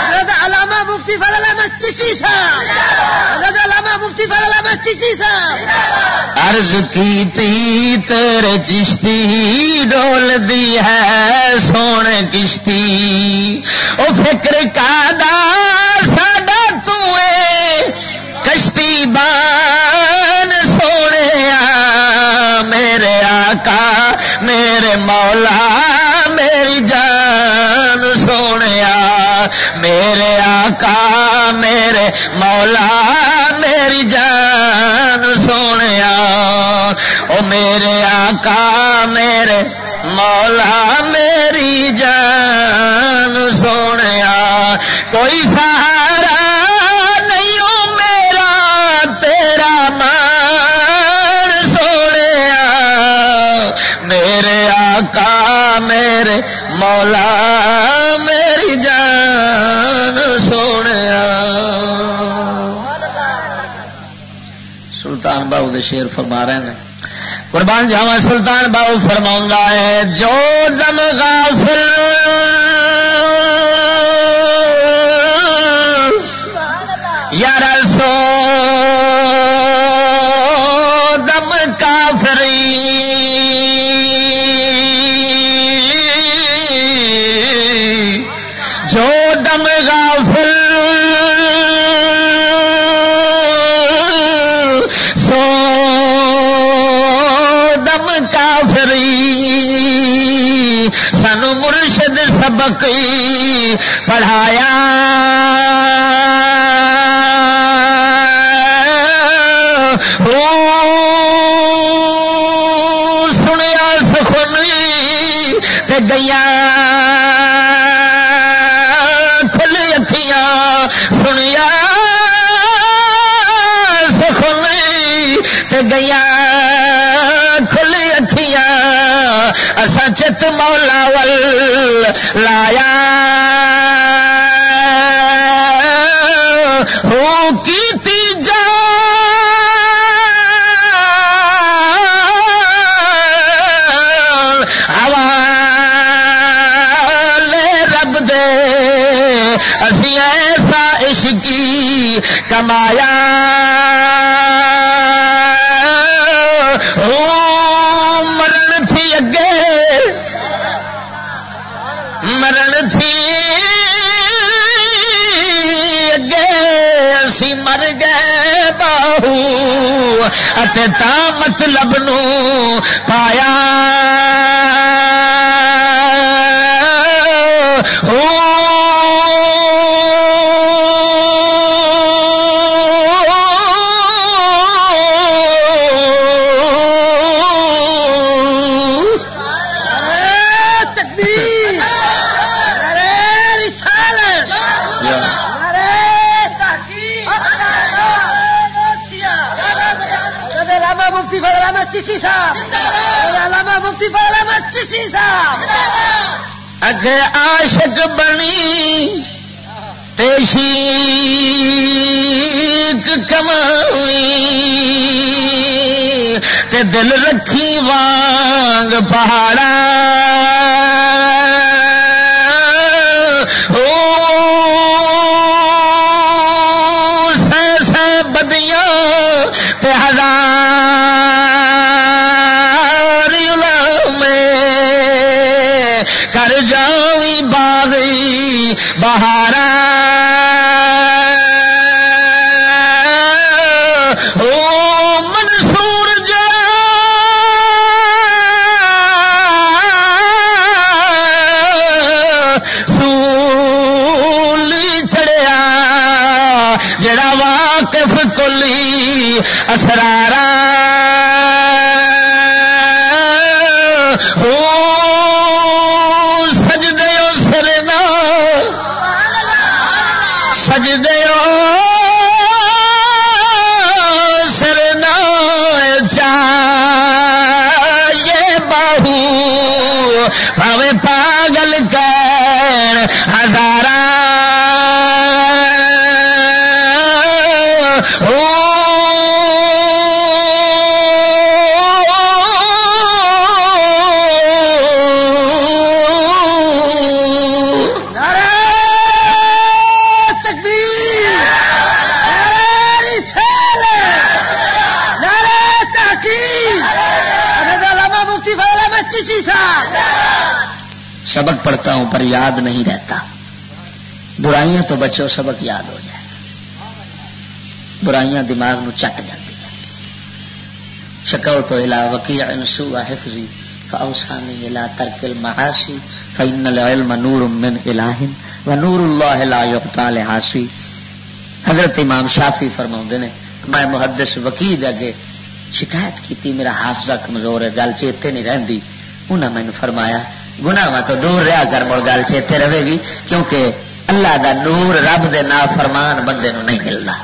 حضرت علامہ مفتی فضل احمد چشتی صاحب۔ حضرت علامہ مفتی فضل احمد چشتی صاحب۔ عرض کیتی تیرے چشتی ڈول دی ہے سونے کشتی، او فکر کا دا ساڈا تو اے کشتی بان سونیا، میرے آقا میرے مولا میری جان سونیا، میرے آقا میرے مولا میری جان سونیا، او میرے آقا میرے مولا میری جان سونیا، کوئی سہارا نہیں او میرا تیرا مان سونیا، میرے آقا میرے مولا میری جان سونیا۔ سلطان باہو دے شعر فرما رہے ہیں۔ قربان جاواں، سلطان باہو فرماؤندا ہے، جو دم غافل یارا سو دم کافری، جو دم غافل سو دم کافری، سانو مرشد سبق پڑھایا۔ او سنیا سخن تے گئیاں کھل اکھیاں، سنیا سخن تے گئیاں کھل اکھیاں، اساں چت مولا ول لایا۔ ہو کیتی جان حوالے رب دے، اسی ایسا عشقی کمایا۔ او مرن تھی اگے، مرن تھی اگے اسی مر گئے باہو، اتے تا مطلب نو پایا۔ او نعرہ تکبیر، نعرہ رسالت، نعرہ تحقیق، نعرہ غوثیہ۔ حضرت علامہ مفتی فضل احمد چشتی صاحب، حضرت علامہ مفتی فضل احمد چشتی صاحب۔ اگے عاشق بنی تے عشیق کمائی، تے دل رکھی وانگ پہاڑا۔ او سہ سہ بدیاں تے ہزار غلام کر جاویں باغی بہارا۔ او منصور جا سولی چڑھیا، جڑا واقف کلی اسرارا۔ او سجدے او سرنا، سجدے او سرنا چاہیے باہو، پاوے پاگل کہن ہزاراں۔ او نعرہ تکبیر، نعرہ رسالت، نعرہ تحقیق۔ حضرت علامہ مفتی فضل احمد چشتی صاحب۔ سبق پڑھتا ہوں پر یاد نہیں رہتا۔ برائیاں تو بچو، سبق یاد ہو جائے۔ برائیاں دماغ نو چٹ جاندی ہے۔ شکوت الی وکیع سوء حفظی فاوصانی الی ترک المعاصی فان العلم نور من الہ ونور اللہ لا یعطی لعاصی۔ حضرت امام شافعی فرماؤندے نے، میں محدث وکیع دے اگے شکایت کیتی، میرا حافظہ کمزور ہے، گل چیتے نہیں رہندی۔ انہاں مینوں فرمایا، گناہاں تو دور رہا کر، مڑ گل چیتے رہے گی، کیونکہ اللہ دا نور، رب دے نافرمان بندے نوں نہیں ملدا۔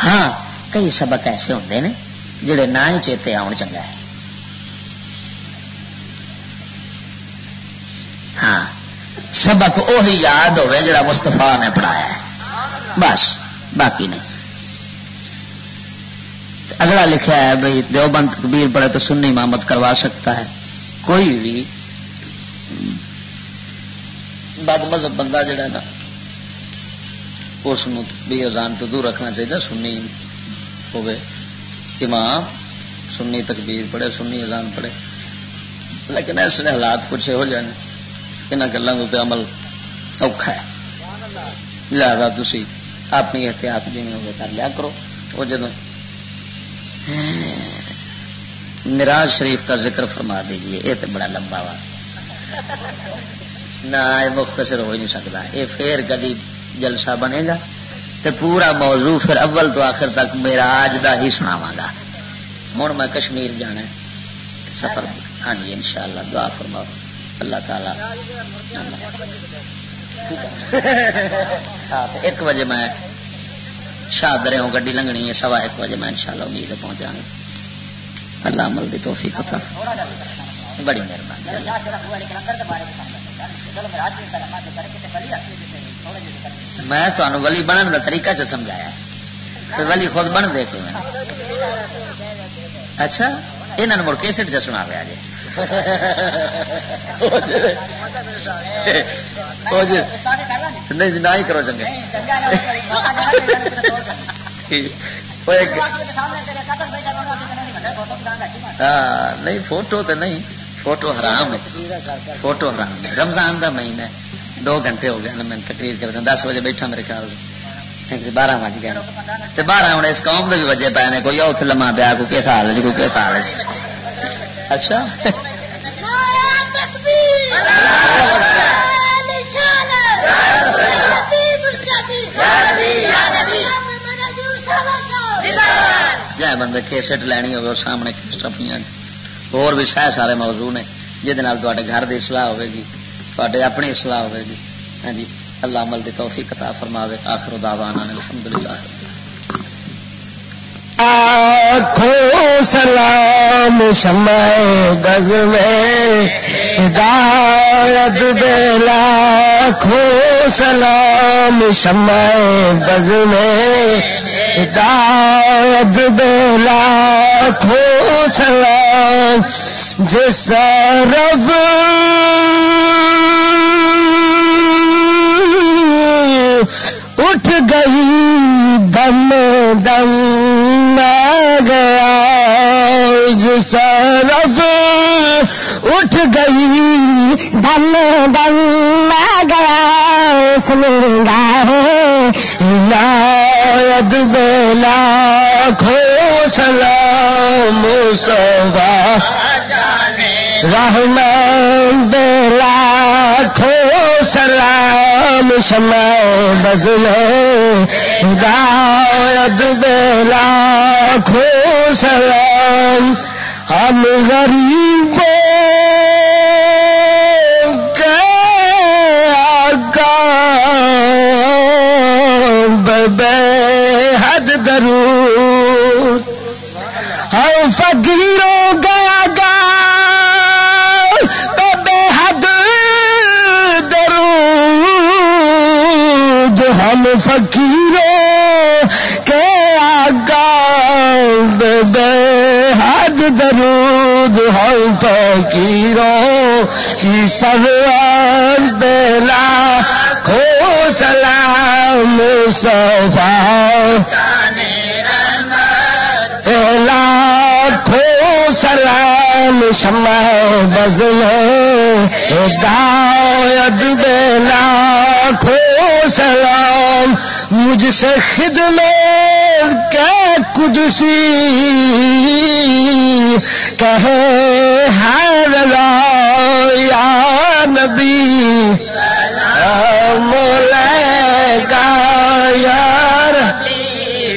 ہاں، کئی سبق ایسے ہوندے نے جڑے نہ ہی چیتے آون چنگا ہے۔ ہاں، سبق اوہی یاد ہوئے جڑا مصطفیٰ نے پڑھایا ہے، بس، باقی نہیں۔ اگلا لکھا ہے بھئی، دیوبند تکبیر پڑھے تو سنی امامت کروا سکتا ہے۔ کوئی بھی بد مذہب بندہ جڑا نا، اس نو بھی اذان تو دور رکھنا چاہیے، سنی ہوئے، امام سنی تکبیر پڑھے، سنی اذان پڑھے۔ لیکن اس نے حالات کچھ ہو جانے، انہاں گلاں دے تے عمل اوکھا ہے۔ لہذا تسی اپنی احتیاط جویں ہوے کر لیا کرو۔ وہ جدوں معراج شریف کا ذکر فرما دیجیے، یہ تو بڑا لمبا وا۔ نہ، یہ مختصر ہو ہی نہیں سکتا، یہ پھر کدی جلسہ بنے گا۔ تے پورا موضوع پھر اول تو آخر تک معراج دا ہی سناواں گا۔ ہن میں کشمیر جانا ہے، سفر۔ ہاں جی، انشاءاللہ دعا فرماؤ، اللہ تعالیٰ۔ ہاں، تے ایک بجے میں شاہ درے ہوں گڈی لنگنی ہے، سوا ایک بجے میں انشاءاللہ امید ہے پہنچ جاؤں گا۔ اللہ عمل دی توفیق عطا۔ بڑی مہربانی۔ میں تانوں ولی بنن دا طریقہ چ سمجھایا۔ تے ولی خود بن دے کے میں۔ اچھا، انہاں نے مڑ کیسٹ چ سنا پیا جی۔ او جی۔ نہیں جی، نہ ہی کرو چنگے۔ او ایک، ہاں، نہیں، فوٹو تے نہیں، فوٹو حرام ہے، فوٹو حرام ہے۔ رمضان دا مہینہ ہے، دو گھنٹے ہو گئے نا، میں تقریر کر دیں، دس بجے بیٹھا میرے خیال سے، بارہ بج گئے۔ تے بارہ ہن اس قوم دے بھی وجے پے نے، کوئی اوتھ لما پیا، کوئی کس حال ہے، کوئی کس حال ہے۔ اچھا۔ جائے بندے کیسٹ لینی ہوگی، سامنے کیسٹ اپنی، اور بھی سہ سارے موضوع نے، جہدے نال تہاڈے گھر دی اصلاح ہوے گی، تہاڈے اپنی اصلاح ہوے گی۔ ہاں جی، اللہ عمل دی توفیق عطا فرماوے۔ آخر دعوانا ان الحمدللہ۔ آنکھوں سلام شمع بز میں ہدایت بے، لاکھوں سلام شمع بز میں ہدایت بے، لاکھوں سلام جس طرف اٹھ گئی، دم دم میں گیا، جس طرف اٹھ گئی، دم دم میں گیا، اس نگاہ عنایت بے، لاکھوں سلام مصطفیٰ رحمان بے، لاکھوں سلام شمع بز میں ہدایت بے، لاکھوں سلام ہم غریبوں کے آقا بے حد درود، ہم فقیروں کے آقا بے حد درود، ہم فقیروں کے آقا بے حد درود، ہم فقیروں کی سرور بے، لاکھوں سلام مصطفیٰ، لاکھوں سلام شمع بز میں ہدایت بے، لاکھوں سلام مجھ سے خدمت کے قدسی کہے ہر را، یا نبی سلام علیکہ، یا رب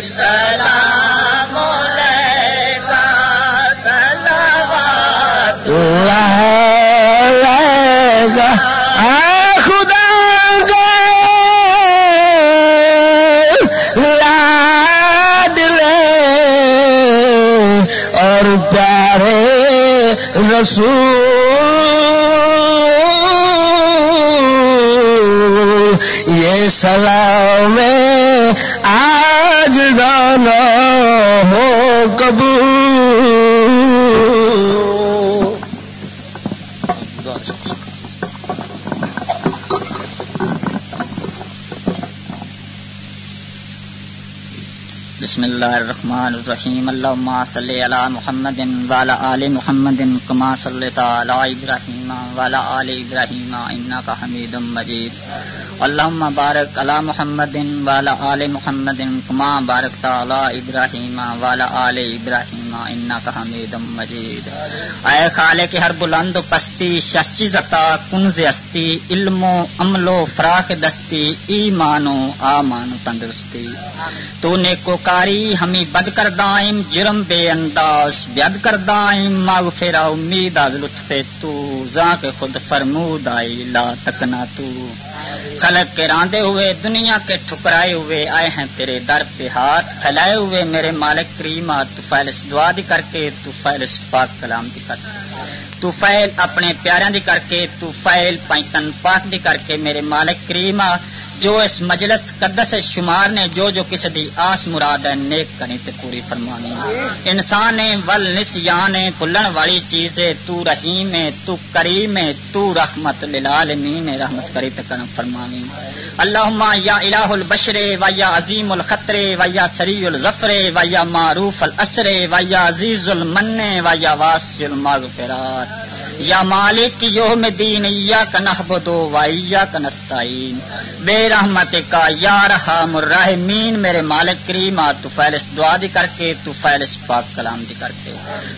سلام علیکہ، صلوات اللہ علیکہ۔ اے خدا گے لاڈلے اور پیارے رسول، یہ سلام آج دانا ہو قبول۔ بسم اللہ الرحمن الرحیم۔ اللہم صلی علی محمد وعلی آل محمد کما صلیت علی ابراہیم وعلی آل ابراہیم انک حمید مجید۔ اللهم بارك على محمد وعلى آل محمد كما باركت على إبراهيم وعلى آل إبراهيم إنك حميد مجيد۔ اے خالق ہر بلند و پستی، شش چیز عطا کنز ہستی، علم و عمل و فراخ دستی، ایمان و آمان و تندرستی۔ تو نیکوکاری ہمی بد کردائم، جرم بے انداز بیاد کردائم، مغفرہ امید از لطف تو، زاں کہ خود فرمود آئی لا تکنا تو۔ خلق کے راندے ہوئے، دنیا کے ٹھکرائے ہوئے، آئے ہیں تیرے در پہ ہاتھ پھیلائے ہوئے۔ میرے مالک کریما، تو فیل اس دعا دی کر کے، تو فیل اس پاک کلام دی کر کے، تو فیل اپنے پیاریاں دی کر کے، تو فیل پنجتن پاک دی کر کے۔ میرے مالک کریما، جو اس مجلس قدس شمار نے جو جو کسی دی آس مراد ہے، نیک کریں تے پوری فرمانی۔ انسان ہے ول نسیان ہے، بھلن والی چیز ہے، تو رحیم ہے، تو کریم ہے، تو رحمت للعالمین ہے، رحمت کری تے کرم فرمانی۔ اللہم یا الہ البشر و یا عظیم الخطر و یا سریع الظفر و یا معروف الاسر و یا عزیز المن و یا واسع المغفرات، یا مالک یوم الدین، ایاک نعبد و ایاک نستعین، بے رحمت کا یا ارحم الراحمین۔ میرے مالک کریم، آ تو فیل اس دعا دی کر کے، تو فیل اس پاک کلام دی کر کے،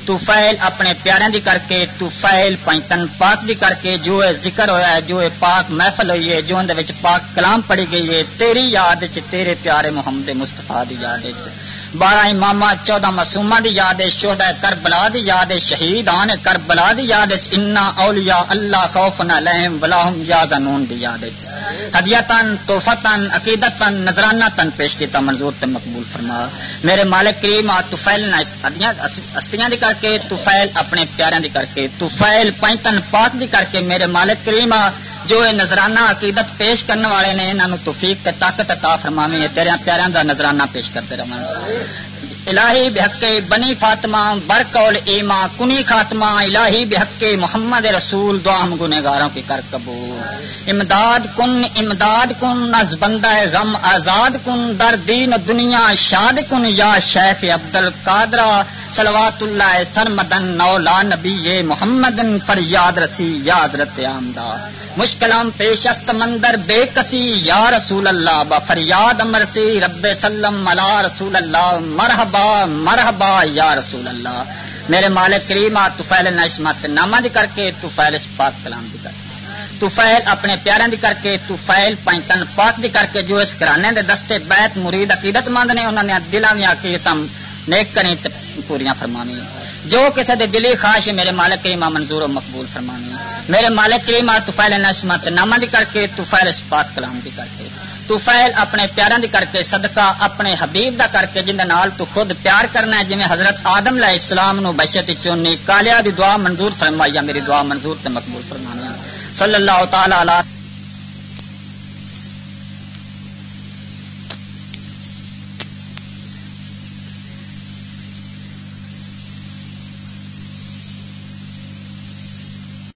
تو فیل اپنے پیاریاں دی کر کے، تو فیل پنجتن پاک دی کر کے، جو اے ذکر ہویا ہے، جو اے پاک محفل ہوئی ہے، جو اندے وچ پاک کلام پڑھی گئی ہے، تیری یاد وچ، تیرے پیارے محمد مصطفیٰ دی یاد وچ، بارہ اماماں، چودہ معصوماں دی یاد وچ، شہداء کربلا دی یاد وچ، شہیدان کربلا دی یاد وچ، انا اولیاء اللہ خوف علیہم ولا هم یحزنون دی یاد وچ۔ ہدیتاً، تحفتاً، عقیدتاً، نذرانہ تن پیش کیتا، منظور تے مقبول فرما۔ میرے مالک کریم، آ تو فیل نہ اس ہدیاں اس-، ہستیاں دی کر کے، تو فیل اپنے پیاریاں دی کر کے، تو فیل پنجتن پاک دی کر کے، میرے مالک کریم، آ جو اے نذرانہ عقیدت پیش کرن والے نے، انہاں نوں توفیق تے طاقت عطا فرماویں، اے تیرے پیاریاں دا نذرانہ پیش کرتے رہن۔ الہی بحق بنی فاطمہ، بر قول ایما کنی خاتمہ، الہی بحق محمد رسول، دعا ہم گنہگاروں کی کر قبول۔ امداد کن، امداد کن، از بندہ غم آزاد کن، در دین و دنیا شاد کن، یا شیخ عبدالقادرہ، صلوات اللہ سرمدن، مولا نبی محمد، فریاد رسی یا حضرت آمدہ۔ مشکلام پیش است مندر بے کسی، یا رسول اللہ، با فریاد امر سی رب سلم علی رسول اللہ، مرحبا، مرحبا، یا رسول اللہ۔ میرے مالک کریم، آ تو فیل نشمت نامہ دی کر کے، تو فیل اس پاک کلام دی کر کے، تو فیل اپنے پیاراں دی کر کے، تو فیل پنجتن پاک دی کر کے، جو اس گھرانے دے دستے بیت مرید عقیدت مند نے، انہاں دیاں دلاں دیاں عقیدتاں نیک کریں تے پوریاں فرماویں۔ جو کسے دے دلی خواہش ہے، میرے مالک کریم، آ منظور و مقبول فرماویں۔ میرے مالک کریم، آ تو فیل نشمت نامہ دی کر کے، تو فیل اس پاک کلام دی کر کے، تو فیل اپنے پیاراں دی کر کے، صدقہ اپنے حبیب دا کر کے، جن دے نال تو خود پیار کرنا ہے، جویں حضرت آدم علیہ السلام نو بشت چونی کالیا دی دعا منظور فرمائی، یا میری دعا منظور تے مقبول فرمانی۔ صلی اللہ تعالی علی